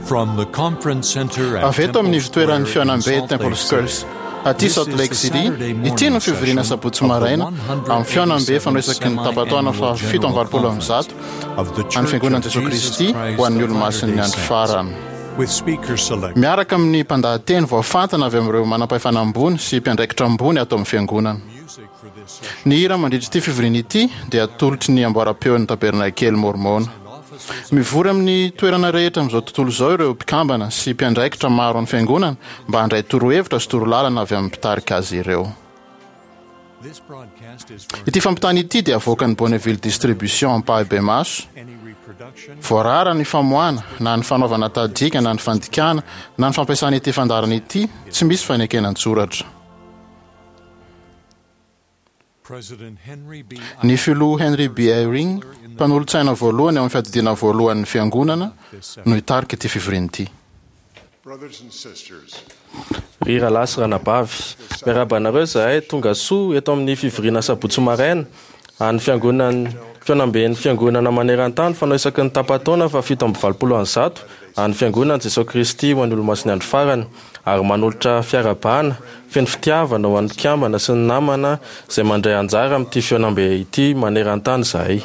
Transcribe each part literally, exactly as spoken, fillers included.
From the conference center at Avy eto amin'ny Temple ivontoeran'ny Square in fihaonambe Salt Temple Lake Square City. aty This Salt is Lake the City. Saturday Ity morning no fivoriana session sabotsy of the maraina amin'ny fihaonambe fanoisaky ny tapa-taona one hundred eighty-seventh faha fito amby valopolo amby zato of the an'ny Church Fiangonan'i of Jesoa Jesus Kristy Christ ho an'ny of olomasin'ny Latter-day andro Saints, farany. with speaker select Miaraka amin'ny mpandahateny voafantana avy amin'ireo manam-pahefana ambony sy mpiandraikitra ambony ato amin'ny fiangonana. music for this session Ny hira mandritra ity fivoriana ity dia atolotry ny amboaram-peon'ny tabernakely Mormona. officers Mivory amin'ny toerana rehetra amin'izao tontolo izao ireo mpikambana sy mpiandraikitra maro amin'ny fiangonana mba handray torohevitra sy torolalana avy amin'ny mpitarika azy ireo. This broadcast is for Ity fampitana ity dia avoakan'ny Bonneville Distribution ampahibemaso. any reproduction Voarara ny famoahana na ny fanaovana tadika na ny fandikana na ny fampiasana ity fandaharana ity tsy misy fanekena an-tsoratra. President Henry B. Ny filoha Henry B. Eyring, mpanolotsaina voalohany ao amin'ny fiadidiana voalohan'ny fiangonana, no hitarika ity fivoriana ity. Brothers and sisters, Ry rahalahy sy ranabavy, miarahaba anareo izahay tonga soa eto amin'ny fivoriana sabotsy maraina an'ny fiangonan'ny fihaonamben'ny fiangonana maneran-tany fanao isaky ny tapa-taona fa fito amby valopolo amby zato an'ny fiangonan'i Jesoa Kristy ho an'ny olomasin'ny andro farany ary manolotra fiarahabana feno fitiavana ho an'ny mpikambana sy ny namana izay mandray anjara amin'ity fihaonambe ity maneran-tany izahay.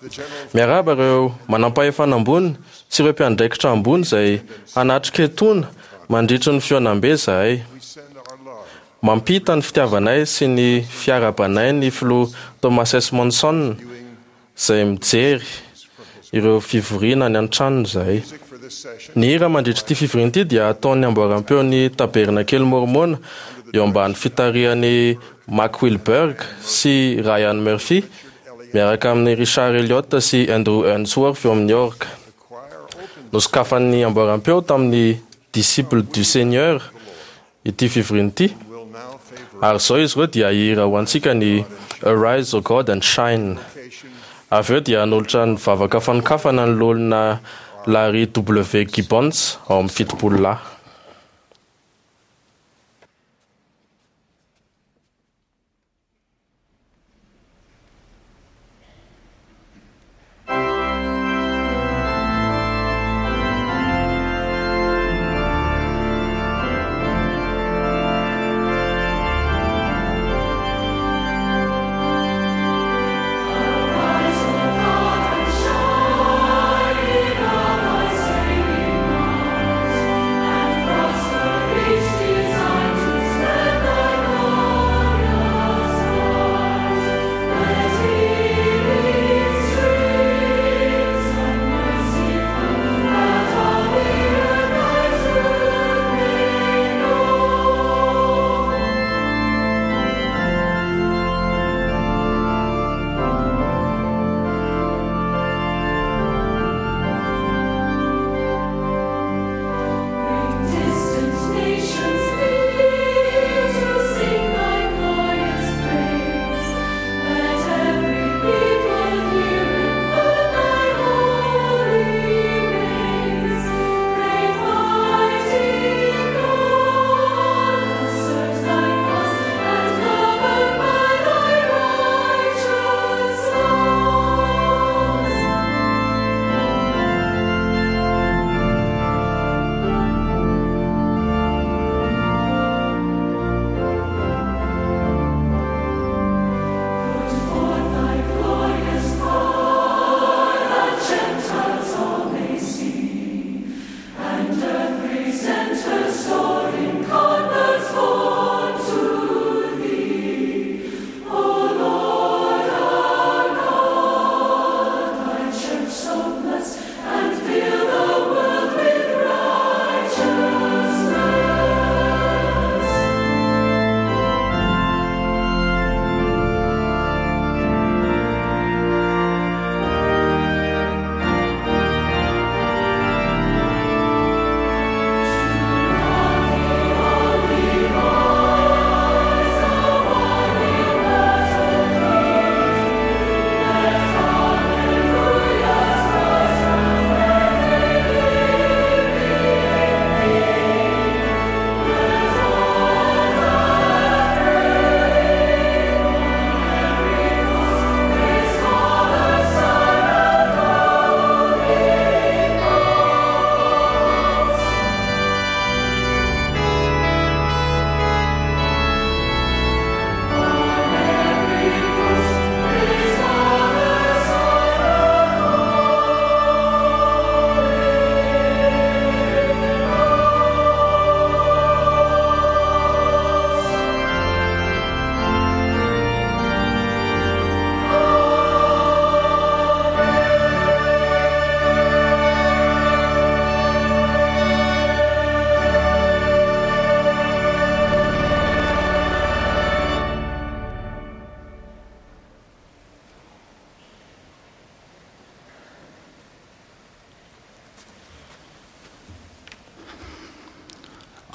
the general Miarahaba ireo manam-pahefana ambony sy ireo mpiandraikitra ambony izay hanatrika etoana mandritry ny fihaonambe izahay. we send our love Mampita ny fitiavanay sy ny fiarahabanay ny filoha Thomas S. Monson izay mijery ireo fivoriana any an-tranony izahay. music for this session Ny hira mandritra ity fivoriana ity dia ataon'ny amboaram-peon'ny tabernakely Mormona eo ambany fitarihan'i Mack Wilberg sy Ryan Murphy miaraka amin'ny Richard Elliott sy Andrew Unsworth eo amin'ny orga. the choir opened Nosokafan'ny amboaram-peo tamin'ny Disciple du Seigneur ity fivoriana ity will now favor ary izao izy ireo dia hira ho antsika ny Arise O God and Shine. vocation Avy eo dia hanolotra ny vavaka fanokafana ny loholona Larry W. Gibbons ao amin'ny fitopolo lahy. Shine in all thy saving might, and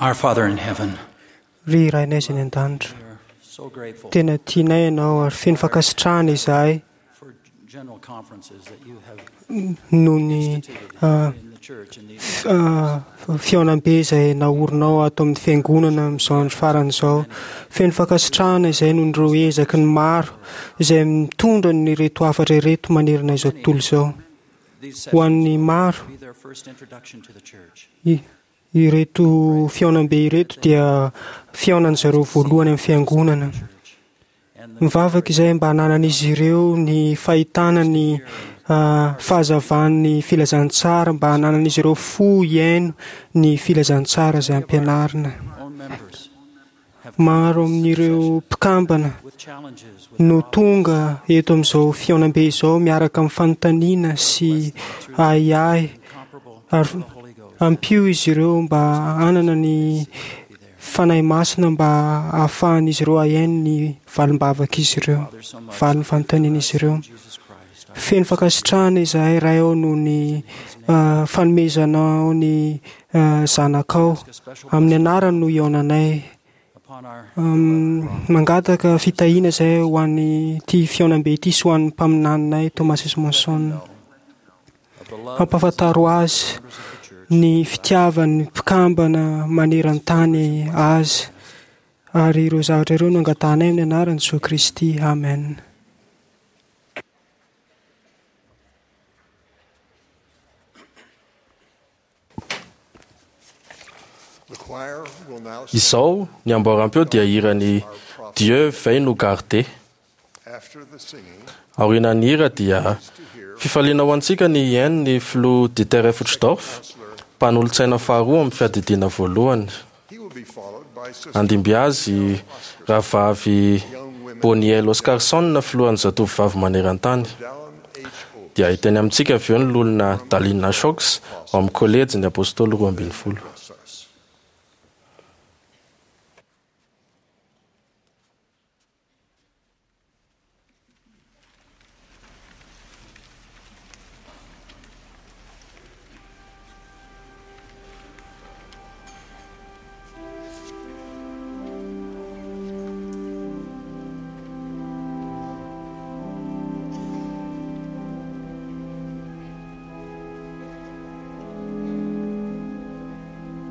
Our Father in heaven, Ry Rainay izay any an-danitra, we are so grateful tena tianay ianao ary feno fankasitrahana izahay for general conferences that you have noho ny instituted ah, in the church in these f- ah, fihaonambe izay naorinao ato amin'ny fiangonana amin'izao andro farany izao. Feno fankasitrahana izay noho ireo ezaky ny maro izay mitondra ny ireto hafatra ireto manerana izao tontolo izao. these Ho an'ny sessions maro, will be their first introduction to the church. i- ireto fihaonambe ireto dia fihaonan'izareo voalohany amin'ny fiangonana. Church. And the Mivavaka izay mba hananan'izy ireo ny fahitana ny ah, fahazavan'ny filazantsara, mba hananan'izy ireo fo hiaino ny filazantsara izay ampianarina. own members have Maro amin'ireo mpikambana with challenges with no tonga eto amin'izao fihaonambe izao miaraka amin'ny fanontaniana sy ahiahy comparable ary to the Holy Ghost. ampio izy ireo mba hanana ny fanahy masina mba hahafahan'izy ireo hahaino ny valim-bavak'izy ireo, Father, so much valin'ny fanontanian'izy ireo. Jesus Christ. our Feno fankasitrahana izahay Ray ao noho ny ah, fanomezanao ny ah, zanakao. Amin'ny anarany no hihaonanay. upon our Um, mangataka fitahiana izay ho an'ity fihaonambe ity sy ho an'ny mpaminaninay Thomas S. Monson. of the love Ampahafantaro azy members of the church ny fitiavan'ny mpikambana maneran-tany azy. Ary ireo zavatra ireo no angatahanay amin'ny anaran'i Jesoa Kristy. Amen. The choir will now sing Izao ny amboaram-peo dia hiran'ny Dieu veille nous garder. after the singing Aorian'ny hira dia to hear fifaliana ho antsika ny hihaino ny filoha Dieter Uchtdorf, mpanolotsaina faharoa amin'ny fiadidiana voalohany. he will be followed by Sister Andimby azy rahavavy Boniel Oscarson, filohan'ny zatovovavy maneran-tany. Dallin H. Oaks. Dia hiteny amintsika avy eo ny lolona Dalina Shox ao amin'ny kolejy ny apôstôly roa ambin'ny folo. Bless us. Thank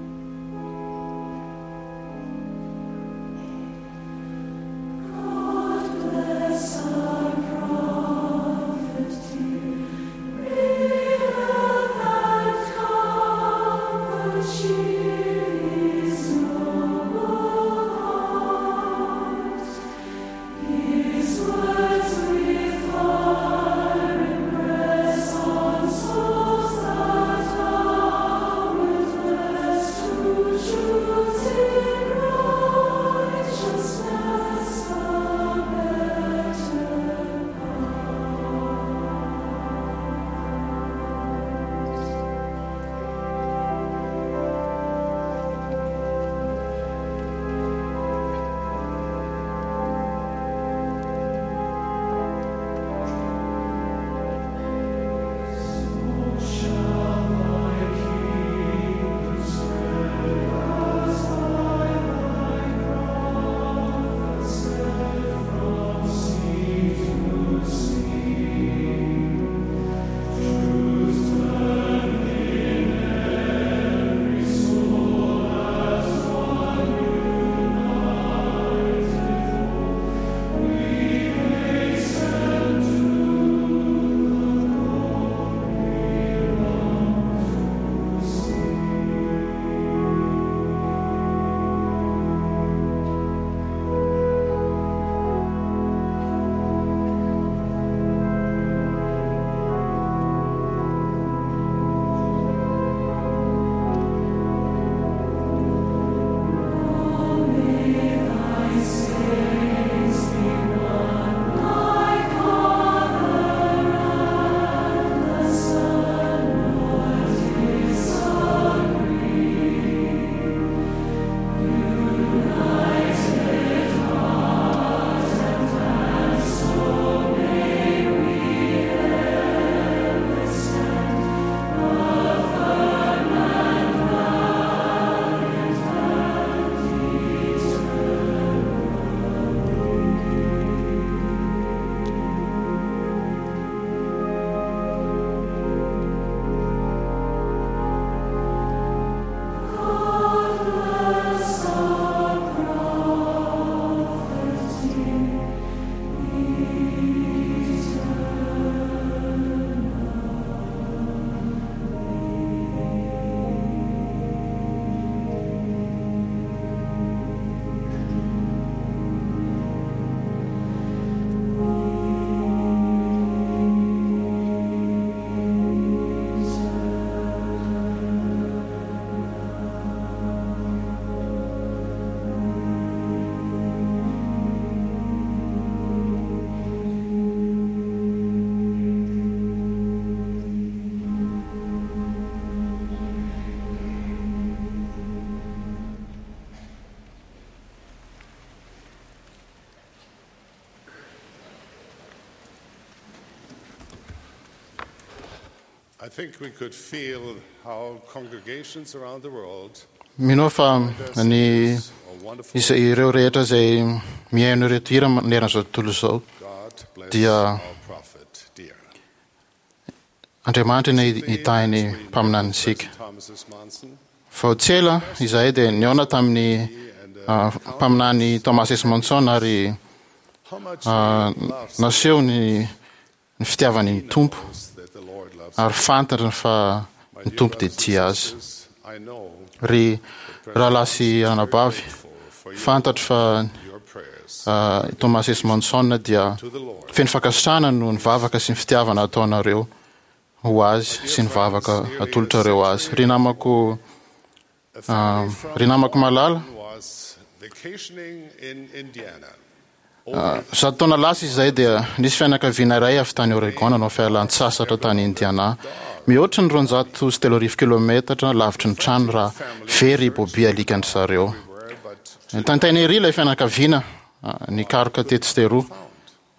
I think we could feel how congregations around the world Mino aho fa ny are wonderful. izay ireo rehetra izay mihaino ireto hira maneran'izao tontolo izao God bless dia our prophet dear. Andriamanitra ny hitahy ny mpaminanintsika. Thomas S. Monson Vao tsy ela izahay dia nihaona tamin'ny ah, mpaminany Thomas S. Monson ary how much ah, he loves naseho ny ny fitiavany ny Tompo us that the Lord loves. ary fantatra fa My ny dear Tompo dia brothers and tia azy. sisters, I know Ry rahalahy sy anabavy, for your, fantatro fa your prayers ah, Thomas S. Monson dia to the Lord. feno fankasitrahana noho ny vavaka sy ny fitiavana ataonareo ho azy sy ny vavaka atolotrareo azy. Ry namako A ah, family from ry namako malala, was vacationing in Indiana. ah, zato taona lasa izay dia nisy fianakaviana iray avy tany Oregon nanao fialan-tsasatra tany Indiana. Mihoatra ny roanjato sy telo arivo kilometatra lavitry ny trano raha very i Bobby alikan-dry zareo. Were, but Tantaina ery ilay fianakaviana ah, nikaroka tetsy sy teroa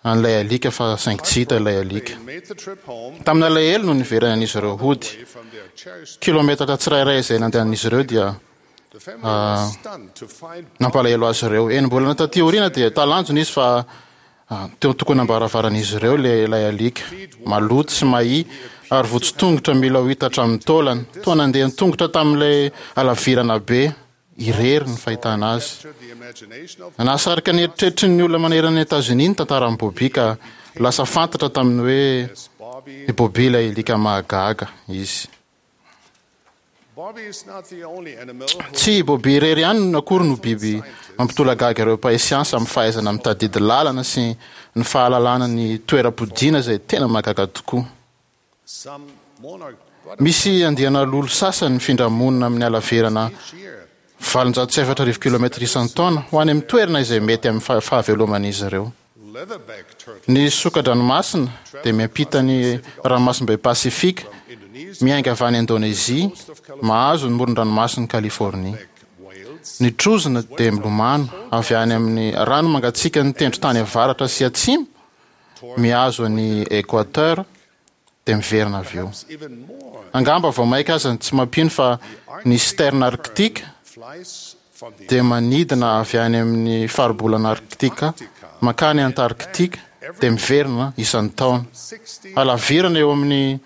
an'ilay alika fa saingy tsy hita ilay alika. they made the trip home Tamin'ny alahelo no niverenan'izy ireo hody. away from their cherished. Kilometatra tsirairay izay nandehan'izy ireo dia The family was stunned to find nampalahelo azy ireo. Enim-bolana taty aoriana dia talanjona izy fa ah, teo tokony ambaravaran'izy ireo ilay ilay alika. Maloto sy mahia ary votso tongotra mila ho hita hatramin'ny taolany. Toa nandeha ny tongotra tamin'ilay halavirana be irery ny fahitana azy. captured the imagination of Nahasarika ny eritreritry ny olona manerana ny Etazonia ny tantaran'i Bobby ka lasa fantatra tamin'ny hoe Bobby. i Bobby ilay alika mahagaga izy. Bobby is not the only animal who Tsy i Bobby irery ihany no akory no biby mampitolagaga ireo mpahay siansa amin'ny fahaizana mitadidy lalana sy ny fahalalana ny toeram-podiana izay tena mahagaga tokoa. some monarch Misy andiana lolo sasany mifindra monina amin'ny halavirana each year valonjato sy efatra arivo kilometatra isan-taona ho any amin'ny toerana izay mety amin'ny faha- fahaveloman'izy ireo. leatherback turtle Ny soka-dranomasina dia miampita ny ranomasimbe Pasifika, Indonesia miainga avy any Indonezia, mahazo ny moron-dranomasin'i Kalifornia. whales Ny trozona dia milomano avy any amin'ny rano mangatsiaka ny tendron-tany avaratra sy atsimo, mihazo ny Équateur dia miverina avy eo. even more Angamba vao maika aza ny tsy mampino fa ny sterne arktika flies from the dia manidina avy any amin'ny faribolana arktika mankany Antarktika dia miverina isan-taona. sixty Halavirana eo amin'ny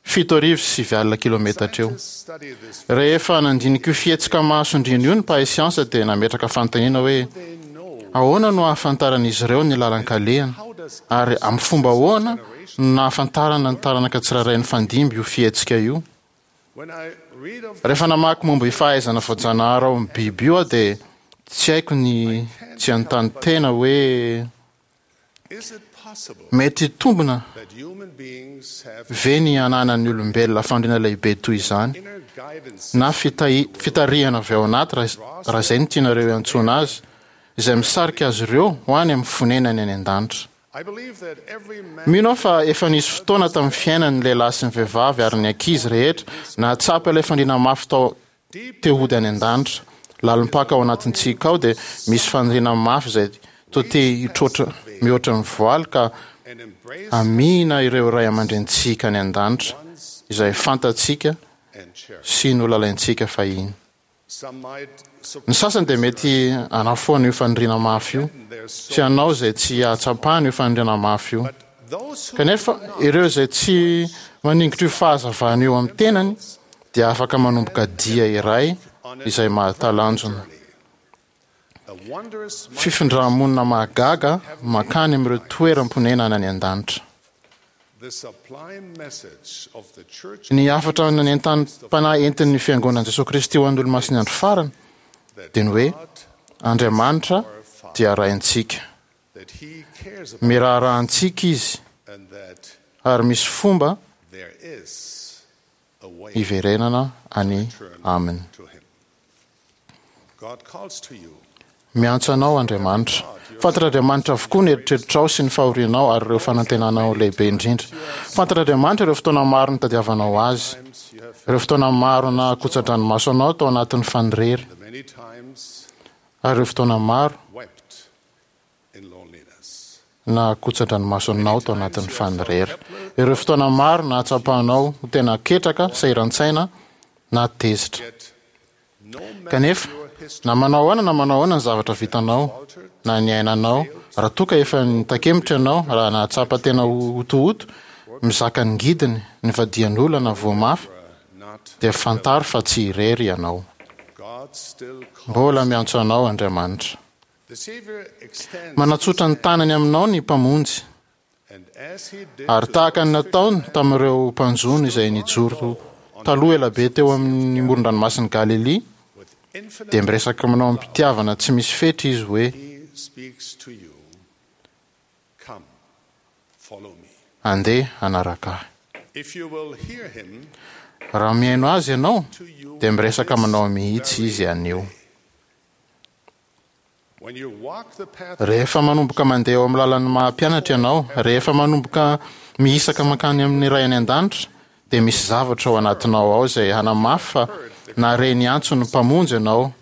fito arivo sy sivy alina kilometatra eo. study this Rehefa nandinika io fihetsika mahasondriana io ny mpahay siansa dia nametraka fanontaniana hoe they know ahoana no ahafantaran'izy ireo ny lalan-kalehana ary amin'ny fomba ahoana no nahafantarana ny taranaka tsirairay ny fandimby io fihetsika io. when I read of Rehefa namaky momba io fahaizana voajanahary ao amin'ny biby io aho dia tsy haiko ny tsy hanontany tena hoe is it possible mety hitombina that human beings have ve ny ananan'ny olombelona fandriana lehibe toy izany inner guidance na fitahi- fitarihana avy ao anaty raha raha izay no tianareo iantsoana azy izay misarika azy ireo ho any amin'ny fonenany any an-danitra. I believe that every man Mino aho fa efa nisy fotoana tamin'ny fiainan'ny lehilahy sy ny vehivavy ary ny ankizy rehetra nahatsapa ilay fandriana mafy tao te hody any an-danitra. Lalim-paka ao anatintsika ao dia misy faniriana mafy izay toa te hitroatra mihoatra ny voaly ka and embrace amihina ireo ray aman-drenintsika any an-danitra izay fantatsika and cherish. sy nolalaintsika fahiny. Some might Ny sasany dia mety hanafoana io faniriana mafy io their sy hanao izay tsy hahatsapana io faniriana mafy io. but those who Kanefa ireo izay tsy maningotra io fahazavana io amin'ny tenany dia afaka manomboka dia iray izay mahatalanjona. a wondrous Fifindramonina mahagaga mankany amin'ireo toeram-ponenana any an-danitra. the sublime message of the church Ny hafatra nentanam-panahy entin'ny fiangonan'i Jesosy Kristy ho an'ny olomasin'ny andro farany that dia ny hoe God Andriamanitra dia Raintsika. that he cares about Miraharaha antsika izy and that ary misy fomba there is a way hiverenana any aminy. to him. God calls to you. Miantso anao Andriamanitra. Fantatr'Andriamanitra avokoa ny eritreritrao sy ny fahorianao ary ireo fanantenanao lehibe indrindra. Fantatr'Andriamanitra ireo fotoana maro nitadiavanao azy. Times you have Ireo fotoana maro nahakotsa-dranomaso anao tao anatin'ny fanirery. the many times Ary ireo fotoana maro wept in loneliness. na kotsa-dranomasonao tao anatin'ny fanirery. Ireo fotoana maro nahatsapanao ho tena ketraka, sahiran-tsaina na tezitra. Yet, no matter Kanefa, your history, na manao ahoana na manao ahoana ny zavatra vitanao na ny ainanao, raha toa ka efa nitakemotra ianao, raha nahatsapa tena ho hotohoto, mizaka ny ngidiny, ny vadian'olona na voa mafy, not dia fantaro fa tsy irery ianao. God still calls. Mbola miantso anao Andriamanitra. The Savior extends Manatsotra ny tanany aminao ny mpamonjy, and as he did ary to tahaka ny those nataony tamin'ireo mpanjono izay nijoro taloha ela be teo amin'ny moron-dranomasin'i Galilia, with infinite dia miresaka aminao amim-pitiavana tsy misy fetra izy hoe he speaks to you. Come, follow me. andeha hanaraka ahy. If you will hear him, Raha mihaino azy ianao, to you dia miresaka aminao mihitsy izy anio. when you walk the path Rehefa manomboka mandeha eo amin'ny lalan'ny maha-mpianatra ianao, rehefa manomboka mihisaka mankany amin'ny Ray any an-danitra, dia misy zavatra ao anatinao ao izay hanamafy fa nahare ny antson'ny mpamonjy ianao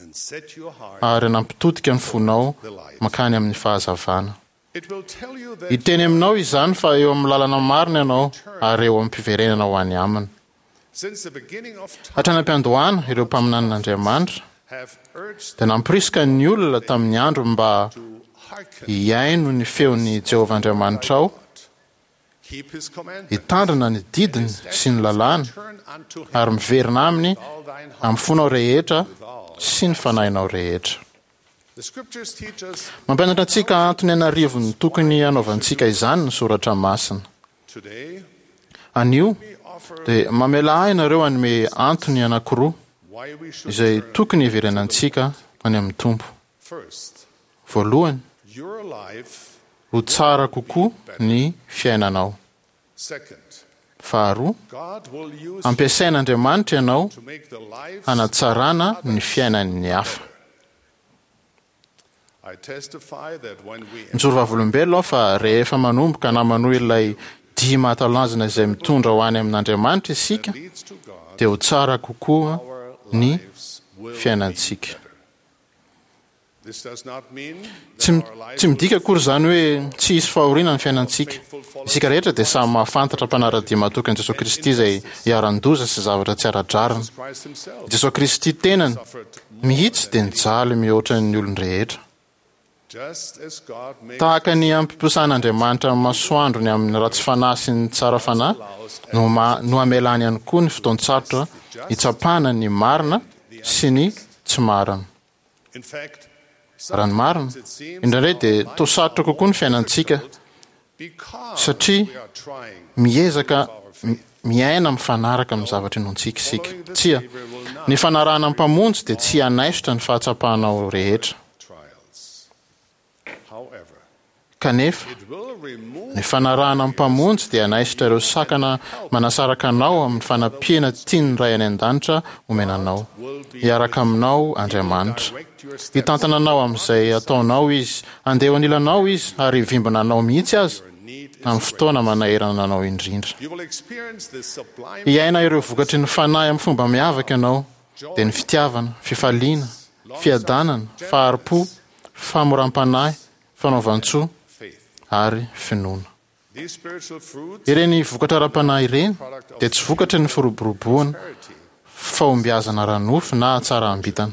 and set your heart, ary nampitodika ny fonao mankany amin'ny fahazavana. it will tell you that Hiteny aminao izany fa eo amin'ny lalana marina ianao ary eo amin'ny fiverenana ho any aminy. since the beginning of time Hatrany am-piandohana ireo mpaminanin'Andriamanitra have urged dia nampirisika ny olona tamin'ny andro mba to hearken, hihaino ny feon'i Jehovah Andriamanitrao, keep his commandments, hitandrina ny didiny sy ny lalàny turn unto him ary miverina aminy all thine heart. amin'ny fonao rehetra sy ny fanahinao rehetra. The scriptures teach us Mampianatra antsika antony anarivony tokony hanaovantsika izany ny soratra masina. today Anio we offer dia mamela ahy ianareo hanome antony anankiroa why we should izay turn tokony hiverenantsika any amin'ny Tompo. first. Voalohany, Your life, ho tsara kokoa ny fiainanao. second, Faharoa, God will use ampiasain'Andriamanitra ianao to make the lives hanatsarana ny fiainan'ny hafa. I testify that when we Mijoro vavolombelona aho fa rehefa manomboka na manohy ilay dia mahatalanjona izay mitondra ho any amin'Andriamanitra isika, leads to God, dia ho tsara kokoa our ny lives will be fiainantsika. better. This does not mean Tsy that mi- our lives tsy midika akory izany hoe tsy hisy fahoriana ny fiainantsika. Isika rehetra dia samy mahafantatra mpanara-dia mahatoky an'i Jesosy Kristy izay iharan-doza sy zavatra tsy ara-drariny. Christ himself Jesosy Kristy tenany suffered mihitsy dia nijaly mihoatra ny olon-drehetra. just as God made Tahaka ny ampiposahan'Andriamanitra ny masoandrony amin'ny ratsy fanahy sy ny tsara fanahy no, ma, no amelany ihany koa ny fotoan-tsarotra hitsapana ny marina sy ny tsy marina. in fact Raha ny marina, sometimes it seems indraindray our dia lives toa sarotra kokoa ny fiainantsika because satria we are trying miezaka mi- miaina mifanaraka amin'ny zavatra inoantsika isika. Tsia, ny fanarahana ny mpamonjy dia tsy hanaisotra ny fahatsapanao rehetra. trials. However, Kanefa, it will remove ny fanarahana ny mpamonjy dia hanaisotra ireo sakana manasaraka anao amin'ny fanampiana tian'ny Ray any an-danitra omena anao. Hiaraka aminao Andriamanitra. direct your steps Hitantana anao amin'izay ataonao izy, handeha eo anilanao izy ary hivimbina anao mihitsy aza need is amin'ny fotoana manahirana anao indrindra. You will experience the sublime Hiaina ireo vokatry ny fanahy amin'ny fomba miavaka ianao, dia ny fitiavana, fifaliana, fiadanana, fahari-po, famoram-panahy, fanaovan-tsoa faith. ary finoana. These spiritual fruits Ireny vokatra ara-panahy ireny dia tsy vokatry ny firoboroboana, prosperity, fahombiazana ara-nofo na hatsaram-bitana.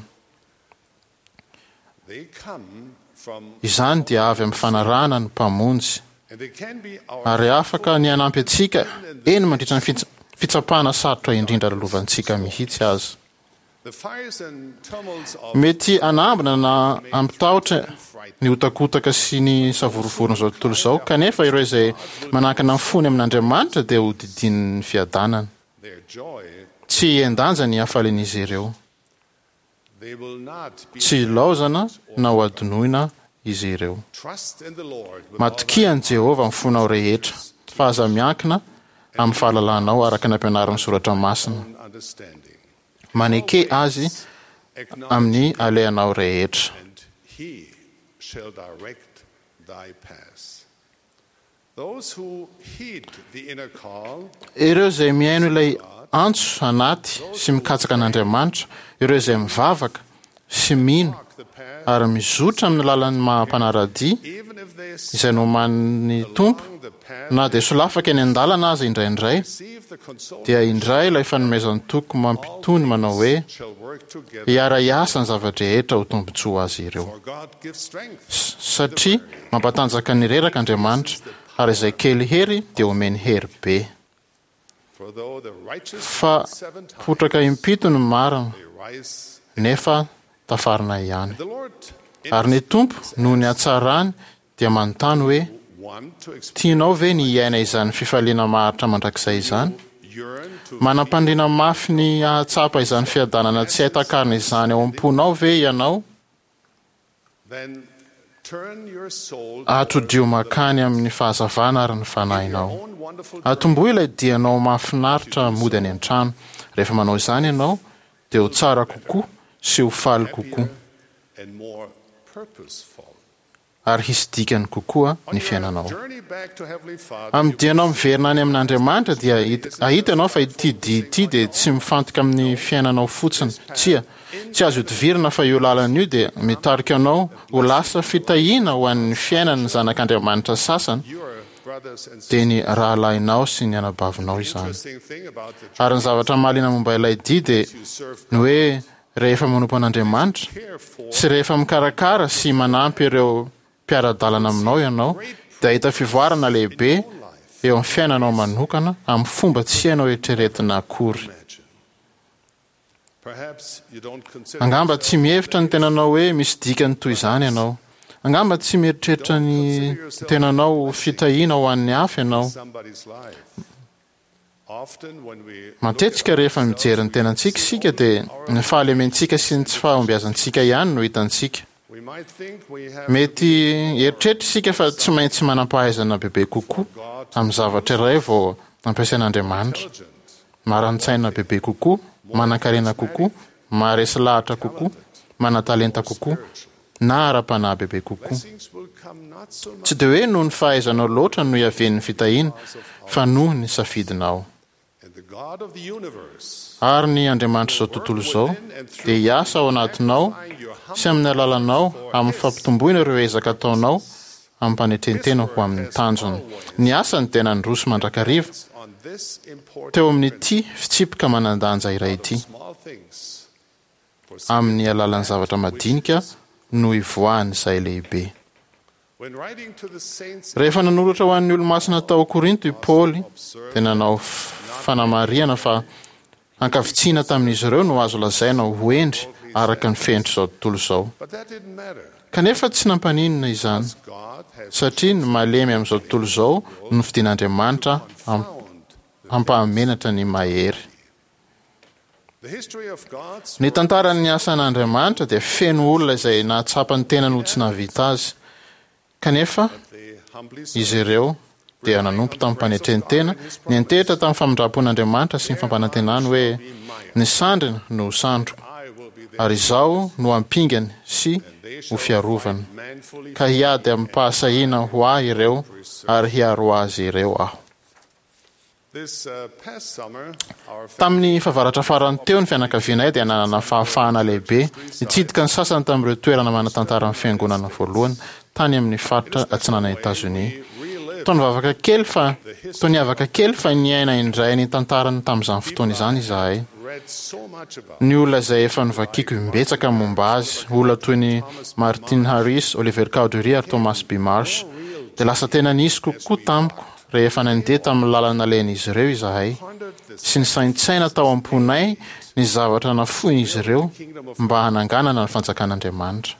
they come from Izany dia avy amin'ny fanarahana ny mpamonjy and they can be our ary afaka ny hanampy antsika eny mandritra ny fits- fitsapana sarotra indrindra lalovantsika mihitsy aza. the fires and tumults of Mety hanambina na hampitahotra ny hotakotaka sy ny savorovoron'izao tontolo izao, kanefa ireo izay manankina ny fony amin'Andriamanitra dia ho didinin'ny fiadanana. their joy, Tsy hihen-danja ny hafalian'izy ireo. they will not be Tsy hilaozana na ho adinoina izy ireo. trust in the Lord with all Matokia an'i Jehovah amin'ny fonao rehetra, fa aza miankina amin'ny fahalalanao araka ny ampianarin'ny soratra masina. thine own understanding. Maneke azy Acknowledge amin'ny alehanao rehetra. and he shall direct thy paths. Those who heed the inner call Ireo izay mihaino ilay antso anaty sy mikatsaka an'Andriamanitra, ireo izay mivavaka sy mino walk the path, ary mizotra amin'ny lalan'ny maha-mpanara-dia even if they izay nomanin'ny Tompo, na dia solafaka eny an-dalana aza indraindray, dia indray ilay fanomezan-toky mampitony manao hoe hiara-hiasa ny zava-drehetra ho tombontsoa azy ireo. Satria mampatanjaka ny reraka Andriamanitra, ary izay kely hery dia omeny hery be. Fa potraka impito ny marina, nefa tafarina ihany. Ary ny Tompo, noho ny hatsarany, dia manontany hoe tianao ve ny hiaina izany fifaliana maharitra mandrakizay izany? Manam-pandriana mafy ny hahatsapa izany fiadanana tsy hay takarina izany ao am-ponao ve ianao? Atodio makany amin'ny fahazavana ary ny fanahinao. Atombohy ilay dianao mahafinaritra mody any an-trano. Rehefa manao izany ianao, dia ho tsara kokoa sy ho faly kokoa, ary hisy dikany kokoa ny fiainanao. Amin'ny dianao miverina any amin'Andriamanitra dia hahita ianao fa ity dia ity dia tsy mifantoka amin'ny fiainanao fotsiny. Tsia, tsy azo ihodivirana fa io lalana io dia mitarika anao ho lasa fitahiana ho an'ny fiainan'ny zanak'Andriamanitra sasany, dia ny rahalahinao sy ny anabavinao izany. Ary ny zavatra mahaliana momba ilay dia dia ny hoe rehefa manompo an'Andriamanitra sy rehefa mikarakara sy manampy ireo mpiara-dalana aminao ianao, dia hahita fivoarana lehibe eo amin'ny fiainanao manokana amin'ny fomba tsy hainao eritreretina akory. Angamba tsy mihevitra ny tenanao hoe misy dikany toy izany ianao. Angamba tsy mieritreritra ny tenanao ho fitahiana ho an'ny hafa ianao. Matetika rehefa mijery ny tenantsika isika dia ny fahalementsika sy ny tsy fahombiazantsika ihany no hitantsika. Mety hieritreritra isika fa tsy maintsy manam-pahaizana bebe kokoa amin'ny zavatra iray vao ampiasain'Andriamanitra. Maran-tsaina bebe kokoa, manan-karena kokoa, maharesy lahatra kokoa, manan-talenta kokoa, na ara-panahy bebe kokoa. Tsy dia hoe noho ny fahaizanao loatra no iavian'ny fitahiana, fa noho ny safidinao. Ary ny Andriamanitr'izao tontolo izao dia hiasa ao anatinao sy amin'ny alalanao amin'ny fampitomboina ireo ezaka ataonao amim-panetren-tena ho amin'ny tanjony. Ny asany dia nandroso mandrakariva teo amin'ity fitsipika manan-danja iray ity. Amin'ny alalan'ny zavatra madinika no ivoahan'izay lehibe. Rehefa nanoratra ho an'ny olo-masina tao Korinto i Paoly, dia nanao fanamarihana fa ankavitsiana tamin'izy ireo no azo lazaina ho hendry araka ny fenitr'izao tontolo izao. Kanefa tsy nampaninona izany, satria ny malemy amin'izao tontolo izao no nofidin'Andriamanitra hampahamenatra ny mahery. Ny tantaran'ny asan'Andriamanitra dia feno olona izay nahatsapa ny tenany ho tsy nahavita azy, kanefa izy ireo dia nanompo tamim-panetren-tena, niantehitra tamin'ny famindram-pon'Andriamanitra sy ny fampanantenany hoe ny sandriny no ho sandriko, ary izaho no ampingany sy ho fiarovany, ka hiady amim-pahasahiana ho ahy ireo ary hiaro azy ireo aho. Tamin'ny fahavaratra farany teo ny fianakavianay dia nanana fahafahana lehibe nitsidika ny sasany tamin'ireo toerana manan-tantaran'ny fiangonana voalohany tany amin'ny faritra atsinanan'i Etazonia. Toa nivavaka kely fa toa niavaka kely fa niaina indray ny tantarany tamin'izany fotoana izany izahay. Ny olona izay efa novakiko imbetsaka momba azy, olona toy ny Martin Harris, Oliver Cowdery ary Thomas B. Marsh, dia lasa tena nisy kokoa tamiko rehefa nandeha tamin'ny lalana nalehan'izy ireo izahay sy nisaintsaina tao am-ponay ny zavatra nafoin'izy ireo mba hananganana ny fanjakan'Andriamanitra.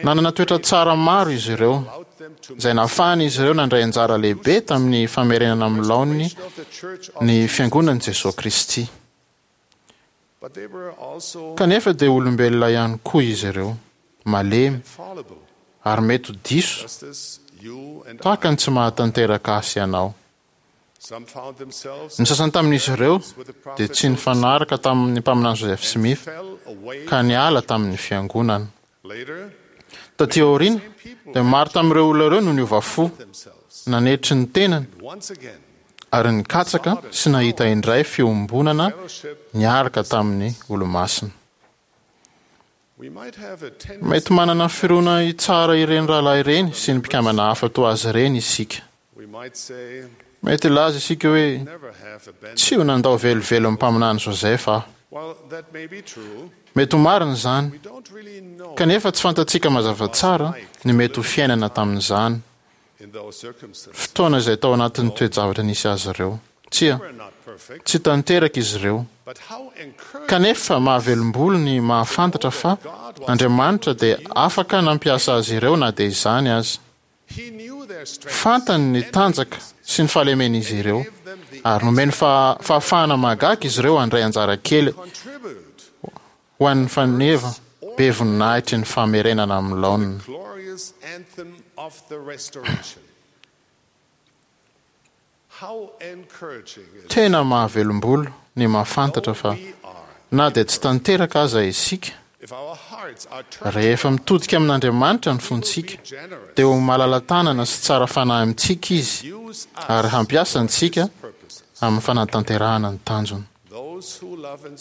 Nanana toetra tsara maro izy ireo, izay nahafahan'izy ireo nandray anjara lehibe tamin'ny famerenana amin'ny laoniny ny Fiangonan'i Jesoa Kristy. Kanefa dia olombelona ihany koa izy ireo, malemy, ary mety ho diso, tahaka ny tsy mahatanteraka ahy sy ianao. Ny sasany tamin'izy ireo dia tsy nifanaraka tamin'ny mpaminany Joseph Smith, ka niala tamin'ny fiangonana. Taty aoriana, dia maro tamin'ireo olona ireo no niova fo, nanetry ny tenany, ary nikatsaka sy nahita indray fiombonana niaraka tamin'ny Olomasina. Mety manana fironana hitsara ireny rahalahy ireny sy ny mpikambana hafa toa azy ireny isika. Mety hilaza isika hoe, "Tsy ho nandao velively ny mpaminany Joseph aho." Mety ho marina izany, kanefa tsy fantatsika mazava tsara ny mety ho fiainana tamin'izany fotoana izay tao anatin'ny toe-javatra nisy azy ireo. Tsia, tsy tanteraka izy ireo. Kanefa mahavelom-bolo ny mahafantatra fa Andriamanitra dia afaka nampiasa azy ireo na dia izany aza. Fantany ny tanjaka sy ny fahalemen'izy ireo, ary nomeny fahafahana mahagaga izy ireo handray anjara kely ho an'ny faneva be voninahitry ny famerenana amin'ny laoniny. Tena mahavelom-bolo ny mahafantatra fa na dia tsy tanteraka aza isika, rehefa mitodika amin'Andriamanitra ny fontsika, dia ho malala-tanana sy tsara fanahy amintsika Izy ary hampiasa antsika amin'ny fanatanterahana ny tanjony.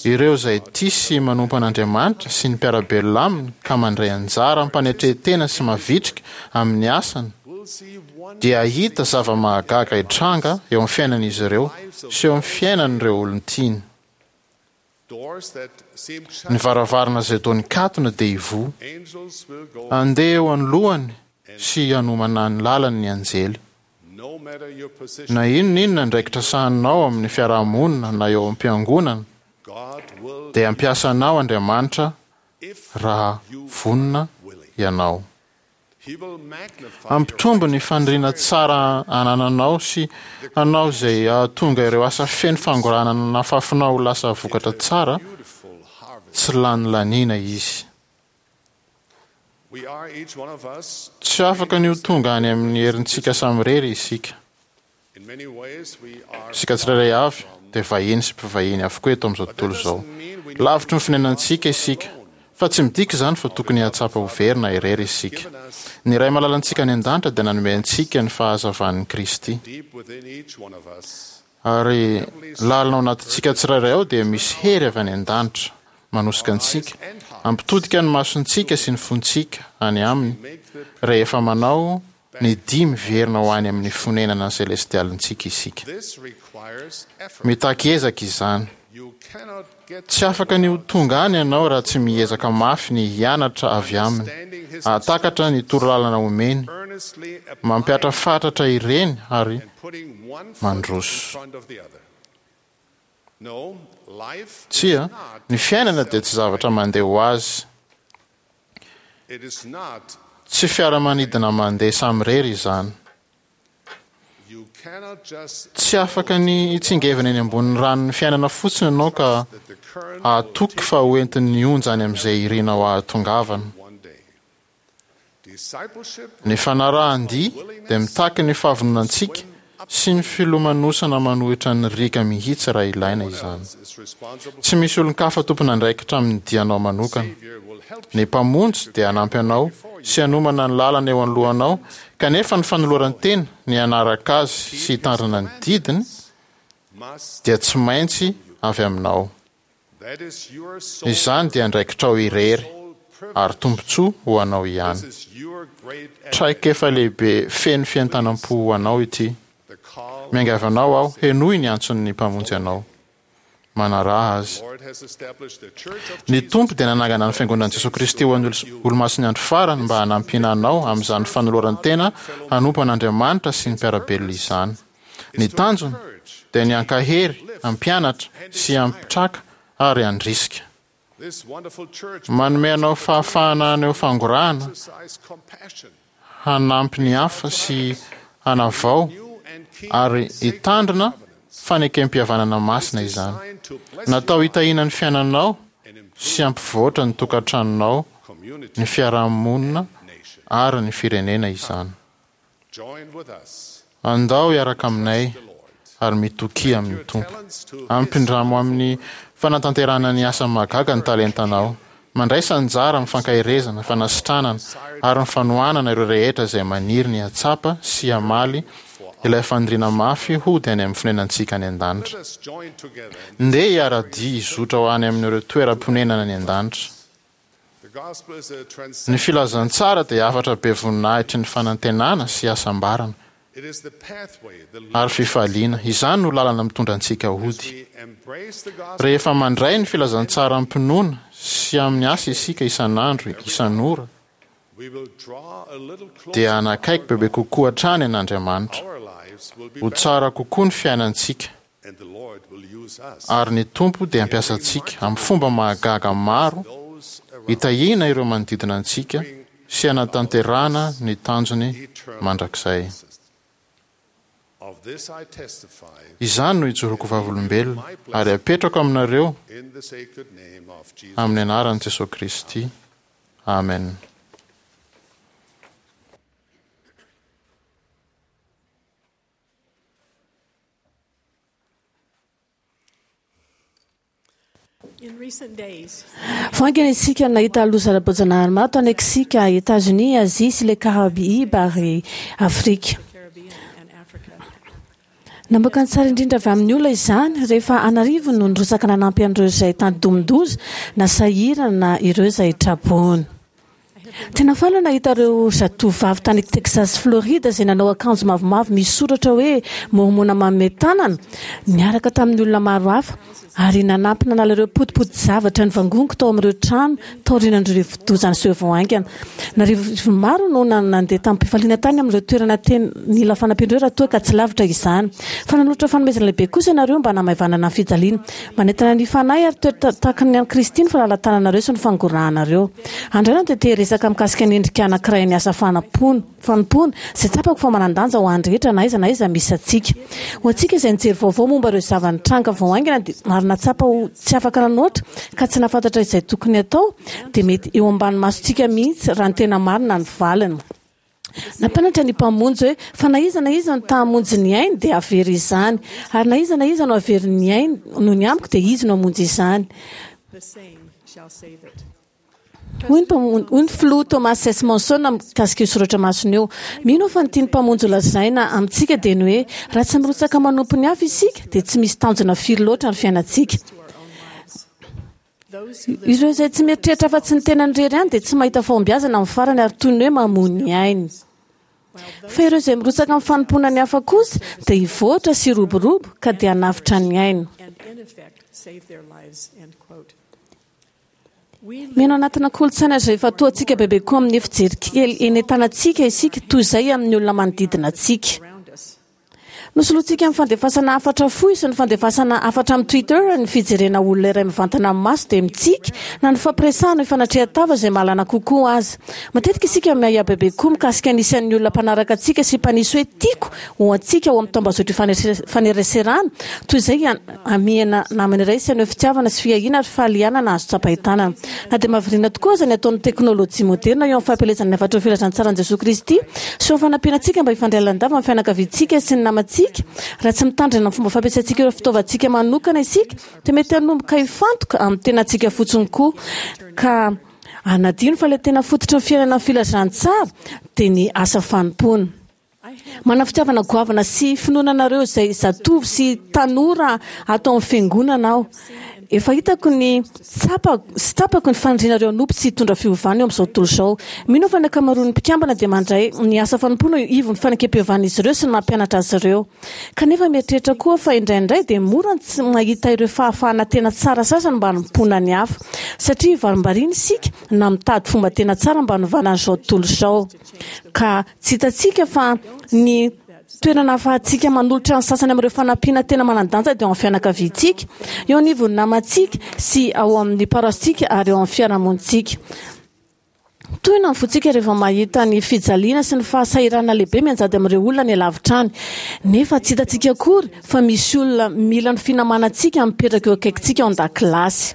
Ireo izay tia sy manompo an'Andriamanitra sy ny mpiara-belona aminy ka mandray anjara amim-panetren-tena sy mavitrika amin'ny asany dia hahita zava-mahagaga hitranga eo amin'ny fiainan'izy ireo sy eo amin'ny fiainan'ireo olon-tiany. Ny varavarana izay toa nikatona dia hivoha. Handeha eo anoloany sy hanomana ny lalany ny anjely. Na inona inona andraikitra sahaninao amin'ny fiarahamonina na eo am-piangonana, dia hampiasa anao Andriamanitra raha vonona ianao. Hampitombo ny faniriana tsara anananao sy hanao izay hahatonga ireo asa feno fangorahana nafafinao ho lasa vokatra tsara tsy lany laniana Izy. Tsy afaka ny ho tonga any amin'ny herintsika samirery isika. Isika tsirairay avy dia vahiny sy mpivahiny avokoa eto amin'izao tontolo izao. Lavitry ny fonenantsika isika, fa tsy midika izany fa tokony hahatsapa ho very na irery isika. Ny Ray malalantsika any an-danitra dia nanome antsika ny fahazavan'i Kristy. Ary lalina ao anatintsika tsirairay ao dia misy hery avy any an-danitra manosika antsika hampitodika ny masontsika sy ny fontsika any Aminy rehefa manao ny dia miverina ho any amin'ny fonenana selestialintsika isika. Mitaky ezaka izany. Tsy afaka ny ho tonga any ianao raha tsy miezaka mafy ny hianatra avy Aminy, hahatakatra ny torolalana omeny, mampihatra fatratra ireny ary mandroso. Tsia, ny fiainana dia tsy zavatra mandeha ho azy. Tsy fiaramanidina mandeha samirery izany. Tsy afaka ny hitsingevana eny ambonin'ny ranon'ny fiainana fotsiny ianao ka hahatoky fa ho entin'ny onja any amin'izay irinao hahatongavana. Ny fanarahan-dia dia mitaky ny fahavononantsika sy ny filomanosana manohitra ny riaka mihitsy raha ilaina izany. Tsy misy olon-kafa tompon'andraikitra amin'ny dianao manokana. Ny Mpamonjy dia hanampy anao sy hanomana ny lalana eo anoloanao, kanefa ny fanoloran-tena ny hanaraka Azy sy hitandrina ny didiny dia tsy maintsy avy aminao. Izany dia andraikitrao irery ary tombontsoa ho anao ihany. Traikefa lehibe feno fientanam-po ho anao ity. Miangavy anao aho, henoy ny antson'ny Mpamonjy anao. Manaraha Azy. Ny Tompo dia nanangana ny Fiangonan'i Jesoa Kristy ho an'ny Olomasin'ny Andro Farany mba hanampiana anao amin'izany fanoloran-tena hanompo an'Andriamanitra sy ny mpiara-belona izany. Ny tanjony dia ny hankahery, hampianatra, sy hampitraka ary handrisika. Manome anao fahafahana haneho fangorahana, hanampy ny hafa sy hanavao ary hitandrina fanekempihavanana masina izany. Natao hitahiana ny fiainanao sy hampivoatra ny tokantranonao, ny fiarahamonina ary ny firenena izany. Andao hiaraka aminay ary mitokia amin'ny Tompo. Ampindramo amin'ny fanatanterahana ny asa mahagaga ny talentanao. Mandraisa anjara amin'ny fankaherezana, fanasitranana ary ny fanohanana ireo rehetra izay maniry ny hahatsapa sy hamaly ilay faniriana mafy hody any amin'ny fonenantsika any an-danitra. Ndeha hiara-dia hizotra ho any amin'ireo toeram-ponenana any an-danitra. Ny filazantsara dia hafatra be voninahitry ny fanantenana sy hasambarana ary fifaliana. Izany no lalana mitondra antsika hody. Rehefa mandray ny filazantsara amim-pinoana sy amin'ny asa isika isan'andro isan'ora, dia hanakaiky bebe kokoa hatrany an'Andriamanitra. Ho tsara kokoa ny fiainantsika, ary ny Tompo dia hampiasa antsika amin'ny fomba mahagaga maro hitahiana ireo manodidina antsika sy hanatanterahana ny tanjony mandrakizay. Izany no ijoroako vavolombelona ary apetrako aminareo amin'ny anaran'i Jesosy Kristy. Amen. Vao haingana isika nahita loza ara-boajanahary maro tany Meksika, Etazonia, Azia sy ilay Karaiba ary Afrika. Namoaka ny tsara indrindra avy amin'ny olona izany rehefa an'arivony no nirotsaka nanampy an'ireo izay tandindomin-doza na sahirana ireo izay traboina. Tena faly aho nahita ireo zatovovavy tany Texas, Florida izay nanao akanjo mavomavo misy soratra hoe Mormona manome tanana niaraka tamin'ny olona maro hafa ary nanampy nanala ireo potipoti-javatra nivangongo tao amin'ireo trano taorian'ireo rivodoza niseho vao haingana. An'arivony maro no nandeha tamim-pifaliana tany amin'ireo toerana tena nila fanampiana ireo raha toa ka tsy lavitra izany. Fa nanolotra fanomezana lehibe kosa ianareo mba hanamaivanana ny fijaliana. Manentana ny fanahy ary toetra tahaka ny an'i Kristy ny fahalalahan-tananareo sy ny fangorahanareo. Androany aho dia te hiresaka mikasika ny endrika anankiray ny asa fanampoana, fanompoana izay tsapako fa manan-danja ho an'ny rehetra na aiza na aiza misy antsika. Ho antsika izay nijery vaovao momba ireo zava-nitranga vao haingana dia ary nahatsapa ho tsy afaka nanoatra ka tsy nahafantatra izay tokony hatao, dia mety eo ambany masontsika mihitsy raha ny tena marina ny valiny. Nampianatra ny Mpamonjy hoe fa na iza na iza no ta hamonjy ny ainy dia hahavery izany, ary na iza na iza no hahavery ny ainy noho ny amiko dia izy no hamonjy izany. Hoy ny mpamonjy, hoy ny filoha Thomas S. Monson mikasika io soratra masina io: Mino aho fa ny tian'ny Mpamonjy holazaina amintsika dia ny hoe raha tsy mirotsaka manompo ny hafa isika dia tsy misy tanjona firy loatra ny fiainantsika. Ireo izay tsy mieritreritra afa-tsy ny tenany irery ihany dia tsy mahita fahombiazana amin'ny farany ary toy ny hoe mamoy ny ainy. Fa ireo izay mirotsaka amin'ny fanompoana ny hafa kosa dia hivoatra sy hiroborobo ka dia hanavotra ny ainy. Miaina anatina kolontsaina izay ifantohantsika bebe kokoa amin'ny fijery kely eny an-tanantsika isika toy izay amin'ny olona manodidina antsika. Nosolointsika amin'ny fandefasana hafatra fohy sy ny fandefasana hafatra amin'ny Twitter ny fijerena olona iray mivantana amin'ny maso dia mitsiky na ny fampiresahana hifanatrehan-tava izay mahalana kokoa aza. Matetika isika miahiahy bebe kokoa mikasika ny isan'ny olona mpanaraka antsika sy mpanisy hoe tiako ho antsika ao amin'ny tambazotra ifaneraserana toy izay hamihana namana iray sy haneho fitiavana sy fiahiana ary fahalianana azo tsapain-tanana. Na dia mahavariana tokoa aza ny ataon'ny teknolojia moderina eo amin'ny fampielezana ny hafatry ny filazantsaran'i Jesoa Kristy sy eo amin'ny fanampiana antsika mba hifandray lalandava amin'ny fianakaviantsika sy ny namantsika, raha tsy mitandrina amin'ny fomba fampiasantsika ireo fitaovantsika manokana isika dia mety hanomboka hifantoka amin'ny tenantsika fotsiny koa ka hanadino fa ilay tena fototry ny fiainana ny filazantsara dia ny asa fanompoana. Manana fitiavana goavana sy finoana anareo izay zatovo sy tanora ato amin'ny fiangonana aho. Efa hitako ny tsapako sy tsapako ny fanirianareo hanompo sy hitondra fiovana eo amin'izao tontolo izao. Mino aho fa ny ankamaroan'ny mpikambana dia mandray ny asa fanompoana eo ivon'ny fanekem-pihavanan'izy ireo sy ny mampianatra azy ireo. Kanefa mieritreritra koa aho fa indraindray dia mora ny tsy mahita ireo fahafahana tena tsara sasany mba hanompoana ny hafa, satria varimbariana isika na mitady fomba tena tsara mba hanovana an'izao tontolo izao. Ka tsy hitantsika fa ny toerana ahafahantsika manolotra ny sasany amin'ireo fanampiana tena manan-danja dia ao amin'ny fianakaviantsika, eo anivon'ny namantsika sy ao amin'ny paroasintsika ary eo amin'ny fiarahamonintsika. Tohina ny fontsika rehefa mahita ny fijaliana sy ny fahasahiranana lehibe mianjady amin'ireo olona any alavitra any. Nefa tsy hitantsika akory fa misy olona mila ny finamanantsika mipetraka eo akaikintsika ao an-dakilasy.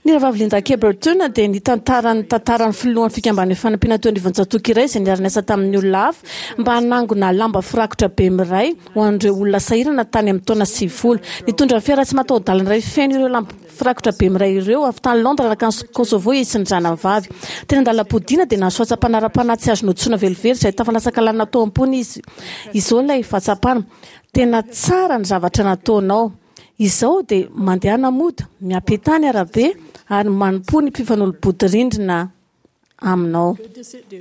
Ny Rahavavy Linda K. Burton dia nitantara ny tantaran'ny filohan'ny Fikambanan'ny Fanampiana teo anivon'ny tsatòka iray izay niara-niasa tamin'ny olona hafa mba hanangona lamba firakotra be miray ho an'ireo olona sahirana tany amin'ny taona sivifolo. Nitondra fiara tsy mataho-dalana iray feno ireo lamba firakotra be miray ireo avy tany Londres nankany Kosovo izy sy ny zanany vavy. Teny an-dalam-podiana dia nahazo fahatsapana ara-panahy tsy azo nodisoana velively izay tafalasaka lalina tao am-pony izy. Izao ilay fahatsapana, Tena tsara ny zavatra nataonao. Izao dia mandehana mody, miampità ny arabe ary manompoa ny mpifanolo-bodirindrina aminao.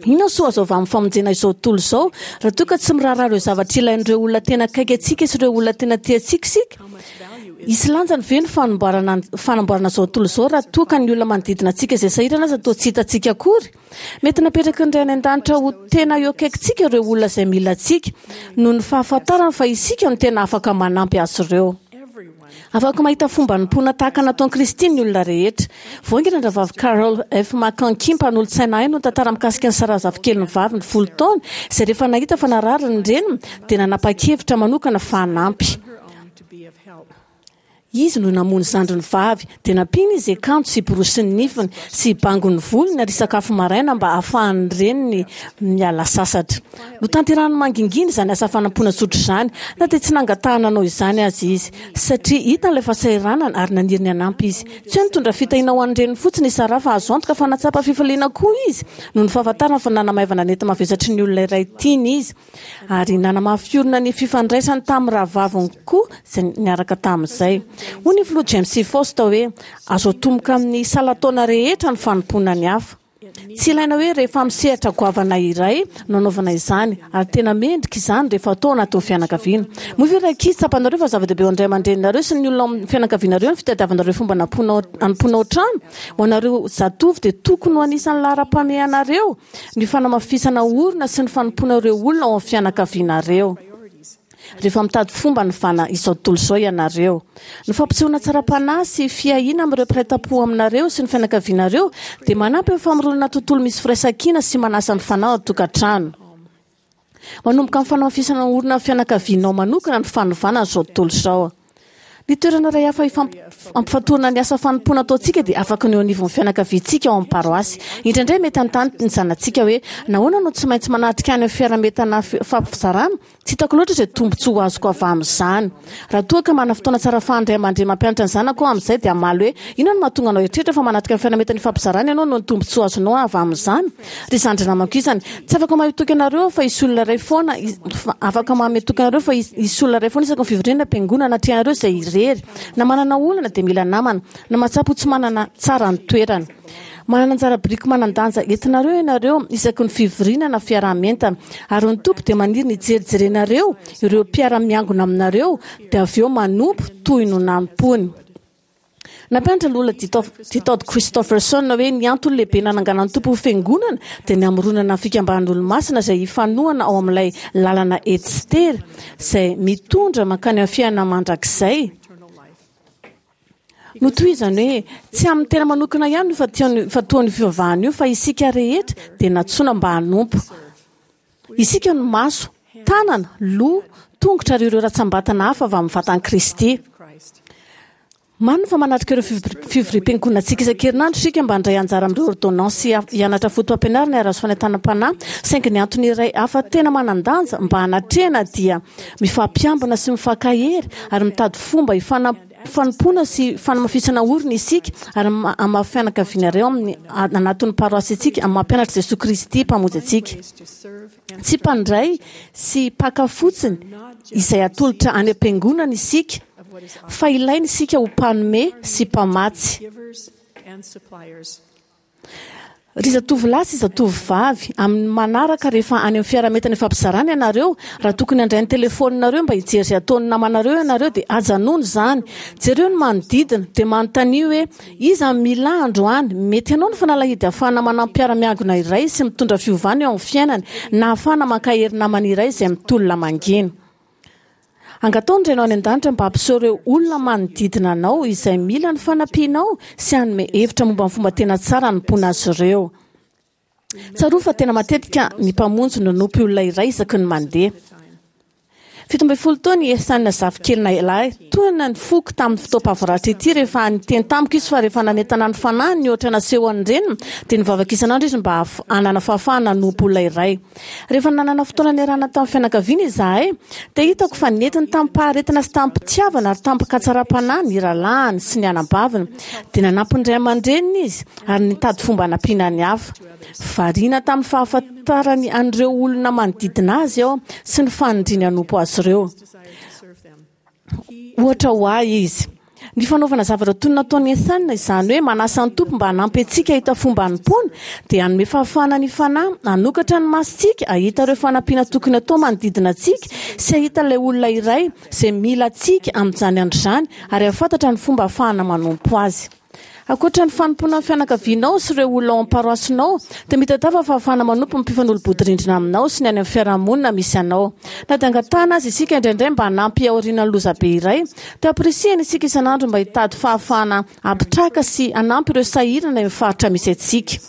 Inona soa azo avy amin'ny famonjena izao tontolo izao raha toa ka tsy miraharaha ireo zavatra ilain'ireo olona tena akaiky antsika sy ireo olona tena tia antsika isika? Hisy lanjany ve ny fanamboarana fanamboarana izao tontolo izao raha toa ka ny olona manodidina antsika izay sahirana aza toa tsy hitantsika akory? Mety napetraky ny Ray any An-danitra ho tena eo akaikintsika ireo olona izay mila antsika, noho ny fahafantarany fa isika no tena afaka manampy azy ireo. Afaka mahita fomba hanompoana tahaka nataon'i Kristy ny olona rehetra. Vao haingana ny Rahavavy Carol F. McConkie, mpanolotsaina ahy, no nitantara mikasika an'i Sarah zafikeliny vavy ny folo taona, izay rehefa nahita fa narary ny reniny, dia nanapa-kevitra manokana fa hanampy. Izy no namono zandriny vavy, dia nampiany izy hiakanjo sy hiborosy ny nifiny, sy hibango ny volony ary hisakafo maraina mba hahafahan'ny reniny miala sasatra. Notanterahiny mangingina izany asa fanampoana tsotra izany, na dia tsy nangatahana hanao izany aza izy, satria hitany ilay fahasahiranana ary naniry ny hanampy izy. Tsy hoe nitondra fitahiana ho an'ny reniny fotsiny i Sarah, fa azo antoka fa nahatsapa fifaliana koa izy noho ny fahafantarany fa nanamaivana ny enta-mavesatry ny olona iray tiany izy, ary nanamafy orina ny fifandraisany tamin'ny rahavaviny koa izay niaraka tamin'izay. Hoy ny Filoha James C. Faust hoe, Azo atomboka amin'ny salan-taona rehetra ny fanompoana ny hafa. Tsy ilaina hoe rehefa amin'ny sehatra goavana iray no anaovana izany, ary tena mendrika izany rehefa atao anatin'ny fianakaviana. Moa ve ry ankizy tsapanareo fa zava-dehibe ho an'ny ray aman-dreninareo sy ny olona ao amin'ny fianakavianareo ny fitadiavanareo fomba hanompoana ao an-trano? Ho anareo zatovo dia tokony ho anisan'ny laharam-pahamehanareo ny fanamafisana orina sy ny fanompoana ireo olona ao amin'ny fianakavianareo. Rehefa mitady fomba hanovana izao tontolo izao ianareo. Ny fampisehoana hatsaram-panahy sy fiahiana amin'ireo mpiray tampo aminareo sy ny fianakavianareo dia manampy amin'ny famoronana tontolo misy firaisankina sy manasa ny fanahy ao an-tokantrano. Manomboka amin'ny fanamafisana orina ny fianakavianao manokana ny fanovana an'izao tontolo izao. Ny toerana iray hafa ampifantohana ny asa fanompoana ataontsika dia afaka ny eo anivon'ny fianakaviantsika ao amin'ny paroasy. Indraindray mety hanontany ny zanatsika hoe, Nahoana no tsy maintsy manatrika any amin'ny fiaraha-mientana fampizarana? Tsy hitako loatra izay tombontsoa ho azoko avy amin'izany. Raha toa ka manana fotoana tsara ahafahan'ny ray aman-dreny mampianatra ny zanako aho amin'izay dia hamaly hoe, Inona no mahatonga anao hieritreritra fa manatrika ny fiaraha-mientana ifampizarana ianao noho ny tombontsoa azonao avy amin'izany? Ry zandry namako isany, tsy afaka mahay toky anareo aho fa hisy olona iray foana, afaka manome toky anareo fa hisy olona iray foana isaky ny fivoriana am-piangonana atrehanareo izay irery, na manana olana dia mila namana, na mahatsapa ho tsy manana tsara ny toerana. Manana anjara biriky manan-danja entinareo ianareo isaky ny fivoriana na fiaraha-mientana, ary ny Tompo dia maniry ny hijerijerenareo ireo mpiara-miangona aminareo dia avy eo manompo toy no nanompoany. Nampianatra Lola D. Todd Christofferson hoe ny antony lehibe nananganan'ny Tompo ho fiangonana dia ny hamoronana ny fikambanan'Olomasina izay hifanohana ao amin'ilay lalana ety sy tery izay mitondra mankany amin'ny fiainana mandrakizay. Notohizany hoe, Tsy amin'ny tena manokana ihany no ifantohan'io fivavahana io fa isika rehetra dia nantsoina mba hanompo. Isika no maso, tanana, loha, tongotra ary ireo ratsambatana hafa avy amin'ny vatan'i Kristy. Marina fa manatrika ireo fivoriam-piangonantsika isan-kerinandro isika mba handray anjara amin'ireo ôrdônansy sy hianatra fotopampianarana ary hahazo fanentanam-panahy, saingy ny antony iray hafa tena manan-danja mba hanatrehana dia mifampiambina sy mifankahery ary mitady fomba hifanompoana sy fanamafisana orina isika ary amin'ny maha fianakaviana iray ao amin'ny anatin'ny paroasy antsika amin'ny maha mpianatr'i Jesoa Kristy Mpamonjy antsika. Tsy mpandray sy mpaka fotsiny izay atolotra any am-piangonana isika, fa ilaina isika ho mpanome sy mpamatsy. Ry zatovolahy sy zatovovavy, amin'ny manaraka rehefa any amin'ny fiaraha-mientana ifampizarana ianareo, raha tokony handray ny telefaoninareo mba hijery izay ataon'ny namanareo ianareo dia ajanony izany. Jereo ny manodidina, dia manontania hoe, Iza no mila ahy androany? Mety hanao ny fanalahidy ahafahana manampy mpiara-miangona iray sy mitondra fiovana eo amin'ny fiainany, na ahafahana mankahery namana iray izay mitolona mangina. Angataho ny Rainao any An-danitra mba hampiseho ireo olona manodidina anao izay mila ny fanampianao sy hanome hevitra momba ny fomba tena tsara hanompoana azy ireo. Tsarovy fa tena matetika ny Mpamonjy no nanompo olona iray isaky ny mandeha. Fito ambin'ny folo taona i Ehsan zafikelinay lahy. Tohina ny foko tamin'ny fotoam-pahavaratra ity rehefa niteny tamiko izy fa rehefa nanentana ny fanahiny ny ohatra nasehon'ny reniny dia nivavaka isan'andro izy mba hanana fahafahana hanompo olona iray. Rehefa nanana fotoana niarahana tamin'ny fianakaviana izahay dia hitako fa nentiny tamim-paharetana sy tamim-pitiavana ary tamim-katsaram-panahy ny rahalahiny sy ny anabaviny. Dia nanampy ny ray aman-dreniny izy ary nitady fomba hanampiana ny hafa. Variana tamin'ny fahafantarany an'ireo olona manodidina azy aho sy ny faniriany hanompo azy ireo. Ohatra ho ahy izy. Ny fanaovana zavatra toy ny nataon'i Ethan, izany hoe manasa ny Tompo mba hanampy antsika hahita fomba hanompoana, dia hanome fahafahana ny Fanahy hanokatra ny masontsika hahita ireo fanampiana tokony hatao manodidina antsika sy hahita ilay olona iray izay mila antsika amin'izany andro izany ary hahafantatra ny fomba ahafahana manompo azy. Ankoatra ny fanompoana ny fianakavianao sy ireo olona ao amin'ny paroasinao, dia mitadiava fahafahana manompo ny mpifanolo-bodirindrina aminao sy ny any amin'ny fiarahamonina misy anao. Na dia angatahana aza isika indraindray mba hanampy aorianan'ny lozabe iray, dia ampirisihana isika isan'andro mba hitady fahafahana hampitraka sy hanampy ireo sahirana eo amin'ny faritra misy antsika.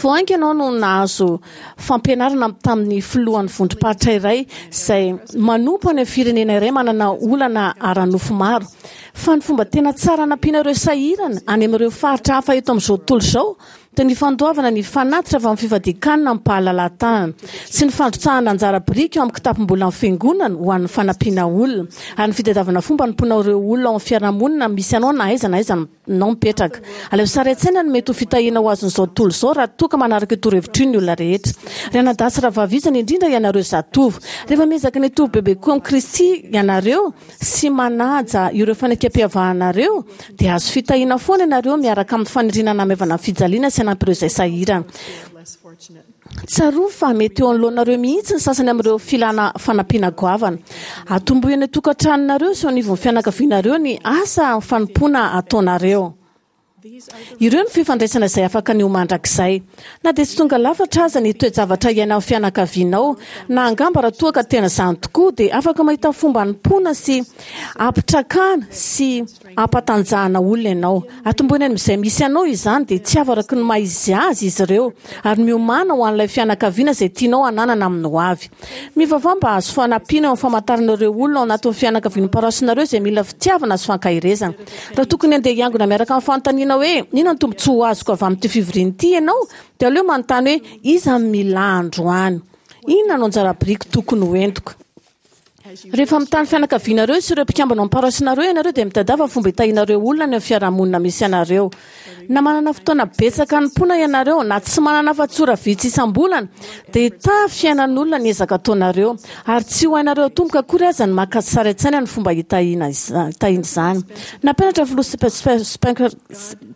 Vao haingana aho no nahazo fampianarana tamin'ny filohan'ny vondrom-paritra iray izay manompo any amin'ny firenena iray manana olana ara-nofo maro, fa ny fomba tena tsara hanampiana ireo sahirana any amin'ireo faritra hafa eto amin'izao tontolo izao dia ny fandoavana ny fanatitra avy amin'ny fifadian-kanina amim-pahalalahan-tanana sy ny fandrotsahana anjara biriky ao amin'ny kitapom-bolan'ny fiangonana ho an'ny fanampiana olona ary ny fitadiavana fomba hanompoana ireo olona ao amin'ny fiarahamonina misy anao na aiza na aiza nao mipetraka. Alaivo sary an-tsaina ny mety ho fitahiana ho azon'izao tontolo izao raha toa ka manaraka io torohevitra io ny olona rehetra. Ry anadahy sy rahavavy isany, indrindra ianareo zatovo, rehefa miezaka ny hitovy bebe kokoa amin'i Kristy ianareo sy manaja ireo fanekempihavanareo, dia hahazo fitahiana foana ianareo miaraka amin'ny faniriana hanamaivana ny fijaliana sy hanampy ireo izay sahirana. Tsarovy fa mety eo anoloanareo mihitsy ny sasany amin'ireo filana fanampiana goavana. Atombohy any an-tokantranonareo sy eo anivon'ny fianakavianareo ny asa fanompoana ataonareo. Ireo no fifandraisana izay afaka ny ho mandrakizay. Na dia tsy tonga lafatra aza ny toe-javatra iainan'ny fianakavianao, na angamba raha toa ka tena izany tokoa, dia afaka mahita fomba hanompoana sy hampitrakana sy hampatanjahana olona ianao. Atombohina any amin'izay misy anao izany, dia tiavo araka ny maha izy azy izy ireo, ary miomàna ho an'ilay fianakaviana izay tianao hananana amin'ny hoavy. Mivavaha mba hahazo fanampiana eo amin'ny famantarana ireo olona ao anatin'ny fianakavian'ny paroasinareo izay mila fitiavana sy fankaherezana. Raha tokony handeha hiangona miaraka amin'ny fanontaniana hoe, Inona no tombontsoa ho azoko avy amin'ity fivoriana ity ianao? dia aleo manontany hoe, Iza no mila ahy androany? Inona no anjara biriky tokony hoentiko? Rehefa mitaha ny fianakavianareo sy ireo mpikambana ao amin'ny paroasinareo ianareo dia mitadiava fomba hitahianareo olona any amin'ny fiarahamonina misy anareo. Na manana fotoana betsaka hanompoana ianareo na tsy manana afa-tsy ora vitsy isam-bolana dia hitaha fiainan'olona ny ezaka ataonareo ary tsy ho hainareo atomboka akory aza ny maka sary an-tsaina ny fomba hitahiana izany. Nampianatra ny filoha Spencer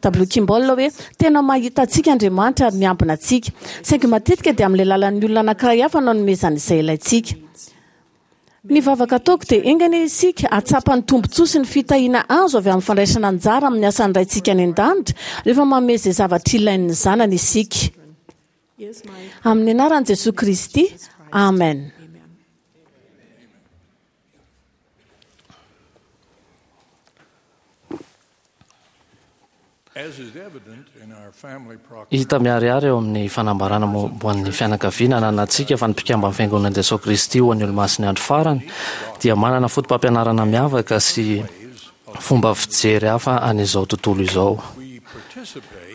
W. Kimball hoe tena mahita antsika Andriamanitra ary miambina antsika. Saingy matetika dia amin'ny alalan'ny olona anankiray hafa no anomezany izay ilaintsika. Ny vavaka ataoko dia enga anie isika hahatsapa ny tombontsoa sy ny fitahiana azo avy amin'ny fandraisana anjara amin'ny asan'ny Raintsika any An-danitra rehefa manome izay zavatra ilain'ny zanany isika. Amin'ny anaran'i Jesoa Kristy, amen. Hita miharihary eo amin'ny fanambarana momba ny fianakaviana ananantsika fa ny mpikamban'ny Fiangonan'i Jesoa Kristy ho an'ny Olomasin'ny Andro Farany dia manana fotopampianarana miavaka sy fomba fijery hafa an'izao tontolo izao.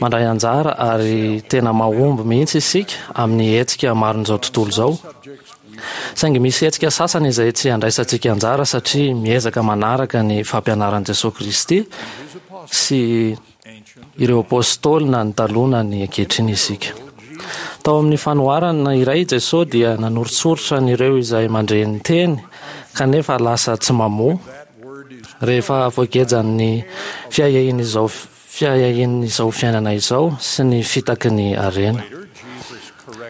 Mandray anjara ary tena mahomby mihitsy isika amin'ny hetsika maron'izao tontolo izao. Saingy misy hetsika sasany izay tsy andraisantsika anjara satria miezaka manaraka ny fampianaran'i Jesoa Kristy sy ireo Apôstôly na ny taloha na ny ankehitriny isika. Tao amin'ny fanoharana iray i Jesoa dia nanoritsoritra an'ireo izay mandre ny teny kanefa lasa tsy mamoa rehefa voagejan'ny fiahiahian'izao fiahiahian'izao fiainana izao sy ny fitaky ny harena.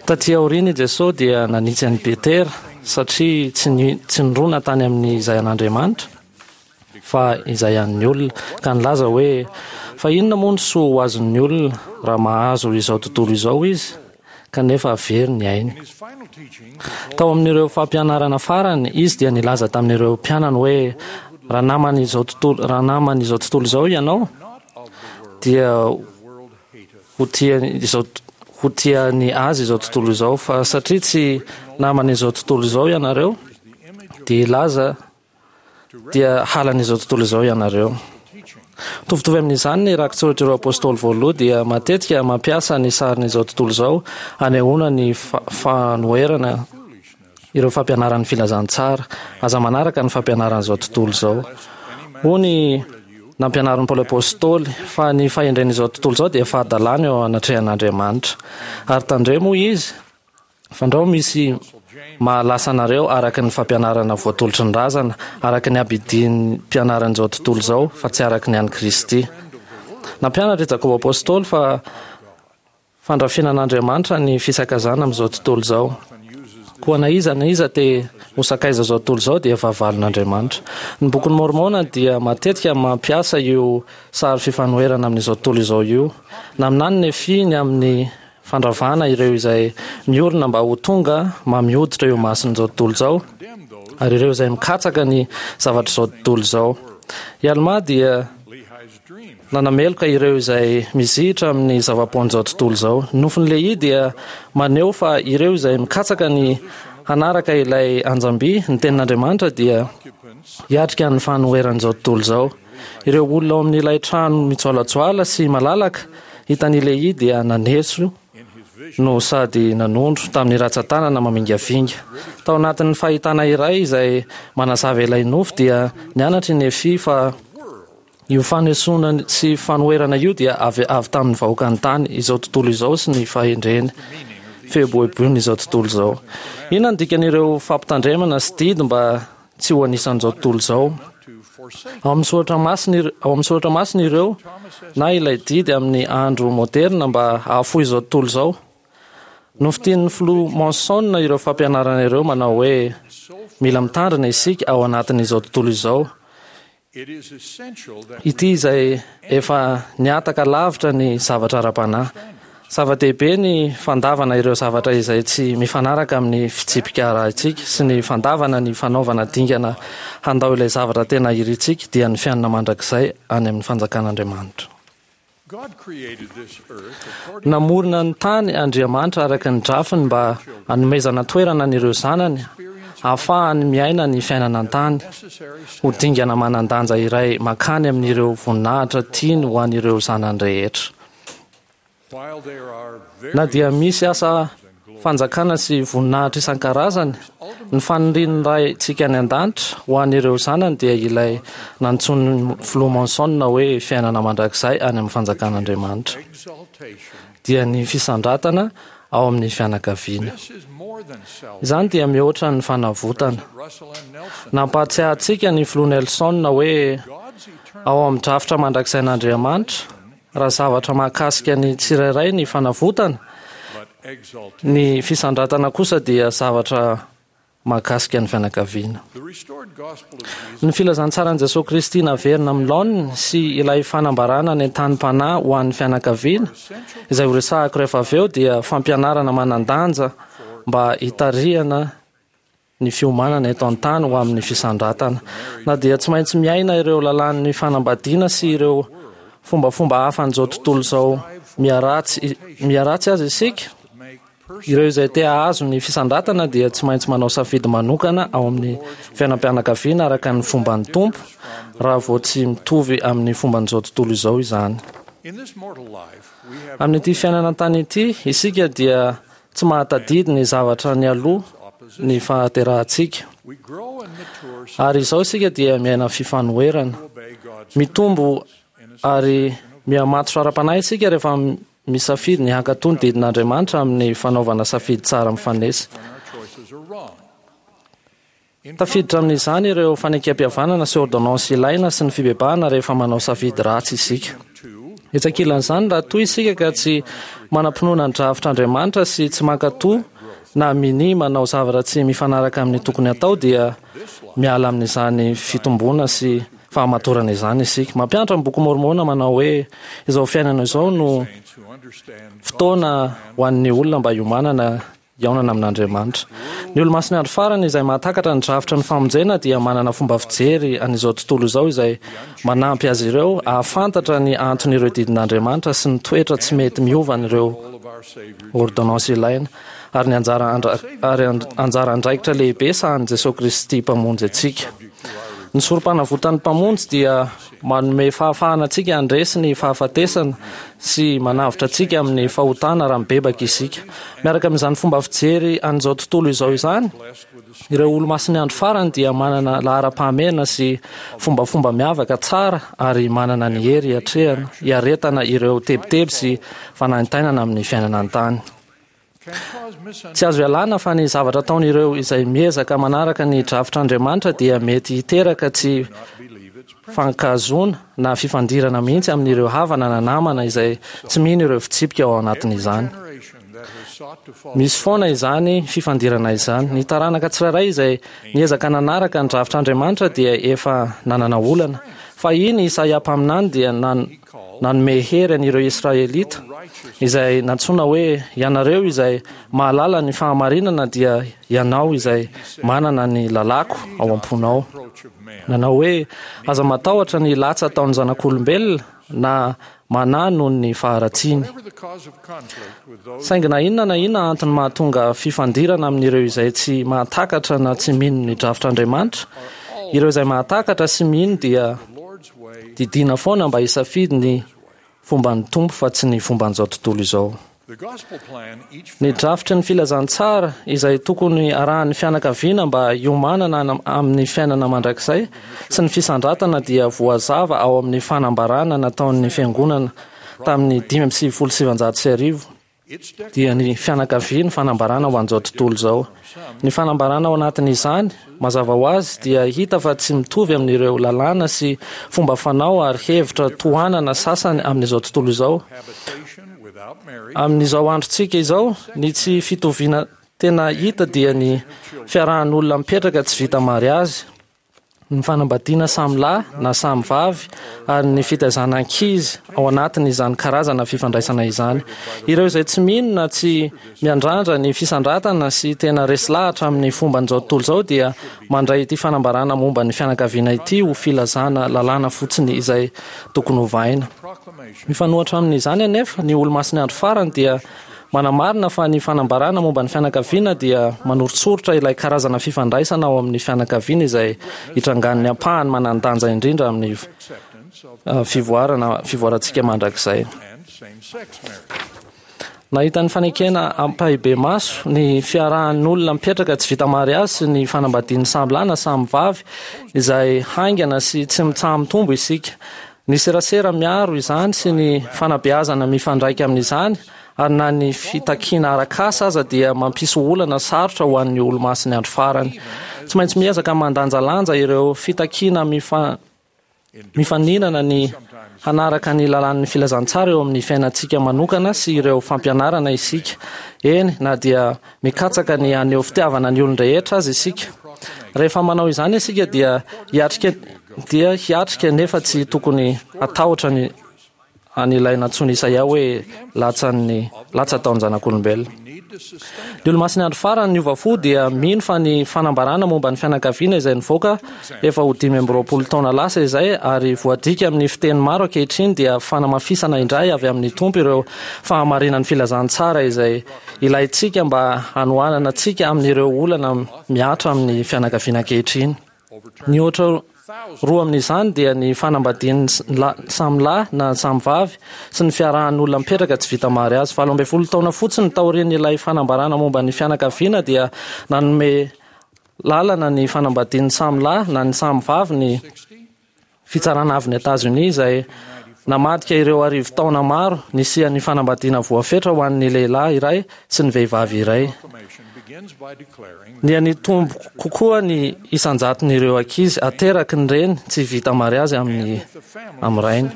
Tatỳ aoriana i Jesosy dia nanitsy an'i Petera satria tsy tsy nirona tany amin'ny izay an'Andriamanitra fa izay an'ny olona, ka nilaza hoe, Fa inona moa no soa ho azon'ny olona raha mahazo izao tontolo izao izy, kanefa very ny ainy? Tao amin'ireo fampianarana farany, izy dia nilaza tamin'ireo mpianany hoe, Raha naman'izao tontolo, raha naman'izao tontolo izao ianao, dia ho tia izao ho tia ny azy izao tontolo izao, fa satria tsy naman'izao tontolo izao ianareo, dia hilaza dia halan'izao tontolo izao ianareo. Mitovitovy amin'izany ny rakitsoratr'ireo apostoly voaloha dia matetika mampiasa ny sarin'izao tontolo izao hanehoana ny fanoherana ireo fampianaran'ny filazantsara. Aza manaraka ny fampianaran'izao tontolo izao. Hoy ny nampianarin'i Paoly Apostoly fa ny fahendren'izao tontolo izao dia fahadalana eo anatrehan'Andriamanitra. Ary tandremo, hoy izy, fandrao misy mahalasa anareo araka ny fampianarana voatolotry ny razana, araka ny abidin'ny mpianaran'izao tontolo izao, fa tsy araka ny an'i Kristy. Nampianatra i Jakoba Apôstôly fa fandrafianan'Andriamanitra ny fisakazana amin'izao tontolo izao. Koa na iza na iza te ho sakaiza izao tontolo izao dia fahavalon'Andriamanitra. Ny bokin'i Môrmôna dia matetika mampiasa io sary fifanoherana amin'izao tontolo izao io. Naminany Nefia ny amin'ny fandravana ireo izay miorina mba ho tonga mamy hoditra eo imason'izao tontolo izao, ary ireo izay mikatsaka ny zavatr'izao tontolo izao. I Almà dia nanameloka ireo izay mizihitra amin'ny zava-poan'izao tontolo izao. Ny nofin'i Lehia dia maneho fa ireo izay mikatsaka ny hanaraka ilay anjam-by, ny tenin'Andriamanitra, dia hiatrika ny fanoheran'izao tontolo izao. Ireo olona ao amin'ilay trano mijoalajoala sy malalaka hitan'i Lehia dia naneso no sady nanondro tamin'ny ratsan-tanana mamingavinga. Tao anatin'ny fahitana iray izay manazava ilay nofy dia nianatra i Nefia fa io fanesoana sy fanoherana io dia avy avy tamin'ny vahoakan'ny tany, izao tontolo izao sy ny fahendreny fieboeboiny izao tontolo izao. Inona no dikan'ireo fampitandremana sy didy mba tsy ho anisan'izao tontolo izao? Ao amin'ny soratra masina ir- ao amin'ny soratra masina ireo na ilay didy amin'ny andro moderna mba hahafoy izao tontolo izao. Nofintinin'ny filoha Monson ireo fampianarana ireo manao hoe mila mitandrina isika ao anatin'izao tontolo izao. Ity izay efa nihataka lavitra ny zavatra ara-panahy. Zava-dehibe ny fandavana ireo zavatra izay tsy mifanaraka amin'ny fitsipika arahintsika sy ny fandavana ny fanaovana dingana handao ilay zavatra tena irintsika dia ny fiainana mandrakizay any amin'ny fanjakan'Andriamanitra. Namorona ny tany Andriamanitra araka ny drafiny mba hanomezana toerana an'ireo zanany ahafahany miaina ny fiainana an-tany ho dingana manan-danja iray mankany amin'ireo voninahitra tiany ho an'ireo zanany rehetra. Na dia misy asa fanjakana sy voninahitra isan-karazany, ny fanirian'ny Raintsika any an-danitra ho an'ireo zanany dia ilay nantsoin'ny filoha Monson hoe fiainana mandrakizay any amin'ny fanjakan'Andriamanitra, dia ny fisandratana ao amin'ny fianakaviana. Izany dia mihoatra ny fanavotana. Nampahatsiahy antsika ny filoha Nelson hoe ao amin'ny drafitra mandrakizain'Andriamanitra, raha zavatra mahakasika ny tsirairay ny fanavotana, ny fisandratana kosa dia zavatra mahakasika ny fianakaviana. Ny filazantsaran'i Jesoa Kristy naverina amin'ny laoniny sy ilay fanambarana ny tanim-panahy ho an'ny fianakaviana, izay horesahako rehefa avy eo, dia fampianarana manan-danja mba hitarihana ny fiomanana eto an-tany ho amin'ny fisandratana. Na dia tsy maintsy miaina ireo lalàn'ny fanambadiana sy ireo fombafomba hafa an'izao tontolo izao miharatsy miharatsy aza isika, ireo izay te hahazo ny fisandratana dia tsy maintsy manao safidy manokana ao amin'ny fiainam-pianakaviana araka ny fomban'ny Tompo, raha vao tsy mitovy amin'ny fomban'izao tontolo izao izany. Amin'ity fiainana an-tany ity, isika dia tsy mahatadidy ny zavatra nialoha ny fahaterahantsika. Ary izao isika dia miaina fifanoherana. Mitombo ary mihamatotra ara-panahy isika rehefa misafidy ny hankatò ny didin'Andriamanitra amin'ny fanaovana safidy tsara mifanesy. Tafiditra amin'izany ireo fanekempihavanana sy ôrdônansy ilaina sy ny fibebahana rehefa manao safidy ratsy isika. Etsy ankilan'izany, raha toa isika ka tsy manam-pinoana ny drafitr'Andriamanitra sy tsy mankatò na minia manao zavatra tsy mifanaraka amin'ny tokony hatao, dia miala amin'izany fitomboana sy fahamatorana izany isika. Mampianatra ny Boky Môrmôna manao hoe izao fiainana izao no fotoana ho an'ny olona mba hiomanana hihaonana amin'Andriamanitra. Ny Olomasin'ny Andro Farany izay mahatakatra ny drafitry ny famonjena dia manana fomba fijery an'izao tontolo izao izay manampy azy ireo hahafantatra ny anton'ireo didin'Andriamanitra sy ny toetra tsy mety miovan'ireo ôrdônansy ilaina ary ny anjara ary anjara andraikitra lehibe sahanin'i Jesoa Kristy Mpamonjy antsika. Ny Sorompanavotan'ny Mpamonjy dia manome fahafahana antsika handresy ny fahafatesana sy manavotra antsika amin'ny fahotana raha mibebaka isika. Miaraka amin'izany fomba fijery an'izao tontolo izao izany, ireo Olomasin'ny Andro Farany dia manana laharam-pahamehana sy fombafomba miavaka tsara ary manana ny hery hiatrehana, hiaretana ireo tebiteby sy fanaintainana amin'ny fiainana an-tany. Tsy azo ialana fa ny zavatra ataon'ireo izay miezaka manaraka ny drafitr'Andriamanitra dia mety hiteraka tsy fankahazoana na fifandirana mihitsy amin'ireo havana na namana izay tsy mino ireo fitsipika ao anatin'izany. Misy foana izany fifandirana izany. Ny taranaka tsirairay izay niezaka nanaraka ny drafitr'Andriamanitra dia efa nanana olana. Fahiny Isaia mpaminany dia nan, nanome hery an'ireo Israelita izay nantsoina hoe ianareo izay mahalala ny fahamarinana dia ianao izay manana ny lalàko ao am-ponao. Nanao hoe aza matahotra ny latsa ataon'ny zanak'olombelona na manahy noho ny faharatsiany. Saingy na inona na inona antony mahatonga fifandirana amin'ireo izay tsy mahatakatra na tsy mino ny drafitr'Andriamanitra, ireo izay mahatakatra sy mino dia didiana foana mba hisafidy ny fomban'ny Tompo fa tsy ny fomban'izao tontolo izao. Ny drafitry ny filazantsara izay tokony arahan'ny fianakaviana mba hiomanana amin'ny fiainana mandrakizay sy ny fisandratana dia voazava ao amin'ny fanambarana nataon'ny fiangonana tamin'ny dimy amby sivifolo sy sivanjato sy arivo dia ny fianakaviany fanambarana ho an'izao tontolo izao. Ny fanambarana ao anatin'izany, mazava ho azy, dia hita fa tsy mitovy amin'ireo lalàna sy fomba fanao ary hevitra tohanana sasany amin'izao tontolo izao. Amin'izao androntsika izao, ny tsy fitoviana tena hita dia ny fiarahan'olona mipetraka tsy vita mariazy, ny fanambadiana samy lahy na samy vavy ary ny fitaizana ankizy ao anatin'izany karazana fifandraisana izany. Ireo izay tsy mino na tsy miandrandra ny fisandratana sy tena resy lahatra amin'ny fomban'izao tontolo izao dia mandray ity fanambarana momba ny fianakaviana ity ho filazana lalàna fotsiny izay tokony hovaina. Mifanohitra amin'izany anefa, ny Olomasin'ny Andro Farany dia manamarina fa ny fanambarana momba ny fianakaviana dia manoritsoritra ilay karazana fifandraisana ao amin'ny fianakaviana izay hitrangan'ny ampahany manan-danja indrindra amin'ny fivoarana fivoarantsika mandrakizay. Nahita ny fanekena ampahibemaso ny fiarahan'olona mipetraka tsy vita mariazy sy ny fanambadian'ny samy lahy na samy vavy izay haingana sy tsy mitsaha-mitombo isika. Ny serasera miaro izany sy ny fanabeazana mifandraika amin'izany ary na ny fitakiana arak'asa aza dia mampisy olana sarotra ho an'ny Olomasin'ny Andro Farany. Tsy maintsy miezaka mandanjalanja ireo fitakiana mifa, mifaninana ny hanaraka ny lalàn'ny filazantsara eo amin'ny fiainantsika manokana sy ireo fampianarana isika. Eny, na dia mikatsaka ny haneho fitiavana ny olon-drehetra aza isika. Rehefa manao izany isika dia hiatrika dia hiatrika nefa tsy tokony hatahotra ny an'ilay nantsoin'i Isaia hoe latsan'ny latsa ataon'ny-zanak'olombelona. Ny Olomasin'ny Andro Farany niova fo dia mino fa ny fanambarana momba ny fianakaviana izay nivoaka efa ho dimy amby roapolo taona lasa izay ary voadika amin'ny fiteny maro ankehitriny dia fanamafisana indray avy amin'ny Tompo ireo fahamarinan'ny filazantsara izay ilaintsika mba hanohanana antsika amin'ireo olana mihatra amin'ny fianakaviana ankehitriny. Ny ohatra roa amin'izany dia ny fanambadian'ny samy lahy na samy vavy sy ny fiarahan'olona mipetraka tsy vita mariazy. Valo ambin'ny folo taona fotsiny taorian'ilay fanambarana momba ny fianakaviana dia nanome lalana ny fanambadian'ny samy lahy na ny samy vavy ny fitsarana avon'i Etazonia izay namadika ireo arivo taona maro nisian'ny fanambadiana voafetra ho an'ny lehilahy iray sy ny vehivavy iray. Niha-nitombo kokoa ny isan-jaton'ireo ankizy ateraky ny reny tsy vita mariazy amin'ny amin'ny rainy.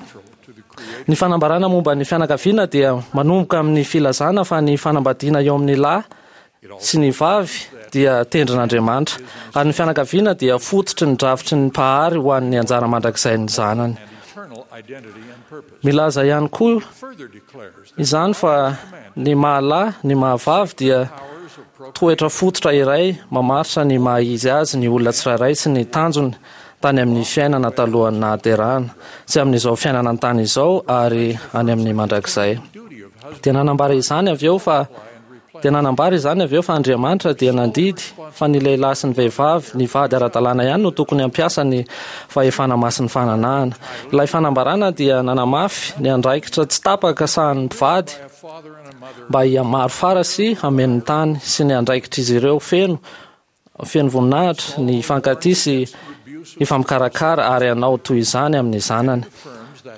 Ny fanambarana momba ny fianakaviana dia manomboka amin'ny filazana fa ny fanambadiana eo amin'ny lahy sy ny vavy dia tendrin'Andriamanitra, ary ny fianakaviana dia fototry ny drafitry ny Mpahary ho an'ny anjara mandrakizain'ny zanany. Milaza ihany koa izany fa ny maha-lahy, ny maha-vavy dia toetra fototra iray mamaritra ny maha-izy azy ny olona tsirairay sy ny tanjony tany amin'ny fiainana talohan'ny nahaterahana, sy amin'izao fiainana an-tany izao ary any amin'ny mandrakizay. Dia nanambara izany avy eo fa Dia nanambara izany avy eo fa Andriamanitra dia nandidy fa ny lehilahy sy ny vehivavy nivady ara-dalàna ihany no tokony hampiasa ny fahefana masin'ny fananahana. Ilay fanambarana dia nanamafy ny andraikitra tsy tapaka sahanin'ny mpivady mba hihamaro fara sy hameno ny tany sy ny andraikitr'izy ireo feno feno voninahitra ny hifankatia sy hifampikarakara ary hanao toy izany amin'ny zanany.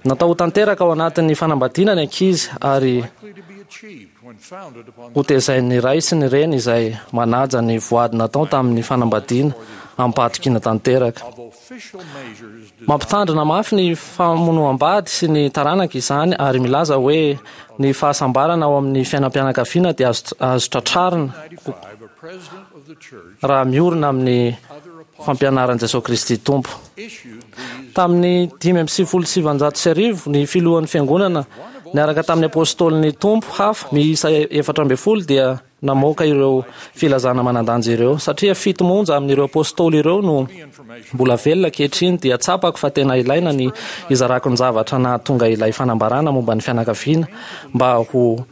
Natao ho tanteraka ao anatin'ny fanambadiana ny ankizy ary Hotezain'ny ray sy ny reny izay manaja ny voady natao tamin'ny fanambadiana amim-pahatokiana tanteraka. Mampitandrina mafy ny famonoam-bady sy ny taranaka izany ary milaza hoe ny fahasambarana ao amin'ny fiainam-pianakaviana dia azo azo tratrarina raha miorina amin'ny fampianaran'i Jesosy Kristy Tompo. Tamin'ny dimy amby sivifolo sy sivanjato sy arivo, ny filohan'ny fiangonana niaraka tamin'ny apôstôlin'ny Tompo hafa miisa efatra ambin'ny folo dia namoaka ireo filazana manan-danja ireo. Satria fito monja amin'ireo apôstôly ireo no mbola velona ankehitriny, dia tsapako fa tena ilaina ny hizarako ny zavatra nahatonga ilay fanambarana momba ny fianakaviana mba ho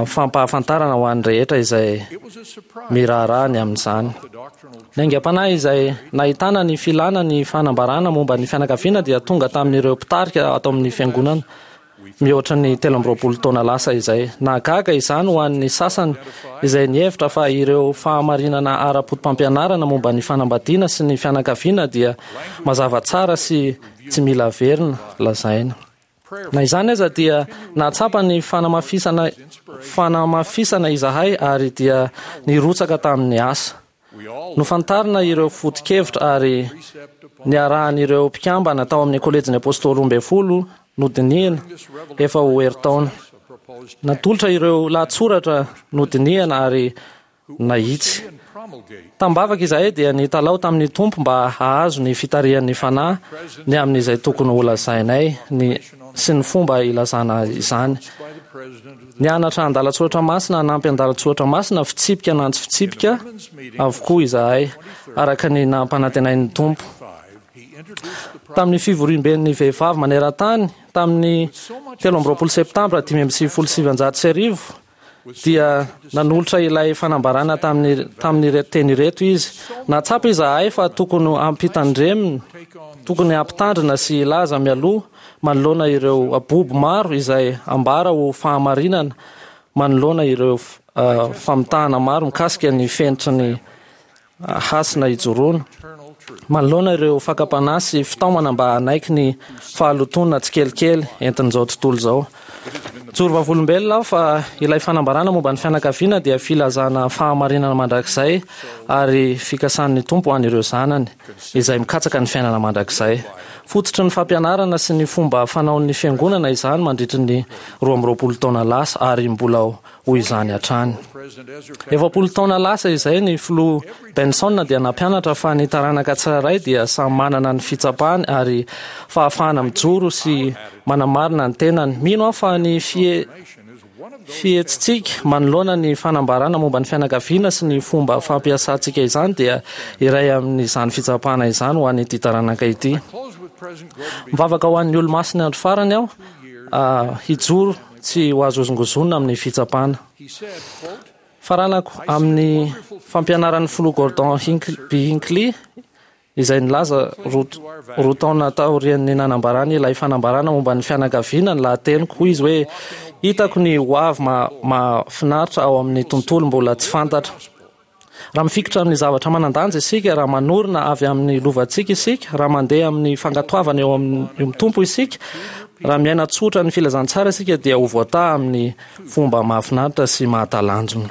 fampahafantarana ho an'ny rehetra izay miraharaha ny amin'izany. Ny aingam-panahy izay nahitana ny filana ny fanambarana momba ny fianakaviana dia tonga tamin'ireo mpitarika ato amin'ny fiangonana mihoatra ny telo amby roapolo taona lasa izay. Nahagaga izany ho an'ny sasany izay nihevitra fa ireo fahamarinana ara-poto-pampianarana momba ny fanambadiana sy ny fianakaviana dia mazava tsara sy tsy mila averina lazaina. Na izany aza dia nahatsapa ny fanamafisana fanamafisana izahay ary dia nirotsaka tamin'ny asa. Nofantarina ireo foto-kevitra ary niarahan'ireo mpikambana tao amin'ny kolejin'ny apôstôly roa ambin'ny folo nodinihina efa ho herintaona. Natolotra ireo lahatsoratra nodinihana ary nahitsy. Tambavaka izahay dia nitalaho tamin'ny Tompo mba hahazo ny fitarihan'ny Fanahy ny amin'izay tokony holazainay ny sy ny fomba ilazana izany. Nianatra andalan-tsoratra masina hanampy andalan-tsoratra masina, fitsipika na tsy fitsipika avokoa izahay, araka ny nampanantenain'ny Tompo. Tamin'ny fivoriamben'ny vehivavy maneran-tany tamin'ny telo amby roapolo septambra dimy amby sivifolo sy sivanjato sy arivo dia nanolotra ilay fanambarana tamin'ny tamin'ireto teny ireto izy. Nahatsapa izahay fa tokony hampitandremina, tokony hampitandrina sy hilaza mialoha manoloana ireo abobo maro izay ambara ho fahamarinana manoloana ireo famitahana maro mikasika ny fenitry ny hasina ijoroana manoloana ireo fakam-panahy sy fitaomana mba hanaiky ny fahalotoana tsikelikely entin'izao tontolo izao. Joro vavolombelona aho fa ilay fanambarana momba ny fianakaviana dia filazana fahamarinana mandrakizay ary fikasan'ny Tompo ho an'ireo zanany izay mikatsaka ny fiainana mandrakizay. Fototry ny fampianarana sy ny fomba fanaon'ny fiangonana izany mandritry ny roa amby roapolo taona lasa ary mbola ho izany hatrany. Efapolo taona lasa izay ny filoha Benson dia nampianatra fa ny taranaka tsirairay dia samy manana ny fitsapany ary fahafahana mijoro sy manamarina ny tenany. Mino aho fa ny fie fihetsitsika manoloana ny fanambarana momba ny fianakaviana sy ny fomba fampiasantsika izany dia iray amin'izany fitsapana izany ho an'ity taranaka ity. Mivavaka ho an'ny olo-masina andro farany aho hijoro tsy ho azo hozongozonina amin'ny fitsapana. Faranako amin'ny fampianaran'ny filoha Gordon B. Hinckley izay nilaza roa taona taorian'ny nanambarany ilay fanambarana momba ny fianakaviana ny lahateniko. Hoy izy hoe hitako ny ho avy mahafinaritra ao amin'ny tontolo mbola tsy fantatra. Raha mifikitra amin'ny zavatra manan-danja isika, raha manorina avy amin'ny lovantsika isika, raha mandeha amin'ny fankatoavana eo amin'ny Tompo isika, raha miaina tsotra ny filazantsara isika dia ho voataha amin'ny fomba mahafinaritra sy mahatalanjona.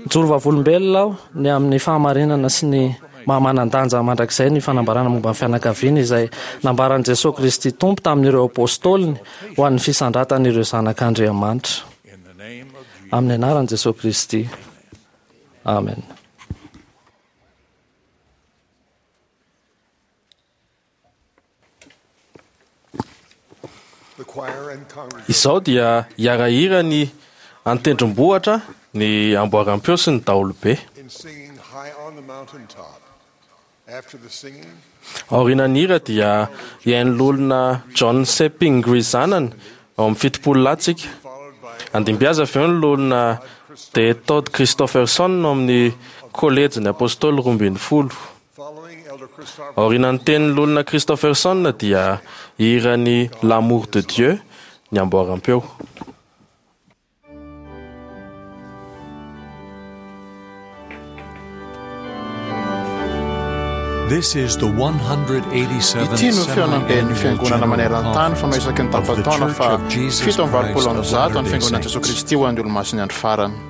Mijoro vavolombelona aho ny amin'ny fahamarinana sy ny maha-manan-danja mandrakizay ny fanambarana momba ny fianakaviana izay nambaran'i Jesosy Kristy Tompo tamin'ireo apôstôliny ho an'ny fisandratan'ireo zanak'Andriamanitra. Amin'ny anaran'i Jesosy Kristy. Amen. Izao dia hiara-hira ny an-tendrombohitra, ny amboaram-peo sy ny daholobe. Aorianan'ny hira dia hihaino loholona John C. Pingree zanany ao amin'ny fitopolo lahy tsika. Handimby azy avy eo ny loholona D. Todd Christofferson ao amin'ny kolejin'ny apôstôly roa ambin'ny folo. Aorianan'ny tenin'ny loholona Christofferson dia hihira ny L'amour de Dieu ny amboaram-peo. This is the one hundred eighty-seventh Ity no fihaonamben'ny semi-annual fiangonana General maneran-tany Conference fanao isaky ny of the tapa-taona Church fa of Jesus fito amby Christ valopolo amby of zato ny Latter-day fiangonan'i Jesoa Saints. Kristy ho an'ny olomasin'ny andro farany.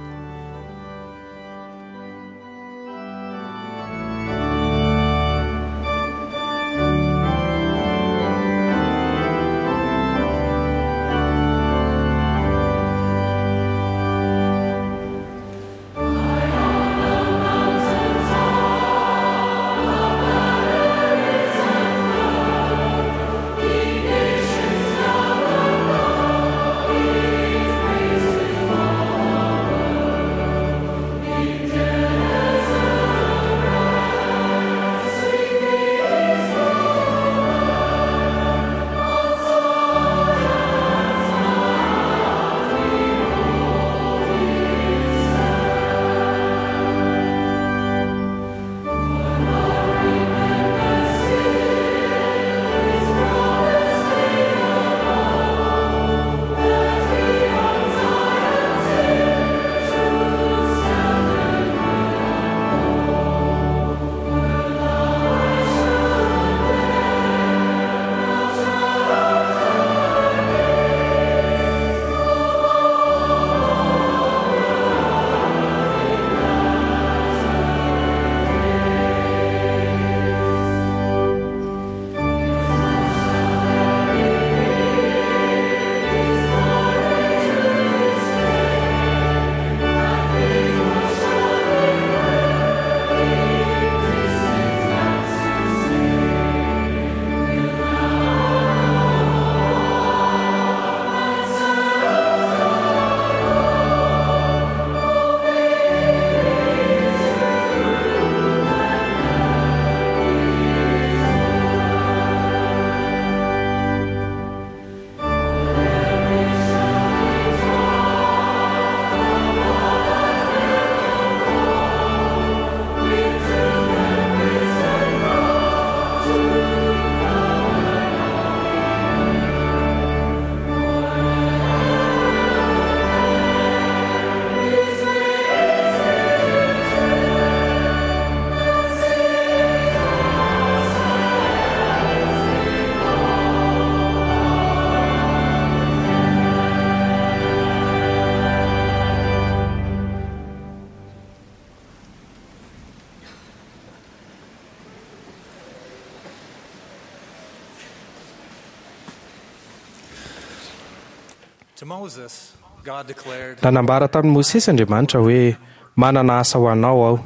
Nanambara tamin'i Mosesy Andriamanitra hoe manana asa ho anao aho.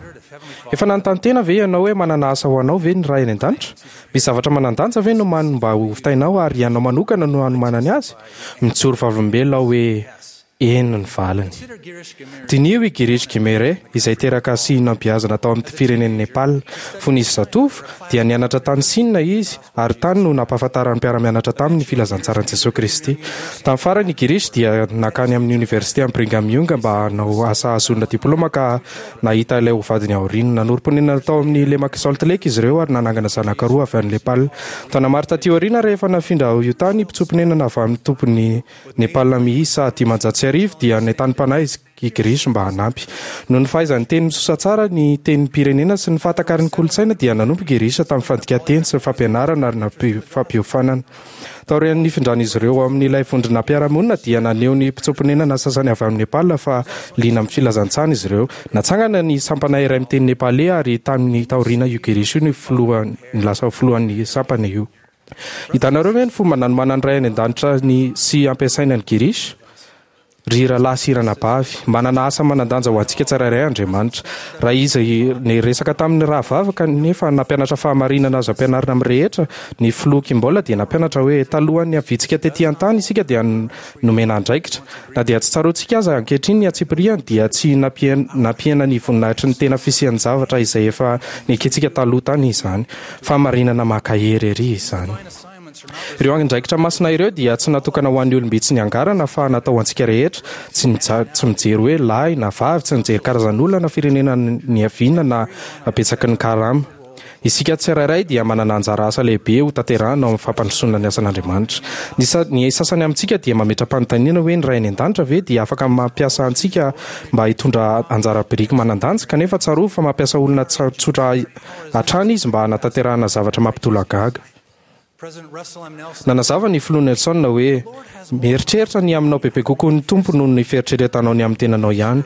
Efa nanontany tena ve ianao hoe manana asa ho anao ve ny Ray any an-danitra? Misy zavatra manan-danja ve no mano mba ho vitainao ary ianao manokana no hanomanany azy? Mijoro vavolombelona aho hoe eny ny valiny. Diniho i Girish Ghimire izay teraka sy nampiazana tao amin'ny firenen'i Nepal. Fony izy zatovo dia nianatra tany Sina izy ary tany no nampahafantaran'ny mpiara-mianatra taminy ny filazantsaran'i Jesoa Kristy. Tamin'ny farany i Girish dia nankany amin'ny oniversite amin'ny Brigham Young mba hanao asa hahazoana diploma ka nahita ilay ho vadiny aoriana. Nanorim-ponenana tao amin'ny lemak'i Salt Lake izy ireo ary nanangana zanaka roa avy any Nepal. Taona maro taty aoriana rehefa nafindra ao Utah ny mpitsoa-ponenana avy amin'ny tompon'i Nepal miisa dimanjato sy arivo dia nentanim-panahy izy i Girish mba hanampy. Noho ny fahaizany teny misosa tsara ny tenim-pirenena sy ny fahatakaran'ny kolontsaina dia nanompo Girish tamin'ny fandikan-teny sy ny fampianarana ary nampi- fampiofanana. Taorian'ny nifindran'izy ireo amin'ilay vondrona mpiara-monina dia naneho ny mpitsoa-ponenana sasany avy amin'ny Nepal fa liana amin'ny filazantsana izy ireo. Natsangana ny sampana iray miteny nepaley ary tamin'ny taoriana io Girish io ny filoha ny lasa filohan'ny sampana io. Hitanareo ve ny fomba nanomanan'ny Ray any an-danitra ny sy ampiasaina ny Girish? Ry rahalahy sy ranabavy, manana asa manan-danja ho antsika tsirairay Andriamanitra. Raha izy niresaka tamin'ny rahavavy kanefa nampianatra fahamarinana azo ampianarina amin'ny rehetra, ny filoha Kimball dia nampianatra hoe talohan'ny haviantsika tety an-tany isika dia nomena andraikitra. Na dia tsy tsaroantsika aza ankehitriny ny antsipiriany dia tsy nampien-, nampihena ny voninahitry ny tena fisian'ny zavatra izay efa nekentsika taloha tany izany. Fahamarinana mankahery ery izany. Ireo andraikitra masina ireo dia tsy natokana ho an'ny olom-bitsy niangarana fa natao ho antsika rehetra, tsy nija-, tsy mijery hoe lahy na vavy, tsy mijery karazan'olona na firenena niaviana na habetsaky ny karama. Isika tsirairay dia manana anjara asa lehibe ho tanterahina ao amin'ny fampandrosoana ny asan'Andriamanitra. Ny sa- ny sasany amintsika dia mametra-panontaniana hoe ny Ray any an-danitra ve dia afaka mampiasa antsika mba hitondra anjara biriky manan-danja, kanefa tsarovy fa mampiasa olona tsa- tsotra hatrany izy mba hanatanterahana zavatra mampitolagaga. President Russell M. Nelson Nanazava ny filoha Nelson hoe mieritreritra ny aminao bebe kokoa ny Tompo noho ny fieritreretanao ny amin'ny tenanao ihany.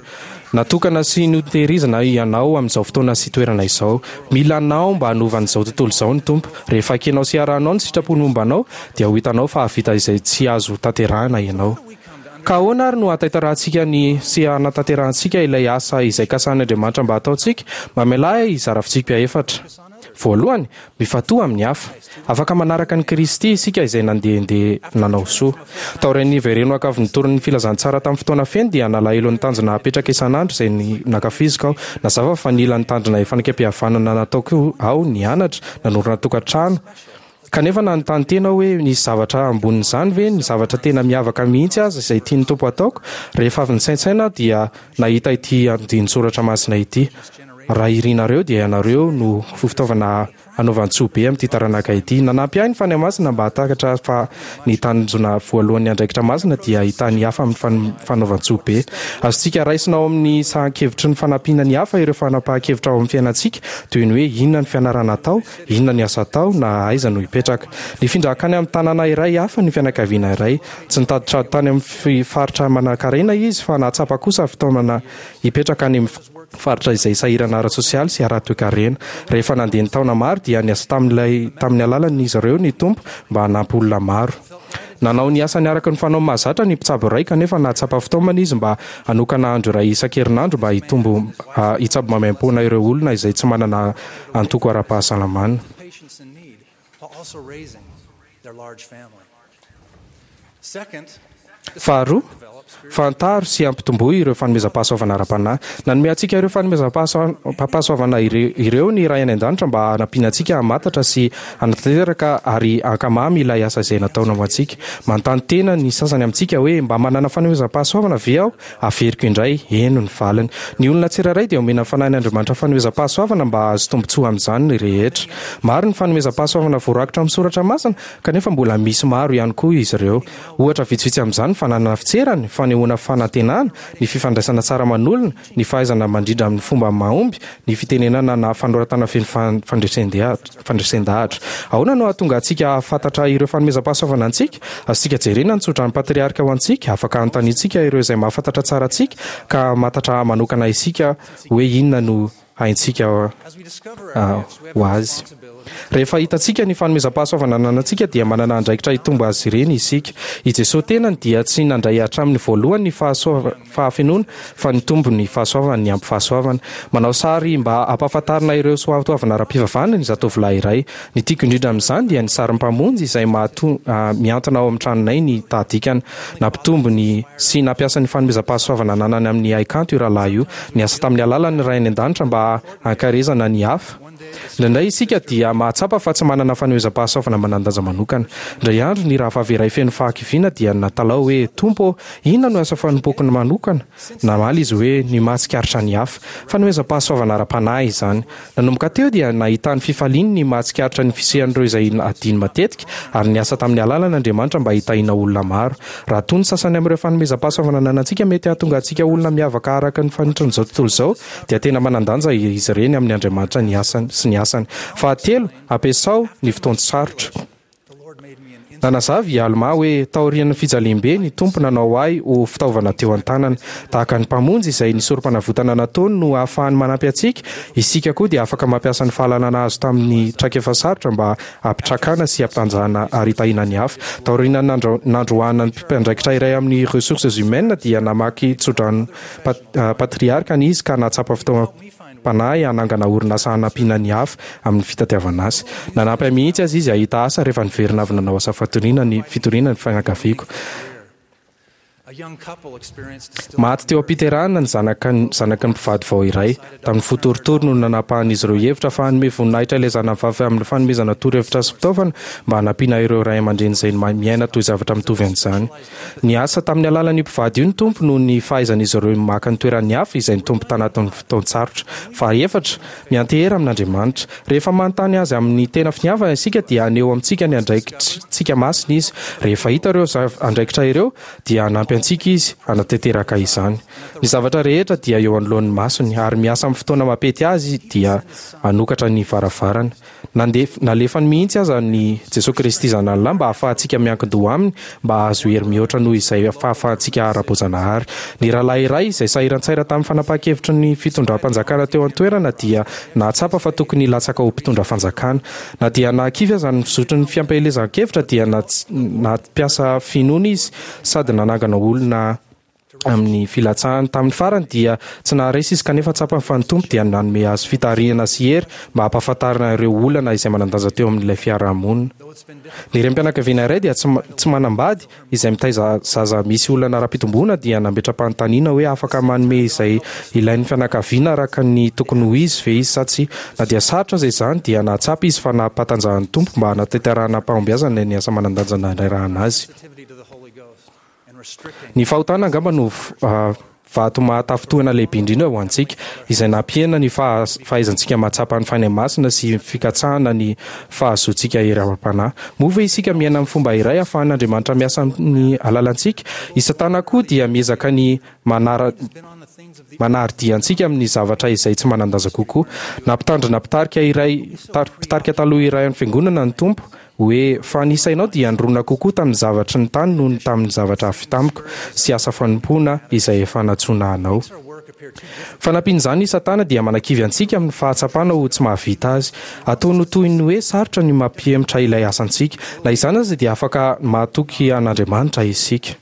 Natokana sy notehirizina ianao amin'izao fotoana sy toerana izao. Mila anao mba hanova an'izao tontolo izao ny Tompo. Rehefa ekenao sy arahanao ny sitrapony momba anao, dia ho hitanao fa hahavita izay tsy azo tanterahina ianao. Ka ahoana ary no hahatanterahantsika ny sy hanatanterahantsika ilay asa izay kasahin'Andriamanitra mba hataontsika? Mamelà ahy hizara fitsipika efatra. Voalohany, mifantoha amin'ny hafa. Afaka manaraka an'i Kristy isika izay nandehandeha nanao soa. Taorian'ny niverenako avy nitory ny filazantsara tamin'ny fotoana feno dia nalahelo ny tanjona hapetraka isan'andro izay ny nankafiziko aho. Nazava fa nila ny tanjona fanekempihavanana nataoko aho nianatra, nanorina tokantrano. Kanefa nanontany tena aho hoe nisy zavatra ambonin'izany ve, ny zavatra tena miavaka mihitsy aza izay tian'ny Tompo ataoko. Rehefa avy nisaintsaina aho dia nahita ity andinin-tsoratra masina ity. Raha irinareo dia ianareo no fitaovana hanaovan-tsoa be amin'ity taranaka ity. Nanampy ahy ny Fanahy Masina mba hahatakatra fa ny tanjona voalohan'ny andraikitra masina dia hahita ny hafa amin'ny fan-, fanaovan-tsoa be. Azontsika raisina ao amin'ny sahan-kevitry ny fanampiana ny hafa ireo fanapahan-kevitra ao amin'ny fiainantsika, toy ny hoe inona ny fianarana atao, inona ny asa atao, na aiza no hipetraka. Nifindra hankany amin'ny tanàna iray hafa ny fianakaviana iray. Tsy nitady trano tany amin'ny fi-, faritra manankarena izy, fa nahatsapa kosa fitaomana hipetraka any amin'ny faritra izay sahirana ara-tsosialy sy ara-toekarena. Rehefa nandeha ny taona maro dia niasa tamin'ilay, tamin'ny alalan'izy ireo ny Tompo mba hanampy olona maro. Nanao ny asany araka ny fanao mahazatra ny mpitsabo iray, kanefa nahatsapa fitaomana izy mba hanokana andro iray isan-kerinandro mba hitombo, ah, hitsabo maimaimpoana ireo olona izay tsy manana antoko ara-pahasalamana. patients in need while also raising their large family. Second, Faharoa, fantaro sy ampitomboy ireo fanomezam-pahasoavana ara-panahy. Nanome antsika ireo fanomezam-pahasoavana ire-, ireo ny Ray any an-danitra mba hanampiana antsika hamantatra sy hanatanteraka ary hankamamy ilay asa izay nataony ho antsika. Manontany tena ny sasany amintsika hoe mba manana fanomezam-pahasoavana ve aho? Averiko indray, eny ny valiny. Ny olona tsirairay dia omena Fanahin'Andriamanitra fanomezam-pahasoavana mba hahazo tombontsoa amin'izany ny rehetra. Maro ny fanomezam-pahasoavana voarakitra amin'ny soratra masina, kanefa mbola misy maro ihany koa izy ireo. Ohatra vitsivitsy amin'izany ny fananana fitserana, ny fanehoana fanantenana, ny fifandraisana tsara aman'olona, ny fahaizana mandrindra amin'ny fomba mahomby, ny fitenenana na fanoratana feno fan-, fandresen-dehatra, fandresen-dahatra. Ahoana no hahatonga antsika hahafantatra ireo fanomezam-pahasoavana antsika? Azontsika jerena ny tsodran'ny patriarka ho antsika, afaka hanontaniantsika ireo izay mahafantatra tsara antsika, ka hamantatra manokana isika hoe inona no haintsika, as we discover our ah, gifts, we have ho a azy. responsibility Rehefa hitantsika ny fanomezam-pahasoavana ananantsika dia manana andraikitra hitombo azy ireny isika. I Jesosy tenany dia tsy nandray hatramin'ny voalohany ny fahasoava-, fahafenoana, fa nitombo ny fahasoavany ny ampy fahasoavana. Manao sary mba hampahafantarina ireo soatoavina ara-pivavahana ny zatovolahy iray. Ny tiako indrindra amin'izany dia ny sarin'ny Mpamonjy izay mahato-, ah, mihantona ao amin'ny tranonay ny tahadikana. Nampitombo ny sy nampiasa ny fanomezam-pahasoavana ananany amin'ny haikanto io rahalahy io. Niasa tamin'ny alalan'ny Ray any an-danitra mba hankarezana ny hafa. Indraindray isika dia mahatsapa fa tsy manana fanomezam-pahasoavana manan-danja manokana. Indray andro ny rahavavy iray feno fahakiviana dia natalao hoe Tompo ô, inona no asa fanompoko manokana? Namaly izy hoe ny mahatsikaritra ny hafa. Fanomezam-pahasoavana ara-panahy izany. Nanomboka teo dia nahitany fifaliany ny mahatsikaritra ny fisian'ireo izay adino matetika ary niasa tamin'ny alalan'Andriamanitra mba hitahiana olona maro. Raha toa ny sasany amin'ireo fanomezam-pahasoavana ananantsika mety hahatonga antsika olona miavaka araka ny fanitrin'izao tontolo izao, dia tena manan-danja izy ireny amin'ny Andriamanitra ny asany sy ny asany. Fahatelo, ampiasao ny fotoan-tsarotra. the Lord made me an instrument. Nanazava i Alma hoe taorian'ny fijaliam-be ny Tompo nanao ahy ho fitaovana teo an-tanana. Tahaka ny Mpamonjy izay ny sorom-panavotana nataony no ahafahany manampy antsika, isika koa dia afaka mampiasa ny fahalalana azo tamin'ny traikefa sarotra mba hampitrakana sy hampitanjahana ary hitahiana ny hafa. Taorian'ny nandro-, nandroahana ny mpiandraikitra iray amin'ny ressources humaines dia namaky tsodrano pat-, ah, patriarkany izy ka nahatsapa fitaomam-panahy hanangana orinasa hanampiana ny hafa amin'ny fitadiavana asa. Nanampy ahy mihitsy aza izy hahita asa rehefa niverina avy nanao asa fatoriana ny fitoriana ny fianakaviako. Maty teo am-piterahana ny zanaka zanaky ny mpivady vao iray. Tamin'ny fo torotoro no nanapahan'izy ireo hevitra fa hanome voninahitra ilay zanany vavy amin'ny fanomezana torohevitra sy fitaovana mba hanampiana ireo ray aman-dreny izay miaina toy zavatra mitovy an'izany. Niasa tamin'ny alalan'io mpivady io ny Tompo noho ny fahaizan'izy ireo maka ny toeran'ny hafa izay nitombo tanatin'ny fotoan-tsarotra. Fahaefatra, miantehera amin'Andriamanitra. Rehefa manontany azy amin'ny tena finiavana isika dia haneho amintsika ny andraikitsika masina izy. Rehefa hita ireo andraikitra ireo dia hanampy antsika izy hanatanteraka izany. Ny zavatra rehetra dia eo anoloan'ny masony ary miasa amin'ny fotoana mampety azy dia hanokatra ny varavarana. Nandef- nalefany mihitsy aza ny Jesosy Kristy zanany lahy mba hahafahantsika miankin-doha aminy mba hahazo hery mihoatra noho izay fahafahantsika ara-boajanahary. Ny rahalahy iray izay sahiran-tsaina tamin'ny fanapahan-kevitry ny fitondram-panjakana teo an-toerana dia nahatsapa fa tokony hilatsaka ho mpitondra fanjakana. Na dia nahakivy aza ny fizotry ny fampielezan-kevitra dia nampiasa finoana izy sady nanangana olona amin'ny filatsahany. Tamin'ny farany dia tsy naharesy izy kanefa tsapany fa ny Tompo dia nanome azy fitarihana sy hery mba hampahafantarina ireo olana izay manan-danja teo amin'ilay fiarahamonina. Ny renim-pianakaviana iray dia tsy tsy manambady izay mitaiza zaza misy olana ara-pitomboana dia nametra-panontaniana hoe afaka manome izay ilain'ny fianakaviana araka ny tokony ho izy ve izy sa tsia. Na dia sarotra aza izany dia nahatsapa izy fa nampatanjahan'ny Tompo mba hanatanterahana am-pahombiazana ny asa manan-danja nanirahana azy. Ny fahotana angamba no vato mahatafintohina lehibe indrindra ho antsika, izay nampihena ny fahaizantsika mahatsapa ny Fanahy Masina sy fikatsahana ny fahazoantsika hery ara-panahy. Moa ve isika miaina amin'ny fomba iray ahafahan'Andriamanitra miasa amin'ny alalantsika? I Satana koa dia miezaka ny manara manary-dia antsika amin'ny zavatra izay tsy manan-danja kokoa. Nampitandrina mpitarika iray mpitarika taloha iray an'ny fiangonana ny Tompo hoe fa ny sainao dia nirona kokoa tamin'ny zavatry ny tany noho ny tamin'ny zavatra avy tamiko sy asa fanompoana izay efa nantsoina anao. Fanampin'izany, i Satana dia manakivy antsika amin'ny fahatsapana ho tsy mahavita azy. Ataony ho toy ny hoe sarotra ny mampihemotra ilay asantsika. Na izany aza dia afaka mahatoky an'Andriamanitra isika.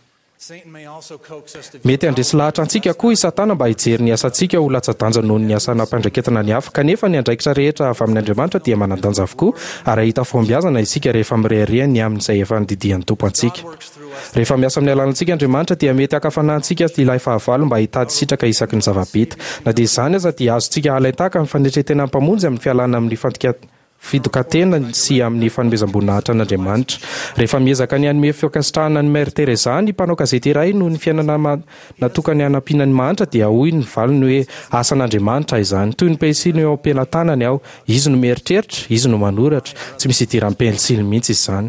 Mety handresy lahatra antsika koa i Satana mba hijery ny asantsika ho latsa-danja noho ny asa nampiandraiketana ny hafa. Kanefa ny andraikitra rehetra avy amin'Andriamanitra dia manan-danja avokoa ary hahita fahombiazana isika rehefa mirehareha ny amin'izay efa nandidian'ny Tompo antsika. Rehefa miasa amin'ny alalantsika Andriamanitra dia mety haka fanahy antsika ilay fahavalo mba hitady sitraka isaky ny zava-bita. Na dia izany aza dia azontsika alain-tahaka ny fanetren-tenan'ny Mpamonjy amin'ny fialana amin'ny fandika fidokan-tena sy amin'ny fanomezam-boninahitra an'Andriamanitra. Rehefa miezaka ny hanome fankasitrahana an'i Mère Teresa ny mpanao gazety iray noho ny fiainana natokany hanampiana ny mahantra dia hoy ny valiny hoe asan'Andriamanitra izany. Toy ny pensily eo am-pelatanany aho. Izy no mieritreritra, izy no manoratra. Tsy misy idiran'ny pensily mihitsy izany.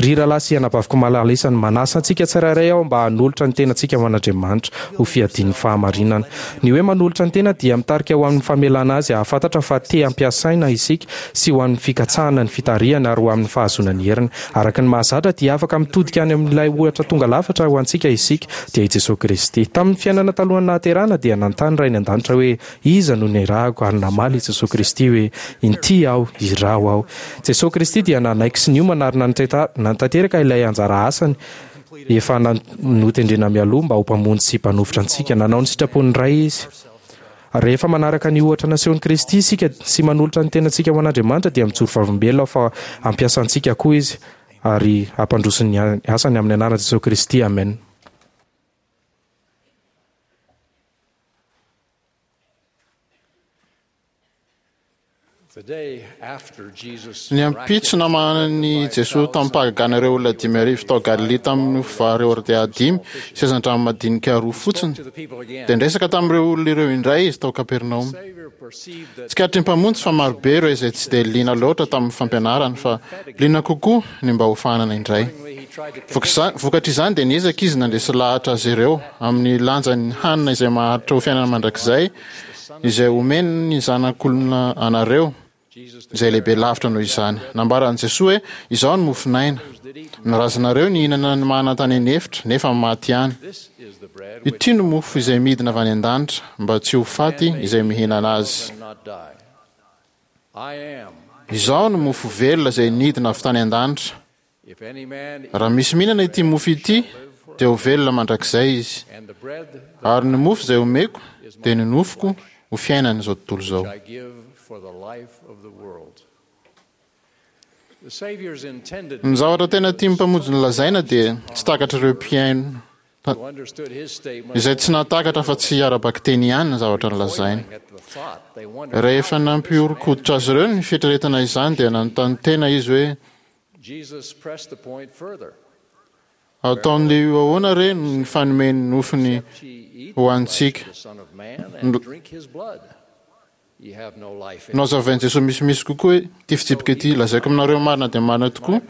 Ry rahalahy sy anabaviko malala isany, manasa antsika tsirairay aho mba hanolotra ny tenantsika ho an'Andriamanitra ho fiadian'ny fahamarinana. Ny hoe manolotra ny tena dia mitarika ho amin'ny famelana azy hahafantatra fa te hampiasaina isika sy ho amin'ny fikatsahana ny fitarihana ary ho amin'ny fahazoana ny heriny. Araka ny mahazatra dia afaka mitodika any amin'ilay ohatra tonga lafatra ho antsika isika, dia i Jesosy Kristy. Tamin'ny fiainana talohan'ny nahaterahana dia nanontany Rainy an-danitra hoe iza no nirahako ary namaly i Jesosy Kristy hoe inty aho, iraho aho. Jesosy Kristy dia nanaiky sy niomana ary nanatanteraka ilay anjara asany efa notendrena mialoha mba ho mpamonjy sy mpanofotra antsika. Nanao ny sitrapon'ny Ray izy. Rehefa manaraka ny ohatra nasehon'i Kristy isika sy manolotra ny tenantsika ho an'Andriamanitra dia mijoro vavolombelona fa hampiasa antsika koa izy ary hampandroso ny asany amin'ny anaran'i Jesosy Kristy. Amen. Ny ampitso namahanan'i Jesoa tamim-pahagagana ireo olona dimy arivo tao Galilia tamin'ny mofo vary hordea dimy sy hazandrano madinika roa fotsiny, dia niresaka tamin'ireo olona ireo indray izy tao Kapernaomy. Tsikaritry ny Mpamonjy fa marobe ireo izay tsy dia liana loatra tamin'ny fampianarany fa liana kokoa ny mba hofahanana indray. Vokatr'izany dia niezaka izy nandresy lahatra azy ireo amin'ny lanjan'ny hanina izay maharitra ho fiainana mandrakizay izay omen'ny Zanak'olona anareo, izay lehibe lavitra noho izany. Nambaran'i Jesoa hoe, Izaho no mofon'aina. Ny razanareo nihinana ny mana tany an'efitra, nefa maty ihany. Ity no mofo izay midina avy any an-danitra, mba tsy ho faty izay mihinana azy. Izaho no mofo velona izay nidina avy tany an-danitra. Raha misy mihinana ity mofo ity, dia ho velona mandrakizay izy. Ary ny mofo izay omeko dia ny nofoko ho fiainan'izao tontolo izao. Ny zavatra tena tian'ny Mpamonjy nolazaina dia tsy takatr'ireo mpihaino izay tsy nahatakatra fa tsy ara-bakiteny ihany ny zavatra nolazainy. Rehefa nampihoron-koditra azy ireo ny fieritreretana izany, dia nanontany tena izy hoe: ataon'ilay io ahoana re ny fanome ny nofony ho antsika? Nohazavain'i Jesoa misimisy kokoa hoe ity fitsipika ity: lazaiko aminareo marina dia marina tokoa,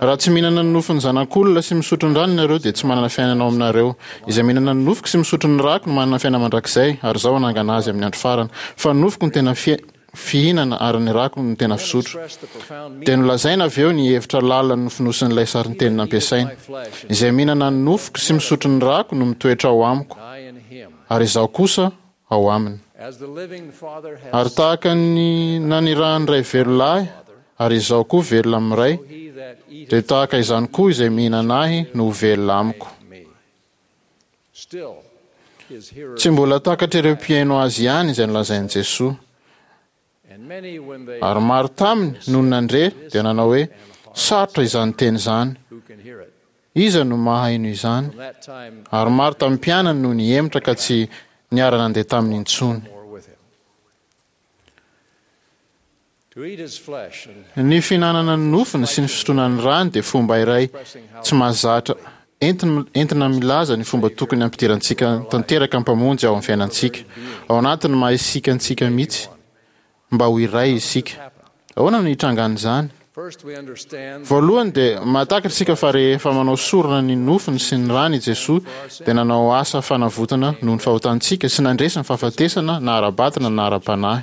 raha tsy mihinana ny nofon'ny Zanak'olona sy misotro ny rany ianareo, dia tsy manana fiainana ao aminareo. Izay mihinana ny nofoko sy misotro ny rako no manana fiainana mandrakizay, ary Izaho hanangana azy amin'ny andro farany. Fa ny nofoko no tena fihinana ary ny rako no tena fisotro. Dia nolazaina avy eo ny hevitra lalina nofonosin'ilay sarinteny nampiasaina: Izay mihinana ny nofoko sy misotro ny rako no mitoetra ao amiko, ary Izaho kosa ao aminy. Ary tahaka ny nanirahan'ny Ray velona ahy, ary Izaho koa velona amin'ny Ray, dia tahaka izany koa izay mihinana ahy no ho velona amiko. Tsy mbola takatr'ireo mpihaino azy ihany izay nolazain'i Jesoa. Ary maro taminy nony nandre dia nanao hoe: sarotra izany teny izany, iza no mahaino izany? Ary maro tamin'ny mpianany no nihemotra ka tsy niara-nandeha taminy intsony. Ny fihinanana ny nofony sy ny fisotroana ny rany dia fomba iray tsy mahazatra entina milaza ny fomba tokony hampidirantsika tanteraka ny Mpamonjy ao amin'ny fiainantsika, ao anatin'ny maha isika antsika mihitsy, mba ho iray isika. Ahoana no hitrangan'izany? Voalohany dia mahatakatra isika fa rehefa manao sorona ny nofony sy ny rany i Jesoa dia nanao asa fanavotana noho ny fahotantsika sy nandresy ny fahafatesana na ara-batana na ara-panahy.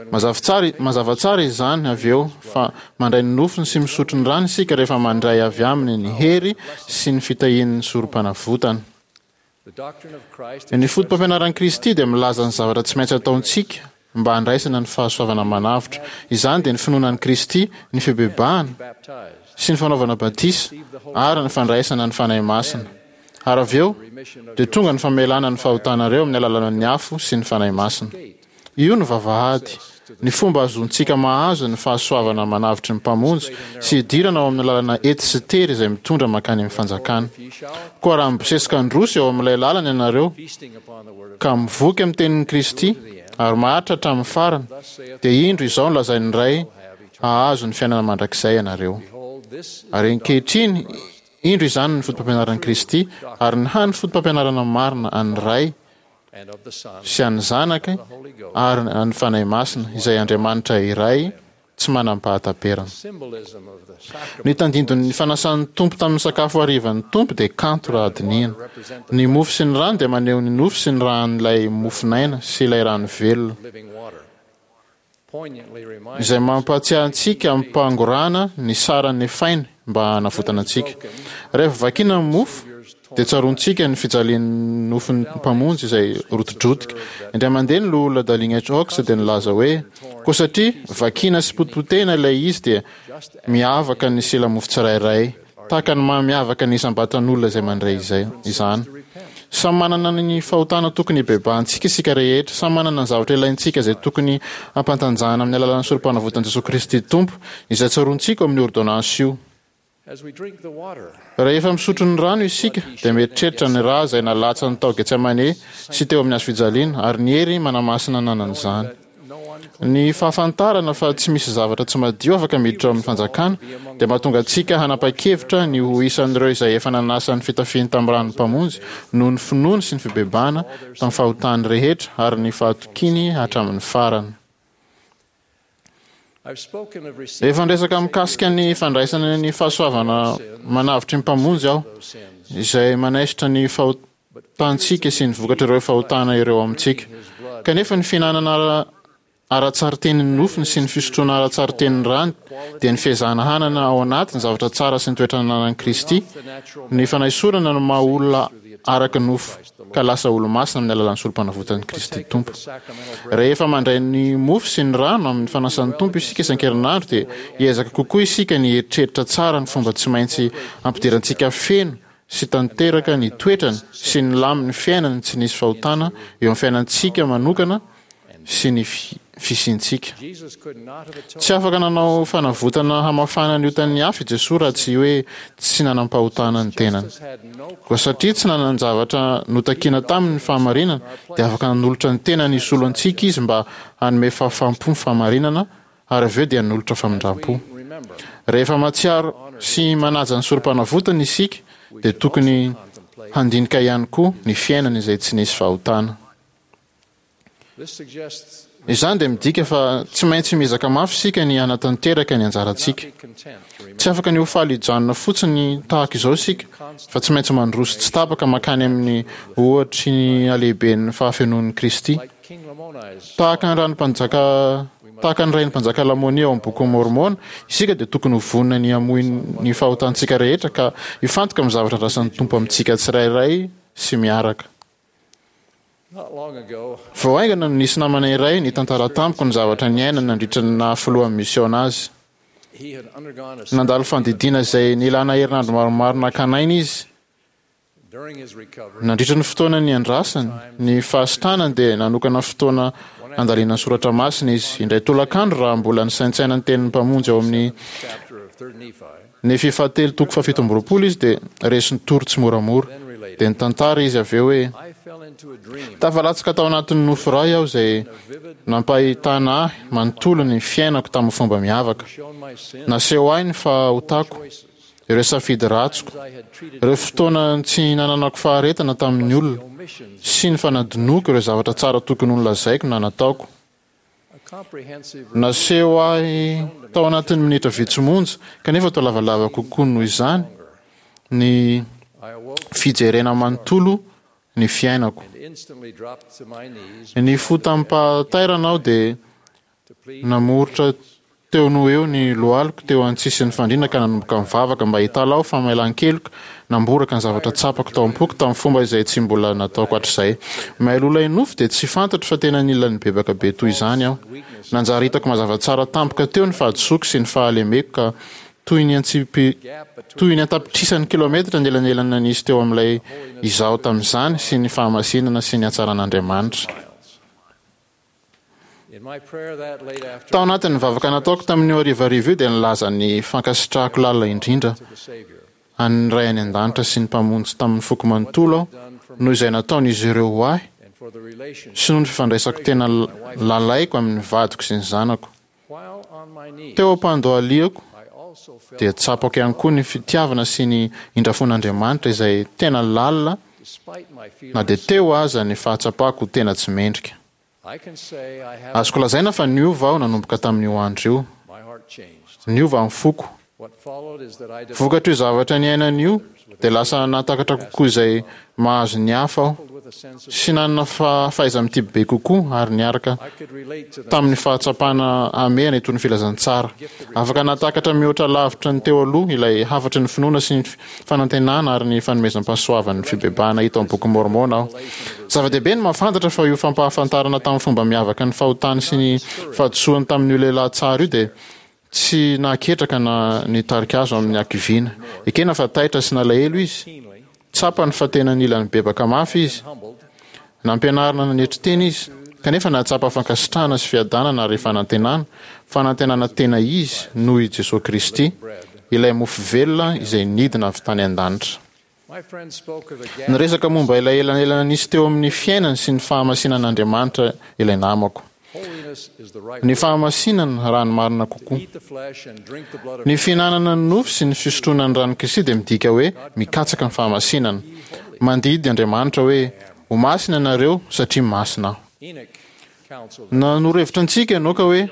Mazava tsara, mazava tsara izany avy eo fa mandray ny nofony sy misotro ny rany isika rehefa mandray avy aminy ny hery sy ny fitahian'ny sorom-panavotana. Ny foto-pampianaran'i Kristy dia milaza ny zavatra tsy maintsy ataontsika mba handraisana ny fahasoavana manavotra. Izany dia ny finoana an'i Kristy, ny fibebahana sy ny fanaovana batisa ary ny fandraisana ny Fanahy Masina. Ary avy eo dia tonga ny famelana ny fahotanareo amin'ny alalan'ny afo sy ny Fanahy Masina. Io no vavahady, ny fomba ahazoantsika mahazo ny fahasoavana manavotry ny Mpamonjy sy hidirana ao amin'ny lalana ety sy tery izay mitondra mankany amin'ny fanjakana. Koa raha mibosesika handroso eo amin'ilay lalana ianareo, ka mivoky amin'ny tenin'i Kristy ary maharitra hatramin'ny farany, dia indro izao no lazain'ny Ray, hahazo ny fiainana mandrakizay ianareo. Ary ankehitriny, indro izany ny foto-pampianaran'i Kristy, ary ny hany foto-pampianarana marina an'ny Ray sy an'ny Zanaka ary an'ny Fanahy Masina, izay Andriamanitra iray tsy manam-pahataperana. Ny tandindon'ny fanasan'ny Tompo tamin'ny sakafo harivan'ny Tompo dia kanto raha dinihina. Ny mofo sy ny rano dia maneho ny nofo sy ny ran'ilay mofon'aina sy ilay rano velona, izay mampahatsiahy antsika amim-pangorahana ny sara nefainy mba hanavotana antsika. Rehefa vakina ny mofo, dia tsaroantsika ny fijalian'ny nofon'ny Mpamonjy izay rotidrotika. Indray mandeha ny Loholona Dallin H. Oaks dia nilaza hoe, Koa satria vakina sy potipotehina ilay izy dia miavaka ny sela-mofo tsirairay, tahaka ny maha miavaka ny isam-batan'olona izay mandray izay izany. Samy manana ny fahotana tokony hibebahantsika isika rehetra, samy manana ny zavatra ilaintsika izay tokony hampantanjahana amin'ny alalan'ny Sorompanavotan'i Jesoa Kristy Tompo, izay tsaroantsika ao amin'io ôrdônansy io. Rehefa misotro ny rano isika dia mieritreritra ny ra izay nalatsany tao Getsemane sy teo amin'ny hazofijaliana ary ny hery manamasina ananan'izany. Ny fahafantarana fa tsy misy zavatra tsy madio afaka miditra ao amin'ny fanjakana dia mahatonga antsika hanapa-kevitra ny ho isan'ireo izay efa nanasa ny fitafiany tamin'ny ran'ny Mpamonjy noho ny finoany sy ny fibebahana tamin'ny fahotany rehetra ary ny fahatokiany hatramin'ny farany. Efa niresaka mikasika ny fandraisana ny fahasoavana manavotry ny Mpamonjy aho, izay manaisotra ny fahotantsika sy ny vokatr'ireo fahotana ireo amintsika. Kanefa ny fihinanana ara-tsarinteny ny nofony sy ny fisotroana ara-tsarinteny ny rany dia ny fiezahana hanana ao anaty ny zavatra tsara sy ny toetra ananan'i Kristy, ny fanaisorana ny maha olona araka ny nofo ka lasa olo-masina amin'ny alalan'ny Sorompanavotan'i Kristy Tompo. Rehefa mandray ny mofo sy ny rano amin'ny fanasan'ny Tompo isika isan-kerinandro dia hiezaka kokoa isika ny hieritreritra tsara ny fomba tsy maintsy hampidirantsika feno sy tanteraka ny toetrany sy ny lamin'ny fiainany tsy nisy fahotana eo amin'ny fiainantsika manokana sy ny fisiantsika. Tsy afaka nanao fanavotana hamafana ny otan'ny hafa i Jesoa raha tsy hoe tsy nanam-pahotana ny tenany. Koa satria tsy nanan-javatra notakiana taminy ny fahamarinana, dia afaka nanolotra ny tenany hisolo antsika izy mba hanome fahafaham-po ny fahamarinana, ary avy eo dia hanolotra famindram-po. Rehefa mahatsiaro sy manaja ny sorom-panavotana isika, dia tokony handinika ihany koa ny fiainany izay tsy nisy fahotana. Izany dia midika fa tsy maintsy miezaka mafy isika ny hanatanteraka ny anjarantsika. Tsy afaka ny ho faly hijanona fotsiny tahaka izao isika, fa tsy maintsy mandroso tsy tapaka mankany amin'ny ohatry ny halehiben'ny fahafenoan'i Kristy. Tahaka ny ran'ny mpanjaka tahaka ny rain'ny mpanjaka Lamônia ao amin'ny Bokin'i Môrmôna, isika dia tokony ho vonona ny hamoy ny fahotantsika rehetra ka hifantoka amin'ny zavatra andrasan'ny Tompo amintsika tsirairay sy miaraka. Vao haingana no nisy namana iray nitantara tamiko ny zavatra niainany nandritra ny naha filohan'ny misiôna azy. Nandalo fandidiana izay nilana herinandro maromaro nakana aina izy. Nandritra ny fotoana niandrasany ny fahasitranany dia nanokana fotoana handalinany soratra masina izy. Indray tolakandro raha mbola nisaintsaina ny tenin'ny Mpamonjy ao amin'ny Nefia fahatelo toko fahafito amby roapolo izy dia resin-tory tsimoramora. Dia nitantara izy avy eo hoe, Tafalatsaka tao anatin'ny nofy iray aho izay nampahitana ahy manontolo ny fiainako tamin'ny fomba miavaka. Naseho ahy ny fahotako, ireo safidy ratsiko, ireo fotoana tsy nananako faharetana tamin'ny olona, sy ny fanadinoako ireo zavatra tsara tokony ho nolazaiko na nataoko. Naseho ahy tao anatin'ny minitra vitsy monja, kanefa toa lavalava kokoa noho izany, ny fijerena manontolo ny fiainako. Nifoha tamim-pahatairana aho dia namoritra Teo noho eo ny lohaliko teo an-tsisin'ny fandriana ka nanomboka nivavaka mba hitalaho famelan-keloka, namboraka ny zavatra tsapako tao am-poko tamin'ny fomba izay tsy mbola nataoko hatrizay. Mialoha ilay nofy dia tsy fantatro fa tena nila nibebaka be toy izany aho. Nanjary hitako mazava tsara tampoka teo ny fahadisoako sy ny fahalemeko ka toy ny toy ny an-tapitrisany kilaometatra ny elanelana nisy teo amin'ilay izaho tamin'izany sy ny fahamasinana sy ny hatsaran'Andriamanitra. Tao anatin'ny vavaka nataoko tamin'io harivariva io dia nilaza ny fankasitrahako lalina indrindra an'ny Ray any An-danitra sy ny Mpamonjy tamin'ny foko manontolo aho noho izay nataon'izy ireo ho ahy sy noho ny fifandraisako tena lalaiko amin'ny vadiko sy ny zanako. Teo am-pandohaliako dia tsapako ihany koa ny fitiavana sy ny indrafon'Andriamanitra izay tena lalina na dia teo aza ny fahatsapako ho tena tsy mendrika. Azoko lazaina fa niova aho nanomboka tamin'io andro io. Niova ny foko. Vokatr'io zavatra niainana io, dia lasa nahatakatra kokoa izay mahazo ny hafa aho, sy nanana fahaiza-mitia bebe kokoa ary niaraka tamin'ny fahatsapana hamehana itony filazantsara. Afaka nahatakatra mihoatra lavitra ny teo aloha ilay hafatry ny finoana sy ny fanantenana ary ny fanomezam-pahasoavan'ny fibebahana hita ao amin'ny Bokin'i Môrmôna aho. Zava-dehibe ny mahafantatra fa io fampahafantarana tamin'ny fomba miavaka ny fahotany sy ny fahadisoany tamin'io lehilahy tsara io dia tsy nahaketraka na nitarika azy ho amin'ny hakiviana. Ekena fa taitra sy nalahelo izy. Tsapany fa tena nila nibebaka mafy izy. Nampianarina nanetry tena izy, kanefa nahatsapa fankasitrahana sy fiadanana ary fanantenana, fanantenana tena izy noho i Jesoa Kristy, ilay mofo velona izay nidina avy tany an-danitra. Niresaka momba ilay elanelana nisy teo amin'ny fiainany sy ny fahamasinan'Andriamanitra ilay namako. Ny fahamasinana, raha ny marina kokoa. Ny fihinanana ny nofo sy ny fisotroana ny ran'i Kristy dia midika hoe mikatsaka ny fahamasinana. Mandidy Andriamanitra hoe, Ho masina ianareo, satria masina Aho. Nanoro hevitra antsika Enoka hoe,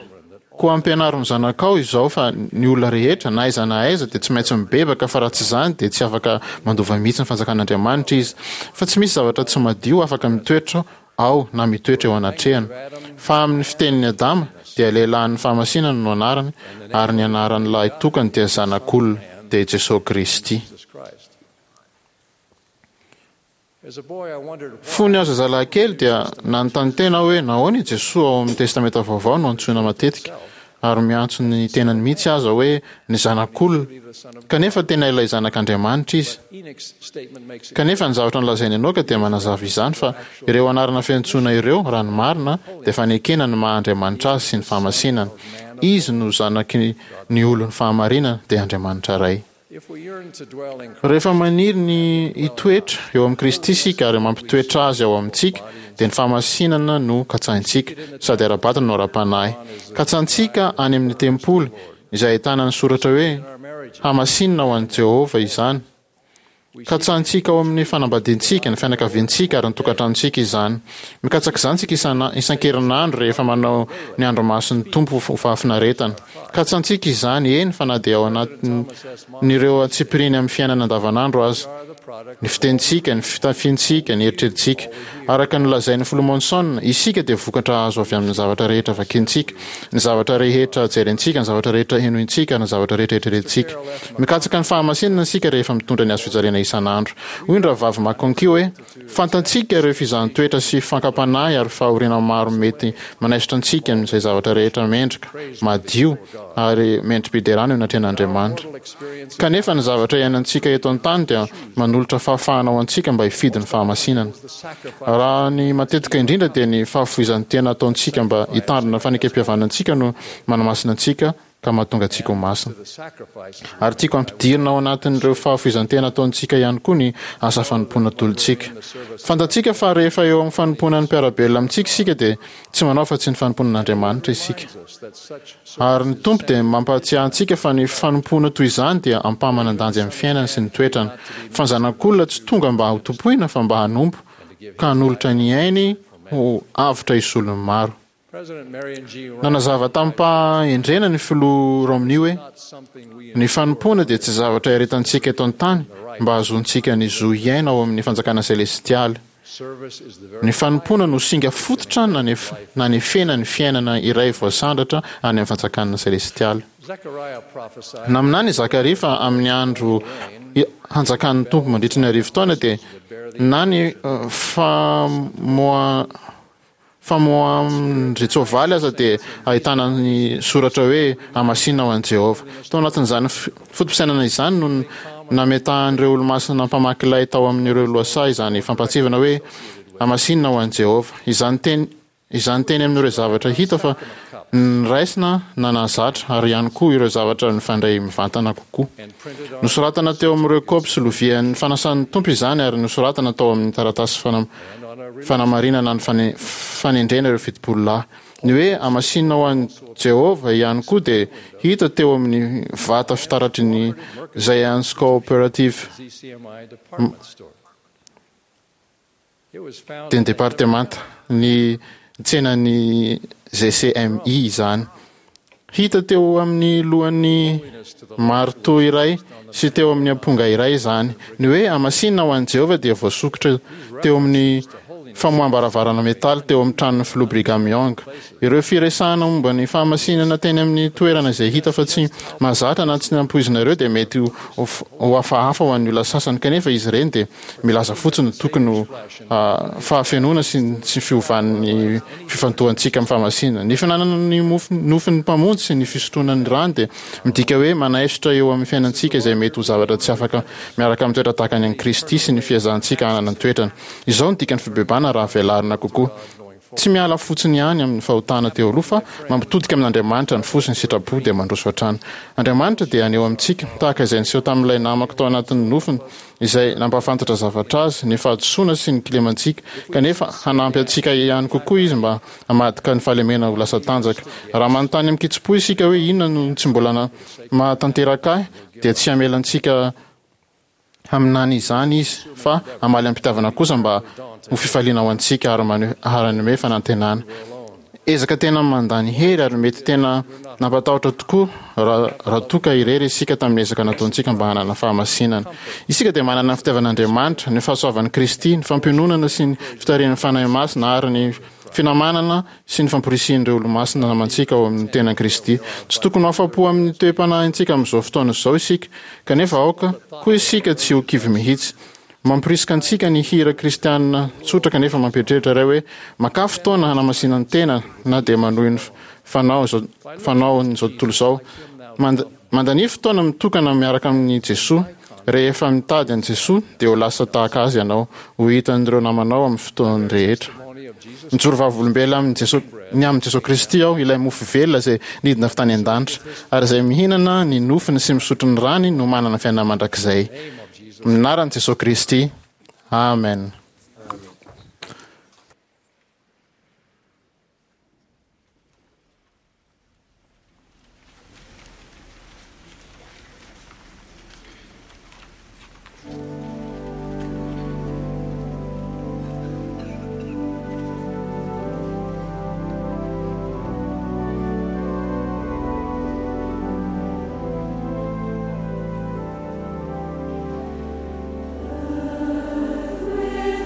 Koa ampianaro ny zanakao izao fa ny olona rehetra, na aiza na aiza, dia tsy maintsy mibebaka, fa raha tsy izany dia tsy afaka mandova mihitsy ny fanjakan'Andriamanitra izy. Fa tsy misy zavatra tsy madio afaka mitoetra ao na mitoetra eo anatrehany. Fa amin'ny fitenin'i Adama, dia lehilahin'ny fahamasinana no anarany, ary ny anaran'ny lahy tokany dia Zanak'olona, dia i Jesoa Kristy. Fony aho zazalahy kely dia nanontany tena aho hoe nahoana i Jesoa ao amin'ny Testamenta Vaovao no antsoina matetika ary miantso ny tenany mihitsy aza hoe ny Zanak'olona, kanefa tena ilay Zanak'Andriamanitra izy. Kanefa ny zavatra nolazain'i Enoka dia manazava izany fa ireo anarana fiantsoana ireo, raha ny marina, dia fanekena ny maha Andriamanitra azy sy ny fahamasinany. Izy no Zanaky ny olon'ny fahamarinana, dia Andriamanitra Ray. Rehefa maniry ny hitoetra eo amin'i Kristy isika ary mampitoetra Azy ao amintsika, dia ny fahamasinana no katsahintsika, sady ara-batana no ara-panahy. Katsahintsika any amin'ny tempoly, izay ahitana ny soratra hoe, Hamasinina ho an'i Jehovah izany. Katsahintsika ao amin'ny fanambadiantsika, ny fianakaviantsika ary ny tokantranontsika izany. Mikatsaka izany isika isan-kerinandro rehefa manao ny andro masin'ny Tompo ho fahafinaretana. Katsahintsika izany, eny fa na dia ao anatin'ireo antsipiriany amin'ny fiainana andavanandro aza. Ny fitenintsika, ny fitafiantsika, ny eritreritsika. Araka ny nolazain'ny Filoha Monson, isika dia vokatra azo avy amin'ny zavatra rehetra vakintsika, ny zavatra rehetra jerentsika, ny zavatra rehetra henointsika, ary ny zavatra rehetra eritreretintsika. Mikatsaka ny fahamasinana isika rehefa mitondra ny hazofijaliana isan'andro. Hoy ny Rahavavy McConkie hoe, Fantatsika ireo fizahan-toetra sy fankam-panahy ary fahoriana maro mety manaisotra antsika amin'izay zavatra rehetra mendrika, madio, ary mendri-piderana eo anatrehan'Andriamanitra. Kanefa ny zavatra iainantsika eto an-tany dia manolotra fahafahana ho antsika mba hifidy ny fahamasinana. Raha ny matetika indrindra dia ny fahafoizan-tena ataontsika mba hitandrina ny fanekempihavanantsika no manamasina antsika ka mahatonga antsika ho masina. Ary tiako hampidirina ao anatin'ireo fahafoizan-tena ataontsika ihany koa ny asa fanompoana atolotsika. Fantatsika fa rehefa eo amin'ny fanompoana ny mpiara-belona amintsika isika dia tsy manao afa-tsy ny fanompoana an'Andriamanitra isika. Ary ny Tompo dia mampahatsiahy antsika fa ny fanompoana toy izany dia ampahamanan-danja amin'ny fiainany sy ny toetrany. Fa ny Zanak'olona tsy tonga mba hotompoina fa mba hanompo, ka hanolotra ny ainy ho avotra hisolo ny maro. Nanazava tamim-pahendrena ny Filoha Romney hoe, Ny fanompoana dia tsy zavatra iaretantsika eto an-tany mba hahazoantsika ny zo hiaina ao amin'ny fanjakana selestialy. Ny fanompoana no singa fototra nanefena ny fiainana iray voasandratra any amin'ny fanjakana selestialy. Naminany i Zakaria fa amin'ny andro hanjakan'ny Tompo mandritry ny arivo taona dia na ny famoa Famoahan-dRetsoavaly aza dia ahitana ny soratra hoe Hamasinina ho an'i Jehovah. Tao anatin'izany foto-pisainana izany no nametahan'ireo olomasina mpamaky lay tao amin'ireo lohasaha izany fampahatsiahivana hoe Hamasinina ho an'i Jehovah. Izany teny izany teny amin'ireo zavatra hita fa niraisina na nahazatra ary ihany koa ireo zavatra nifandray mivantana kokoa. Nosoratana teo amin'ireo kaopy sy lovian'ny fanasan'ny Tompo izany ary nosoratana tao amin'ny taratasy fanamarinana ny fanendrena ireo fitopolo lahy. Ny hoe hamasinina ho an'i Jehovah ihany koa dia hita teo amin'ny vata fitaratry ny Zion's Cooperative dia ny departemanta, ny tsenan'ny G C M I izany. Hita teo amin'ny lohan'ny maritoa iray sy teo amin'ny amponga iray izany. Ny hoe hamasinina ho an'i Jehovah dia voasokitra teo amin'ny famoaham-baravarana metaly teo amin'ny tranon'ny Filoha Brigham Young. Ireo firesahana momba ny fahamasinana teny amin'ny toerana izay hita fa tsy mahazatra na tsy nampoizina ireo dia mety ho hafahafa ho an'ny olona sasany, kanefa izy ireny dia milaza fotsiny ny tokony ho fahafenoana sy ny tsy fiovan'ny fifantohantsika amin'ny fahamasinana. Ny fihinanana ny mofo nofon'ny Mpamonjy sy ny fisotroana ny rany dia midika hoe manaisotra eo amin'ny fiainantsika izay mety ho zavatra tsy afaka miaraka amin'ny toetra tahaka ny an'i Kristy sy ny fiezahantsika hanana ny toetrany. Izao no dikan'ny fibebahana raha velarina kokoa. Tsy miala fotsiny ihany amin'ny fahotana teo aloha fa mampitodika amin'Andriamanitra ny fo sy ny sitrapo dia mandroso hatrany. Andriamanitra dia haneho amintsika, tahaka izay niseho tamin'ilay namako tao anatin'ny nofiny, izay nampahafantatra zavatra azy, ny fahadisoana sy ny kilemantsika, kanefa hanampy antsika ihany kokoa Izy mba hamadika ny fahalemena ho lasa tanjaka. Raha manontany amin-kitsim-po isika hoe inona no tsy mbola mahatanteraka ahy, dia tsy hamela antsika haminany izany Izy, fa hamaly am-pitiavana kosa mba ho fifaliana ho antsika ary hanome fanantenana. Ezaka tena mandany hery ary mety tena nampatahotra tokoa raha raha toa ka irery isika tamin'ny ezaka nataontsika mba hanana fahamasinana. Isika dia manana ny fitiavan'Andriamanitra, ny fahasoavan'i Kristy, ny fampiononana sy ny fitarihan'ny Fanahy Masina ary ny finamanana sy ny famporisihin'ireo olomasina namantsika ao amin'ny tenan'i Kristy. Tsy tokony ho afa-po amin'ny toe-panahintsika amin'izao fotoana izao isika, kanefa aoka koa isika tsy ho kivy mihitsy. Mampirisika antsika ny hira kristianina tsotra kanefa mampieritreritra iray hoe makà fotoana hanamasinana ny tena na dia manohy ny fanao izao fanaon'izao tontolo izao. Mand- mandania fotoana mitokana miaraka amin'i Jesoa. Rehefa mitady an'i Jesoa dia ho lasa tahaka azy ianao, ho hitan'ireo namanao amin'ny fotoany rehetra. Mijoro vavolombelona amin'i Jesoa, ny amin'i Jesoa Kristy aho, ilay mofo velona izay nidina avy tany an-danitra, ary izay mihinana ny nofony sy misotro ny rany no manana fiainana mandrakizay. Amin'ny anaran'i Jesoa Kristy. Amen. Earth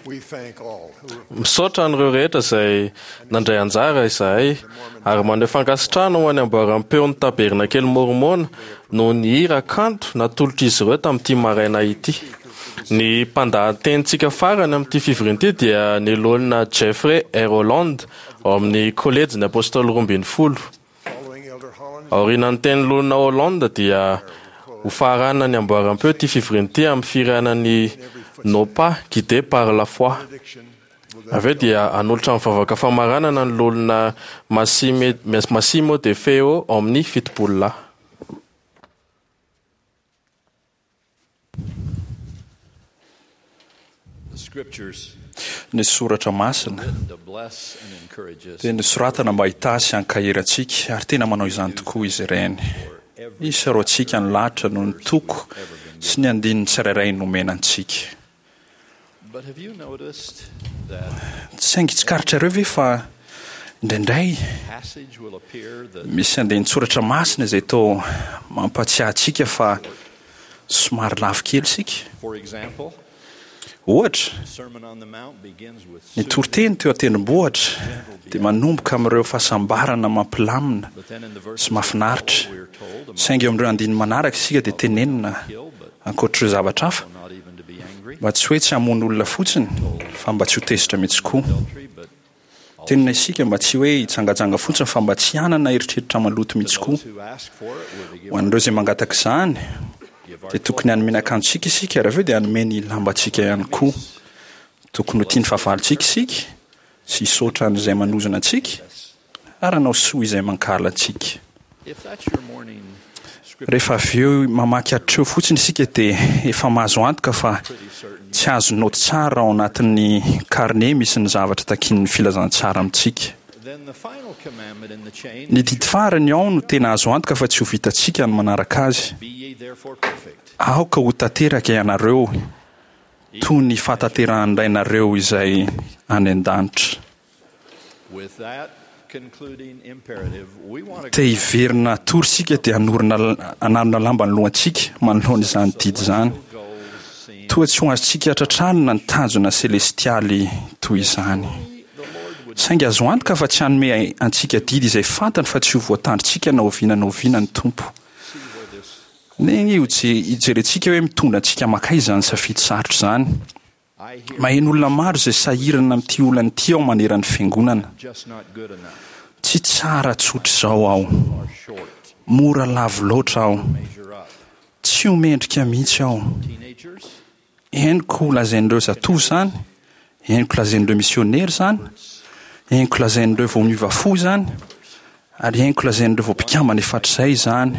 Misaotra an'ireo rehetra izay nandray anjara izahay ary maneho fankasitrahana ho an'ny amboaram-peon'ny Tabernakely Mormona noho ny hira kanto natolotr'izy ireo tamin'ity maraina ity. Ny mpandahatenintsika farany amin'ity fivoriana ity dia ny loholona Jeffrey R. Holland ao amin'ny Kolejin'ny Apôstôly roa ambin'ny folo. Aorian'ny tenin'ny loholona Holland dia ho faranana ny amboaram-peo ity fivoriana ity amin'ny fihirana ny Nos pas guidés par la foi. Avy eo dia hanolotra ny vavaka famaranana ny loholona Massimo De Feo ao amin'ny fitopolo lahy. Ny soratra masina dia nosoratana mba hitahy sy hankahery antsika, ary tena manao izany tokoa izy ireny. Isaorantsika ny lahatra noho ny toko sy ny andininy tsirairay nomena antsika. Saingy tsikaritrareo ve fa indraindray misy andinin-tsoratra masina izay toa mampahatsiahy antsika fa somary lavo kely isika? Ohatra, ny toriteny teo an-tendrombohitra dia manomboka amin'ireo fahasambarana mampilamina sy mahafinaritra, saingy eo amin'ireo andininy manaraka isika dia tenenina, ankoatr'ireo zavatra hafa, mba tsy hoe tsy hamono olona fotsiny, fa mba tsy ho tezitra mihitsy koa. Tenenina isika mba tsy hoe hijangajanga fotsiny fa mba tsy hanana eritreritra maloto mihitsy koa. Ho an'ireo izay mangataka izany, dia tokony hanome ny akanjontsika isika ary avy eo dia hanome ny lambantsika ihany koa. Tokony ho tia ny fahavalontsika isika sy hisaotra an'izay manozona antsika ary hanao soa izay mankahala antsika. Rehefa avy eo mamaky hatreo fotsiny isika dia efa mahazo antoka fa tsy azo naoty tsara ao anatin'ny karne misy ny zavatra takian'ny filazantsara amintsika. Ny didy farany ao no tena azo antoka fa tsy ho vitantsika ny manaraka azy. Aoka ho tanteraka ianareo toy ny fahatanterahan'ny Rainareo izay any an-danitra. Te hiverina hatory isika dia hanorina hanarona lamba ny lohantsika manoloana izany didy izany. Toa tsy ho azontsika tratrarina ny tanjona selestialy toy izany. Saingy azo antoka fa tsy hanome antsika didy izay fantany fa tsy ho voatandrintsika na oviana na oviana ny Tompo. Neny hijerentsika hoe mitondra antsika mankaiza izany safidy sarotra izany. Maheno olona maro izay sahirana amin'ity olana ity aho manerana ny fiangonana. Tsy tsara tsotra izao aho. Mora lavo loatra aho. Tsy ho mendrika mihitsy aho. Henoko lazain'ireo zatovo izany, henoko lazain'ireo misionera izany, henoko lazain'ireo vao miova fo izany, ary henoko lazain'ireo vao mpikambana efa hatrizay izany.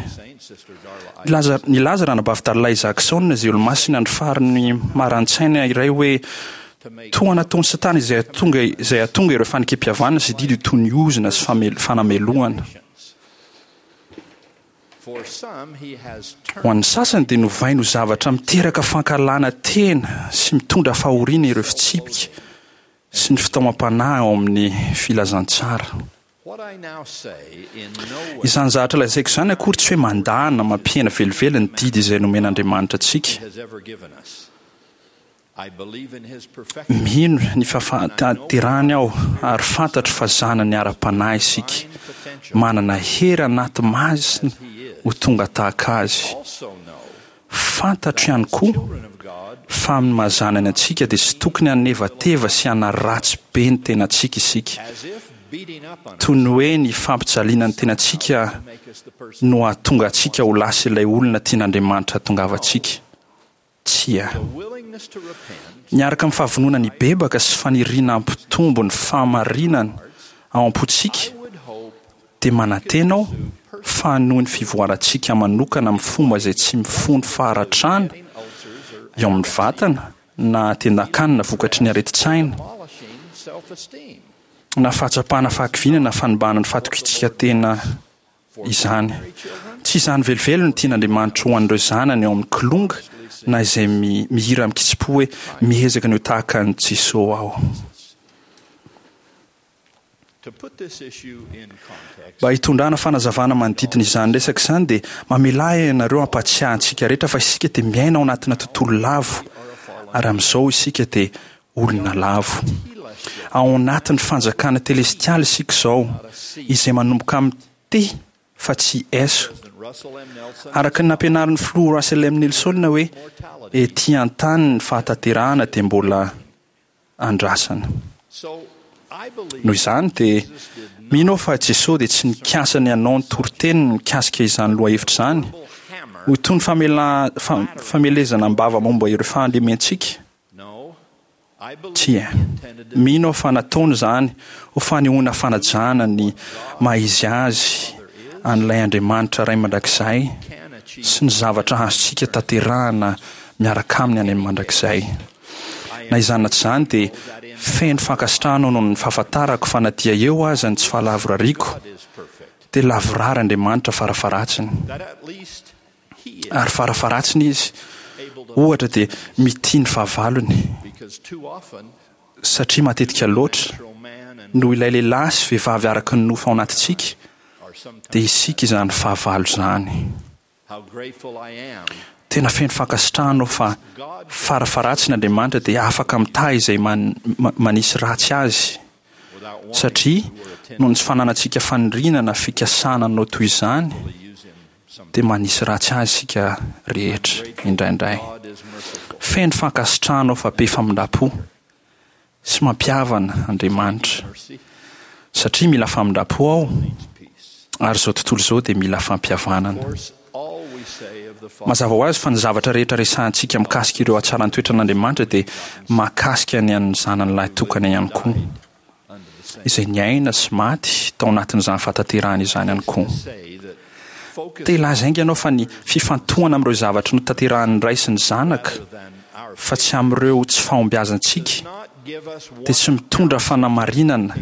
Nilaza, nilaza Ranabavy Darla Isaacson, izay Olomasina ny fariny maran-tsaina iray hoe, Toa nataon'i Satana izay hahatonga, izay hahatonga ireo fanekem-pihavanana sy didy ho toy ny ozona sy famel, fanamelohana. Ho an'ny sasany dia novainy ho zavatra miteraka fankahalana tena sy mitondra fahoriana ireo fitsipika sy ny fitaomam-panahy ao amin'ny filazantsara. Izany zavatra lazaiko izany akory tsy hoe mandà na mampihena velively ny didy izay nomen'Andriamanitra antsika. Mino ny fahatanterahany aho ary fantatro fa zanany ara-panahy isika, manana hery anaty masina ho tonga tahaka azy. Fantatro ihany koa fa amin'ny maha zanany antsika dia tsy tokony hanevateva sy hanaratsy be ny tenantsika isika, toy ny hoe ny fampijaliana ny tenantsika no hahatonga antsika ho lasa ilay olona tian'Andriamanitra hahatongavantsika. Tsia. Miaraka amin'ny fahavononana hibebaka sy faniriana hampitombo ny fahamarinana ao am-pontsika, dia manantena aho fa hanohy ny fivoarantsika manokana amin'ny fomba izay tsy mifono faharatrana eo amin'ny vatana na tendan-kanina vokatry ny aretin-tsaina, na fahatsapana fahakiviana na fanimbana ny fahatokiantsika tena izany. Tsy izany velively no tian'Andriamanitra ho an'ireo zanany ao amin'ny Kilonga na izay mihira amin-kitsim-po hoe Miezaka ny ho tahaka an'i Jesoa aho. Mba hitondrana fanazavana manodidina izany resaka izany dia mamelà ahy ianareo hampahatsiahy antsika rehetra fa isika dia miaina ao anatina tontolo lavo ary amin'izao isika dia olona lavo. Ao anatin'ny fanjakana telestialy isika izao, izay manomboka amin'ny T fa tsy S. Araka ny nampianarin'ny filoha Russell M. Nelson hoe ety an-tany ny fahatanterahana dia mbola andrasana. Noho izany dia mino aho fa Jesoa dia tsy nikasa ny hanao ny toriteniny mikasika izany lohahevitra izany ho toy ny famelezana am-bava momba ireo fahalementsika. Tsia. Mino aho fa nataony izany ho fanehoana fanajana ny maha-izy azy an'ilay Andriamanitra Ray Mandrakizay sy ny zavatra azontsika tanterahana miaraka aminy any amin'ny mandrakizay. Na izany na tsy izany dia feno fankasitrahana aho noho ny fahafantarako fa na dia eo aza ny tsy fahalavorariako dia lavorary Andriamanitra farafaharatsiny. Ary farafaharatsiny Izy, ohatra, dia mitia ny fahavalony, satria matetika loatra, noho ilay lehilahy sy vehivavy araka ny nofo ao anatintsika, dia isika izany fahavalo izany. Tena feno fankasitrahana aho fa farafaharatsiny Andriamanitra dia afaka mitahy izay manisy ratsy azy, satria noho ny tsy fananantsika faniriana na fikasana hanao toy izany, dia manisy ratsy azy isika rehetra indraindray. Feno fankasitrahana aho fa be famindram-po sy mampihavana Andriamanitra, satria mila famindram-po aho ary izao tontolo izao dia mila fampihavanana. Mazava ho azy fa ny zavatra rehetra resahantsika mikasika ireo hatsaran-toetran'Andriamanitra dia mahakasika ny an'ny Zanany lahitokana ihany koa. izay niaina sy maty tao anatin'izany fahatanterahana izany ihany koa. Te hilaza haingana aho fa ny fifantohana amin'ireo zavatra notanterahin'ny Ray sy ny Zanaka, fa tsy amin'ireo tsy fahombiazantsika, dia tsy mitondra fanamarinana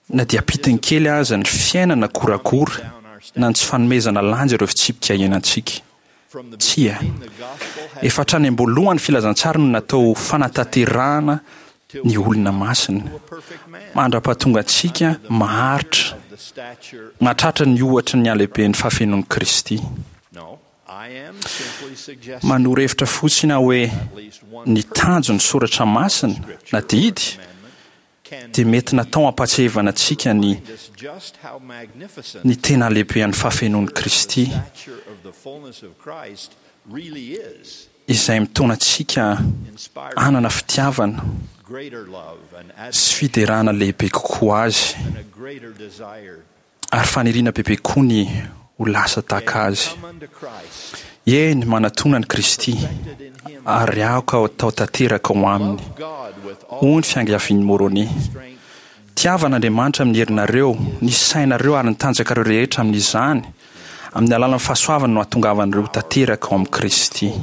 na dia ampitiny kely aza ny fiainana goragora na ny tsy fanomezana lanja ireo fitsipika iainantsika. Tsia. Efa hatrany am-boalohany ny filazantsara no natao ho fanatanterahana ny olona masina, mandra-pahatonga antsika maharitra mahatratra ny ohatry ny halehiben'ny fahafenoan'i Kristy. Manoro hevitra fotsiny aho hoe ny tanjon'ny soratra masina na didy dia mety natao hampahatsiahivana antsika ny ny tena halehibehan'ny fahafenoan'i Kristy, izay mitaona antsika hanana fitiavana sy fiderana lehibe kokoa Azy. Ary faniriana bebe koa ny ho lasa tahaka Azy. Eny, manatona an'i Kristy, ary aoka hatao tanteraka ao Aminy, hoy ny fiangavian'i Môrônia. Tiava an'Andriamanitra amin'ny herinareo, ny sainareo ary ny tanjakareo rehetra amin'izany, amin'ny alalan'ny fahasoavany no hahatongavanareo ho tanteraka ao amin'i Kristy.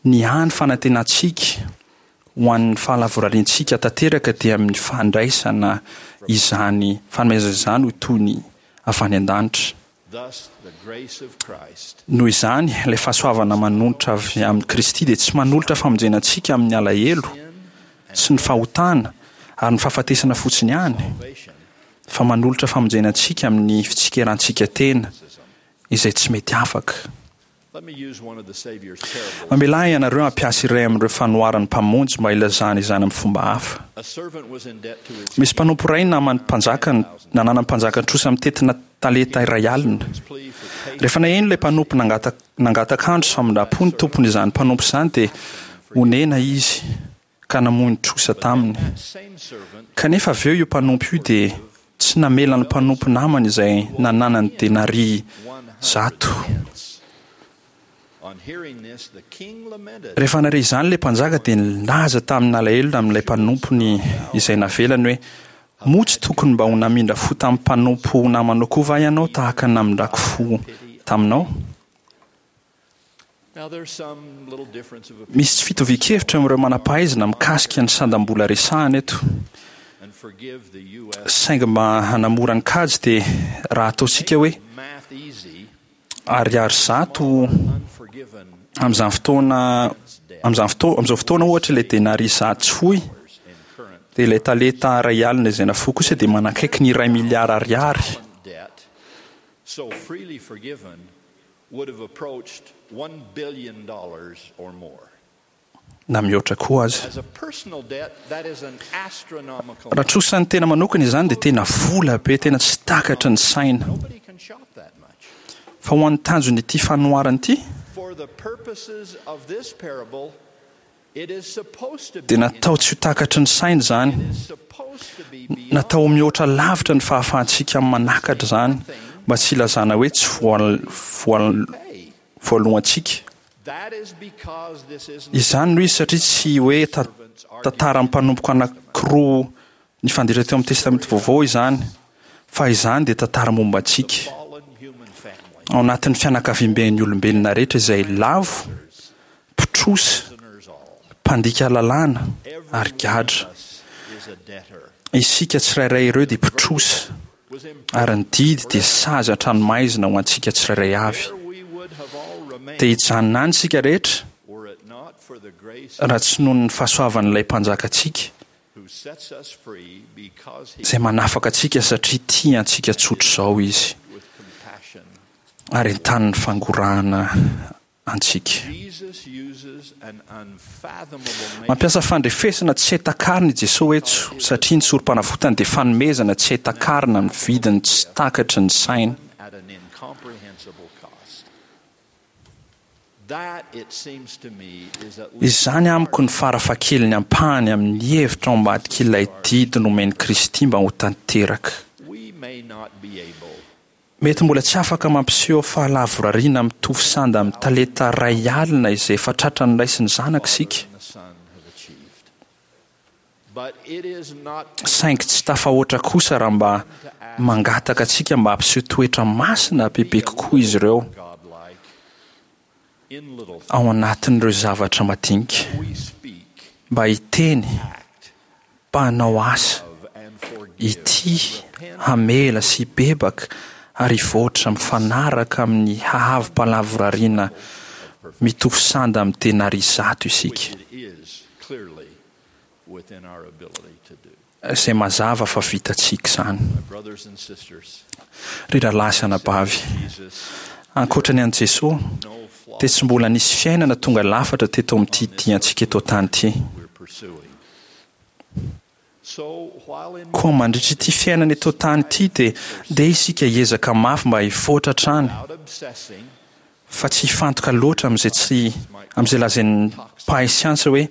Ny hany fanantenantsika Ho an'ny fahalavorariantsika tanteraka dia amin'ny fandraisana izany fanomezana izany ho toy ny avy any an-danitra. Noho izany, ilay fahasoavana manonitra avy amin'i Kristy dia tsy manolotra famonjena antsika amin'ny alahelo sy ny fahotana ary ny fahafatesana fotsiny ihany, fa manolotra famonjena antsika amin'ny fitsikerantsika tena izay tsy mety afaka. Mamelà ianareo hampiasa iray amin'ireo fanoharan'ny Mpamonjy mba hilazana izany amin'ny fomba hafa. Misy mpanompo iray naman'ny mpanjaka nananan'ny mpanjaka trosa mitentina talenta iray alina. Rehefa naheno ilay mpanompo nangataka andro sy famindram-po ny tompony izany mpanompo izany dia onena izy ka namoy ny trosa taminy. Kanefa avy eo io mpanompo io dia tsy namela ny mpanompo namany izay nananany denaria zato. Rehefa nahare izany ilay mpanjaka dia nilaza tamin'alahelo amin'ilay mpanompony izay navelany hoe, Moa tsy tokony mba ho namindra fo tamin'ny mpanompo namanao koa va ianao tahaka ny namindrako fo taminao? Misy tsy fitovian-kevitra eo amin'ireo manam-pahaizana mikasika ny sandam-bola resahana eto. Saingy mba hanamora ny kajy dia raha ataontsika hoe ariary zato amin'izany fotoana amin'izany fotoana amin'izao fotoana ohatra ilay denaria zato tsy foy dia ilay talenta iray alina izay nafoy kosa dia manakaiky ny iray miliara ariary. Would have approached one billion dollars or more. Na mihoatra koa aza. Raha trosan'ny tena manokana izany dia tena vola be, tena tsy takatry ny saina. Fa ho an'ny tanjon'ity fanoharana ity, dia natao tsy ho takatry ny saina izany. Natao ho mihoatra lavitra ny fahafahantsika manakatra izany, mba tsy hilazana hoe tsy voalohantsika. Izany no izy satria tsy hoe tantaran'ny mpanompoko anankiroa nifanditra teo amin'ny Testamenta Vaovao izany, fa izany dia tantara momba antsika, ao anatin'ny fianakaviamben'ny olombelona rehetra izay lavo, mpitrosa, mpandika lalàna ary gadra. Isika tsirairay ireo dia mpitrosa, ary ny didy dia sazy an-tranomaizina ho antsika tsirairay avy. Dia hijanona any isika rehetra, raha tsy noho ny fahasoavan'ilay Mpanjakantsika, izay manafaka antsika satria tia antsika tsotr'izao Izy, ary entanin'ny fangorahana antsika. Mampiasa fandrefesana tsy hay takarina i Jesoa eto, satria ny sorom-panavotany dia fanomezana tsy hay takarina amin'ny vidiny tsy takatry ny saina. Izany amiko no farafahakeliny ampahany amin'ny hevitra ao ambadik'ilay didy nomen'i Kristy mba ho tanteraka. Mety mbola tsy afaka mampiseho fahalavorariana mitovy sanda amin'ny talenta iray alina izay efa tratran'ny Ray sy ny Zanaka isika, saingy tsy tafahoatra kosa raha mba mangataka antsika mba hampiseho toetra masina bebe kokoa izy ireo ao anatin'ireo zavatra madinika, mba hiteny, mba hanao asa, hitia, hamela sy hibebaka ary hivoatra mifanaraka amin'ny haavo-pahalavorariana mitovy sanda amin'ny denaria zato isika. Izay mazava fa vitantsika izany. Ry rahalahy sy anabavy, ankoatra ny an'i Jesoa, dia tsy mbola nisy fiainana tonga lafatra teto amin'ity diantsika eto an-tany ity. Koa mandritra ity fiainana eto an-tany ity dia ndeha isika hiezaka mafy mba hivoatra hatrany, fa tsy hifantoka loatra amin'izay tsy amin'izay lazain'ny mpahay siansa hoe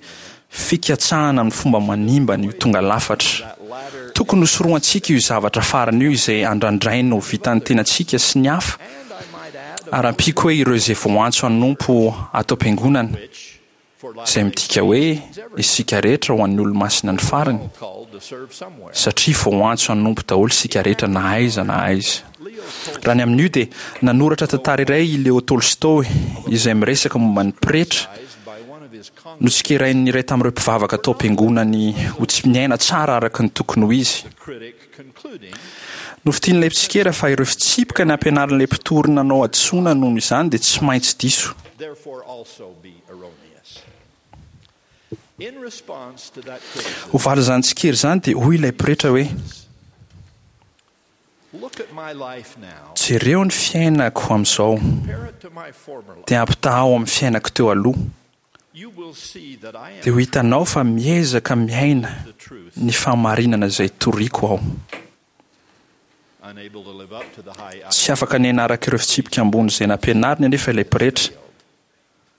fikatsahana amin'ny fomba manimba ny ho tonga lafatra. Tokony hosorohantsika io zavatra farany io izay andrandraina ho vitan'ny tenantsika sy ny hafa, ary ampiako hoe ireo izay voantso hanompo ato am-piangonana. Izay midika hoe isika rehetra ho an'ny Olomasina ny farany, satria voaantso hanompo daholo isika rehetra na aiza na aiza. Raha ny amin'io dia nanoratra tantara iray i Leo Tolstoy izay miresaka momba ny pretra notsikerain'ny iray tamin'ireo mpivavaka tao am-piangonany ho tsy miaina tsara araka ny tokony ho izy. Nofintinin'ilay mpitsikera fa ireo fitsipika nampianarin'ilay mpitory nanao hadisoana noho izany dia tsy maintsy diso. Ho valin'izany tsikera izany dia hoy ilay pretra hoe, Jereo ny fiainako amin'izao, dia ampitahao amin'ny fiainako teo aloha. Dia ho hitanao fa miezaka miaina ny fahamarinana izay toriko aho. Tsy afaka niaina araka ireo fitsipika ambony izay nampianariny anefa ilay pretra,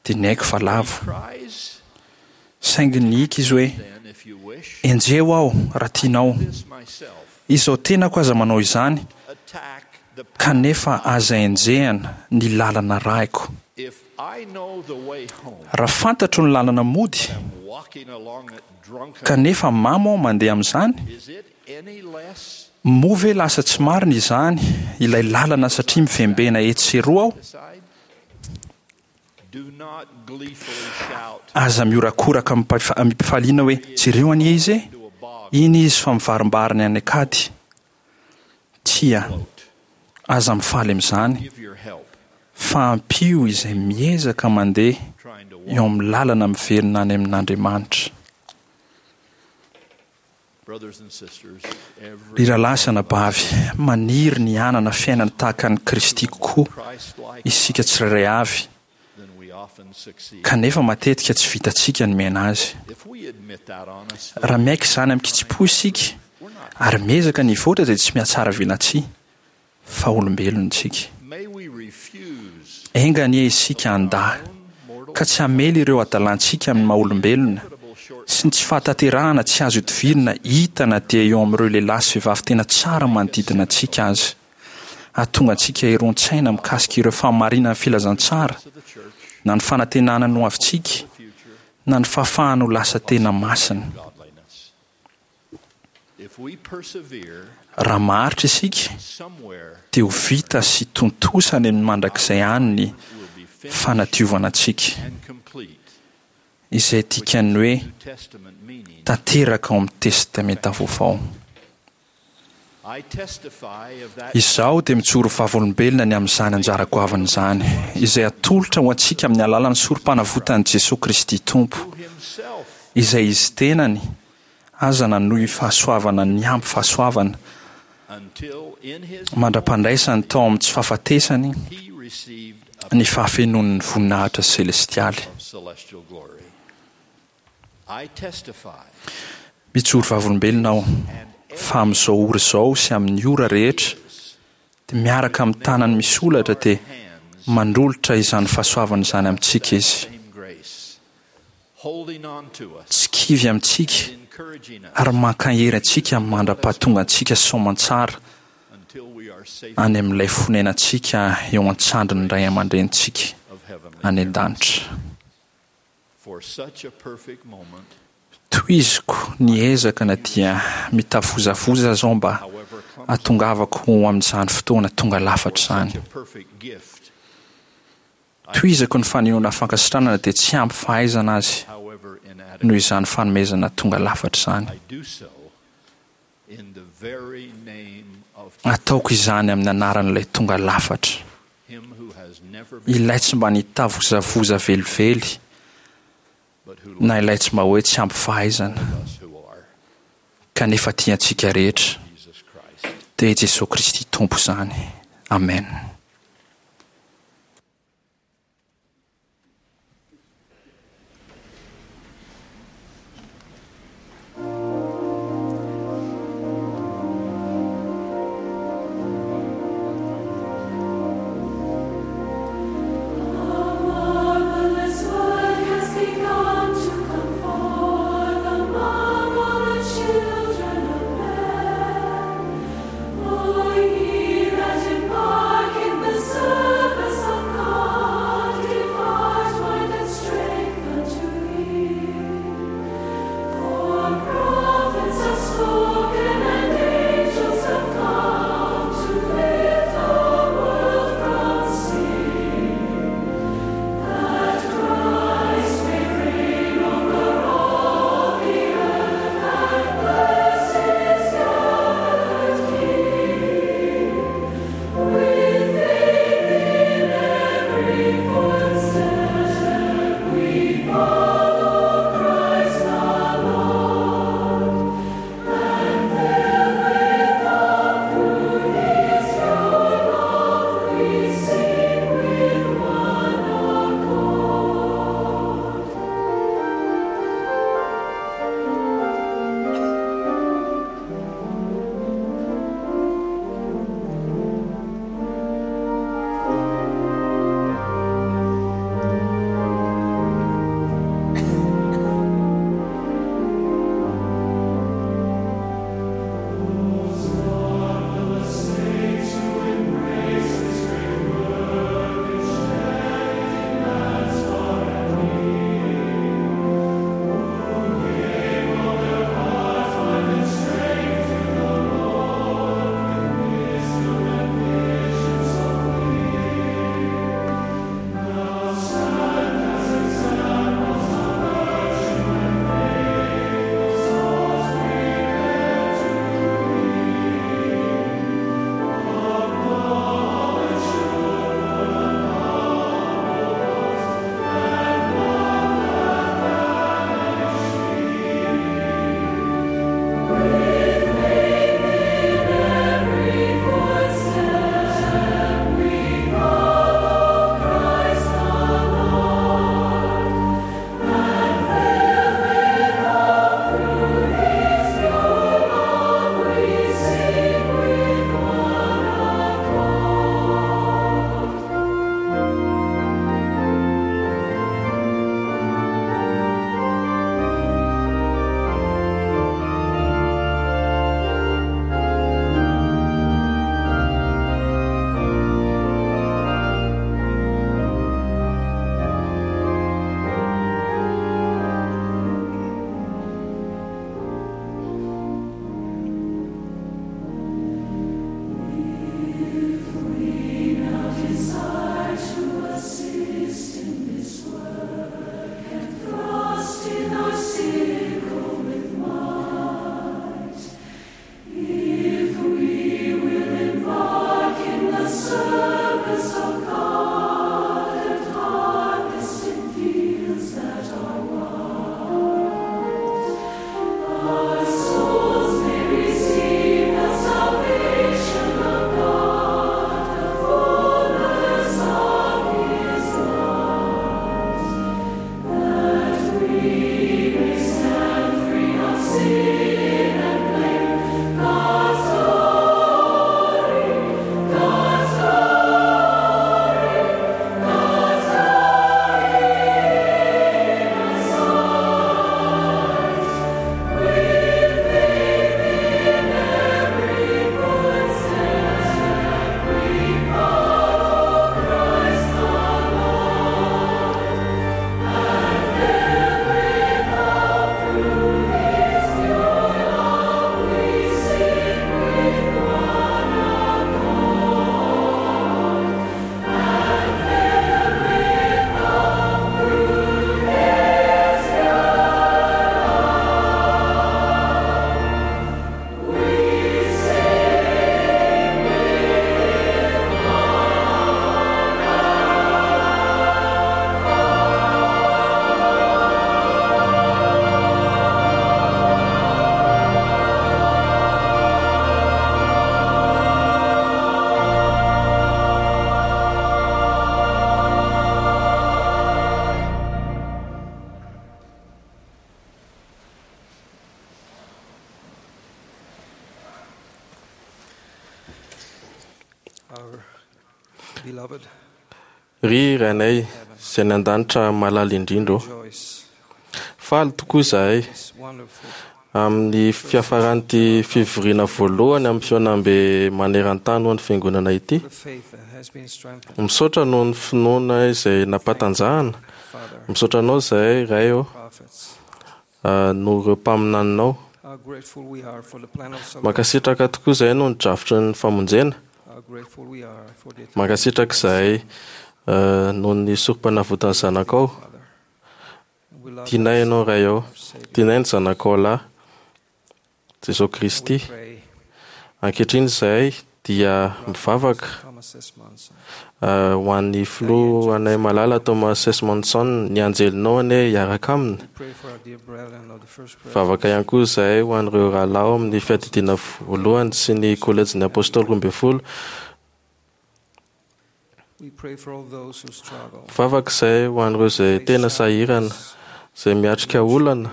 dia niaiky fa lavo. Saingy nihiaka izy hoe, Enjeho aho raha tianao. Izao tenako aza manao izany, kanefa aza enjehina ny lalana arahiko. Raha fantatro ny lalana mody, kanefa mamo aho mandeha amin'izany, moa ve lasa tsy marina izany ilay lalana satria mivembena etsy sy eroa aho? Aza mihorakoraka amim-pifaliana hoe, Jereo anie izy e! Iny izy fa mivarimbariny any an-kady. Tsia, aza mifaly amin'izany, fa ampio izay miezaka mandeha eo amin'ny lalana miverina any amin'Andriamanitra. Ry rahalahy sy anabavy, maniry ny hanana fiainana tahaka an'i Kristy kokoa isika tsirairay avy, Kanefa matetika tsy vitantsika ny miaina azy. Raha miaiky izany amin-kitsim-po isika ary miezaka ny hivoatra dia tsy mihatsara velatsihy fa olombelona isika. Enga anie isika handà ka tsy hamely ireo hadalantsika amin'ny maha-olombelona sy ny tsy fahatanterahana tsy azo idivirina hita na dia eo amin'ireo lehilahy sy vehivavy tena tsara manodidina antsika aza. Hahatonga antsika hiron-tsaina mikasika ireo fahamarinan'ny filazantsara, na ny fanantenana ny hoavintsika, na ny fahafahana ho lasa tena masina. Raha maharitra isika, dia ho vita sy tontosa any amin'ny mandrakizay any ny fanadiovana antsika, izay dikan'ny hoe tanteraka ao amin'ny Testamenta Vaovao. Izaho dia mijoro vavolombelona ny amin'izany anjara goavana izany, izay atolotra ho antsika amin'ny alalan'ny sorom-panavotan'i Jesoa Kristy Tompo, izay Izy tenany aza nanohy fahasoavana niampy fahasoavana, mandra-pandraisany tao amin'ny tsy fahafatesany ny fahafenoan'ny voninahitra selestialy. Mijoro vavolombelona aho fa amin'izao ora izao sy amin'ny ora rehetra dia miaraka amin'ny tanany misy holatra dia manolotra izany fahasoavana izany amintsika Izy. Tsy kivy amintsika ary mankahery antsika mandra-pahatonga antsika soamantsara any amin'ilay fonenantsika eo an-tsandrin'ny Ray aman-drenintsika any an-danitra. Tohiziko ny ezaka na dia mitavozavoza aza aho mba hahatongavako ho amin'izany fotoana tonga lafatra izany. Tohizako ny fanehoana fankasitrahana na dia tsy ampy fahaizana azy noho izany fanomezana tonga lafatra izany. Ataoko izany amin'ny anaran'ilay tonga lafatra, ilay tsy mba nitavozavoza velively, na ilay tsy mba hoe tsy ampy fahaizana, kanefa tia antsika rehetra, dia i Jesoa Kristy Tompo izany. Amena. Ry Rainay izay any an-danitra malala indrindra ô, faly tokoa izahay amin'ny fiafaran'ity fivoriana voalohany amin'ny fihaonambe maneran-tany ho an'ny fiangonana ity. Misaotra noho ny finoana izay nampatanjahana. Misaotra anao izahay Ray ô, noho ireo mpaminaninao. Mankasitraka tokoa izahay noho ny drafitry ny famonjena. Mankasitraka izahay noho ny sorom-panavotan'ny zanakao. Tianay ianao Ray ô, tianay ny zanakao lahy Jesosy Kristy. Ankehitriny izahay dia mivavaka ho an'ny filoha anay malala Thomas S. Monson, ny anjelinao anie hiaraka aminy. Mivavaka ihany koa izahay ho an'ireo rahalahy ao amin'ny fiadidiana voalohany sy ny kolejin'ny apôstôly roa ambin'ny folo. Mivavaka izahay ho an'ireo izay tena sahirana, izay miatrika olana,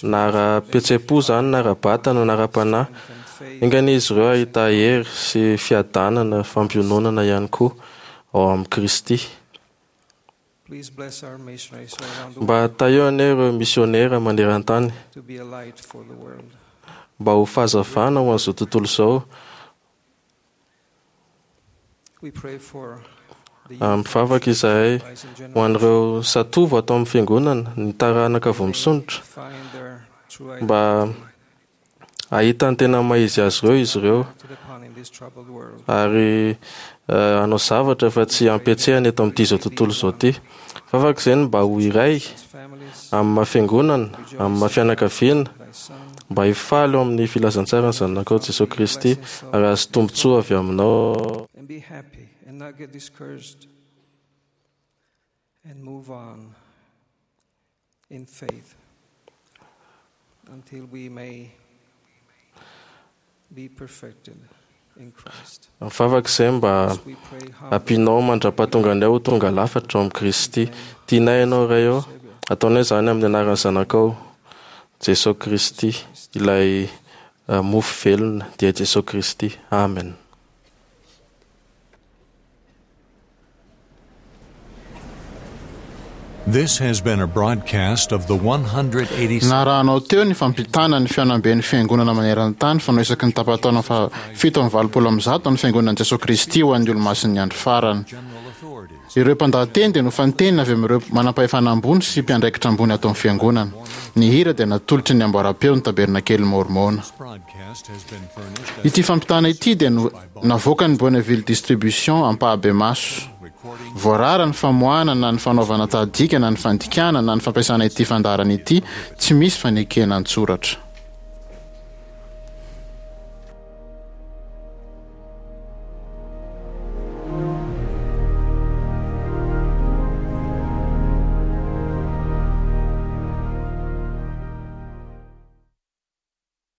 na ara-pihetseham-po izany, na ara-batana, na ara-panahy. Enga anie izy ireo hahita hery sy fiadanana, fampiononana ihany koa ao amin'i Kristy. Mba tahio anie ireo misionera maneran-tany, mba ho fahazavana ho an'izao tontolo izao. Mivavaka izahay ho an'ireo zatovo ato amin'ny fiangonana, ny taranaka vao misondrotra, mba hahita ny tena maha izy azy ireo izy ireo, ary hanao zavatra fa tsy hampietsehana eto amin'ity izao tontolo izao ity. Vavaka izay ny mba ho iray amin'ny maha fiangonana, amin'ny maha fianakaviana, mba hifaly ao amin'ny filazantsaran'ny zanakao Jesosy Kristy ary hahazo tombontsoa avy aminao. And be happy and not get discouraged and move on in faith until we may be perfected in Christ. Mivavaka izay mba ampianao mandra-pahatonga anay ho tonga lafatra ao amin'i Kristy. Tianay ianao Ray ô, ataonay izany amin'ny anaran'ny zanakao Jesosy Kristy, ilay mofo velona dia Jesosy Kristy. Amen. This has been a broadcast of the one hundred eighty-seven. Narahanao teo ny fampitana ny fihaonamben'ny fiangonana maneran-tany fanao isaky ny tapa-taona faha fito amby valopolo amby zato ny fiangonan'i Jesosy Kristy ho an'ny olomasin'ny andro farany. Ireo mpandahateny dia nofantenina avy amin'ireo manam-pahefana ambony sy mpiandraikitra ambony ato amin'ny fiangonana. Ny hira dia natolotry ny amboaram-peo ny tabernakely Mormona. Ity fampitana ity dia navoakan'ny Bonneville Distribution ampahabemaso. Voarara ny famoahana na ny fanaovana tahadika na ny fandikana na ny fampiasana ity fandaharana ity tsy misy fanekena an-tsoratra.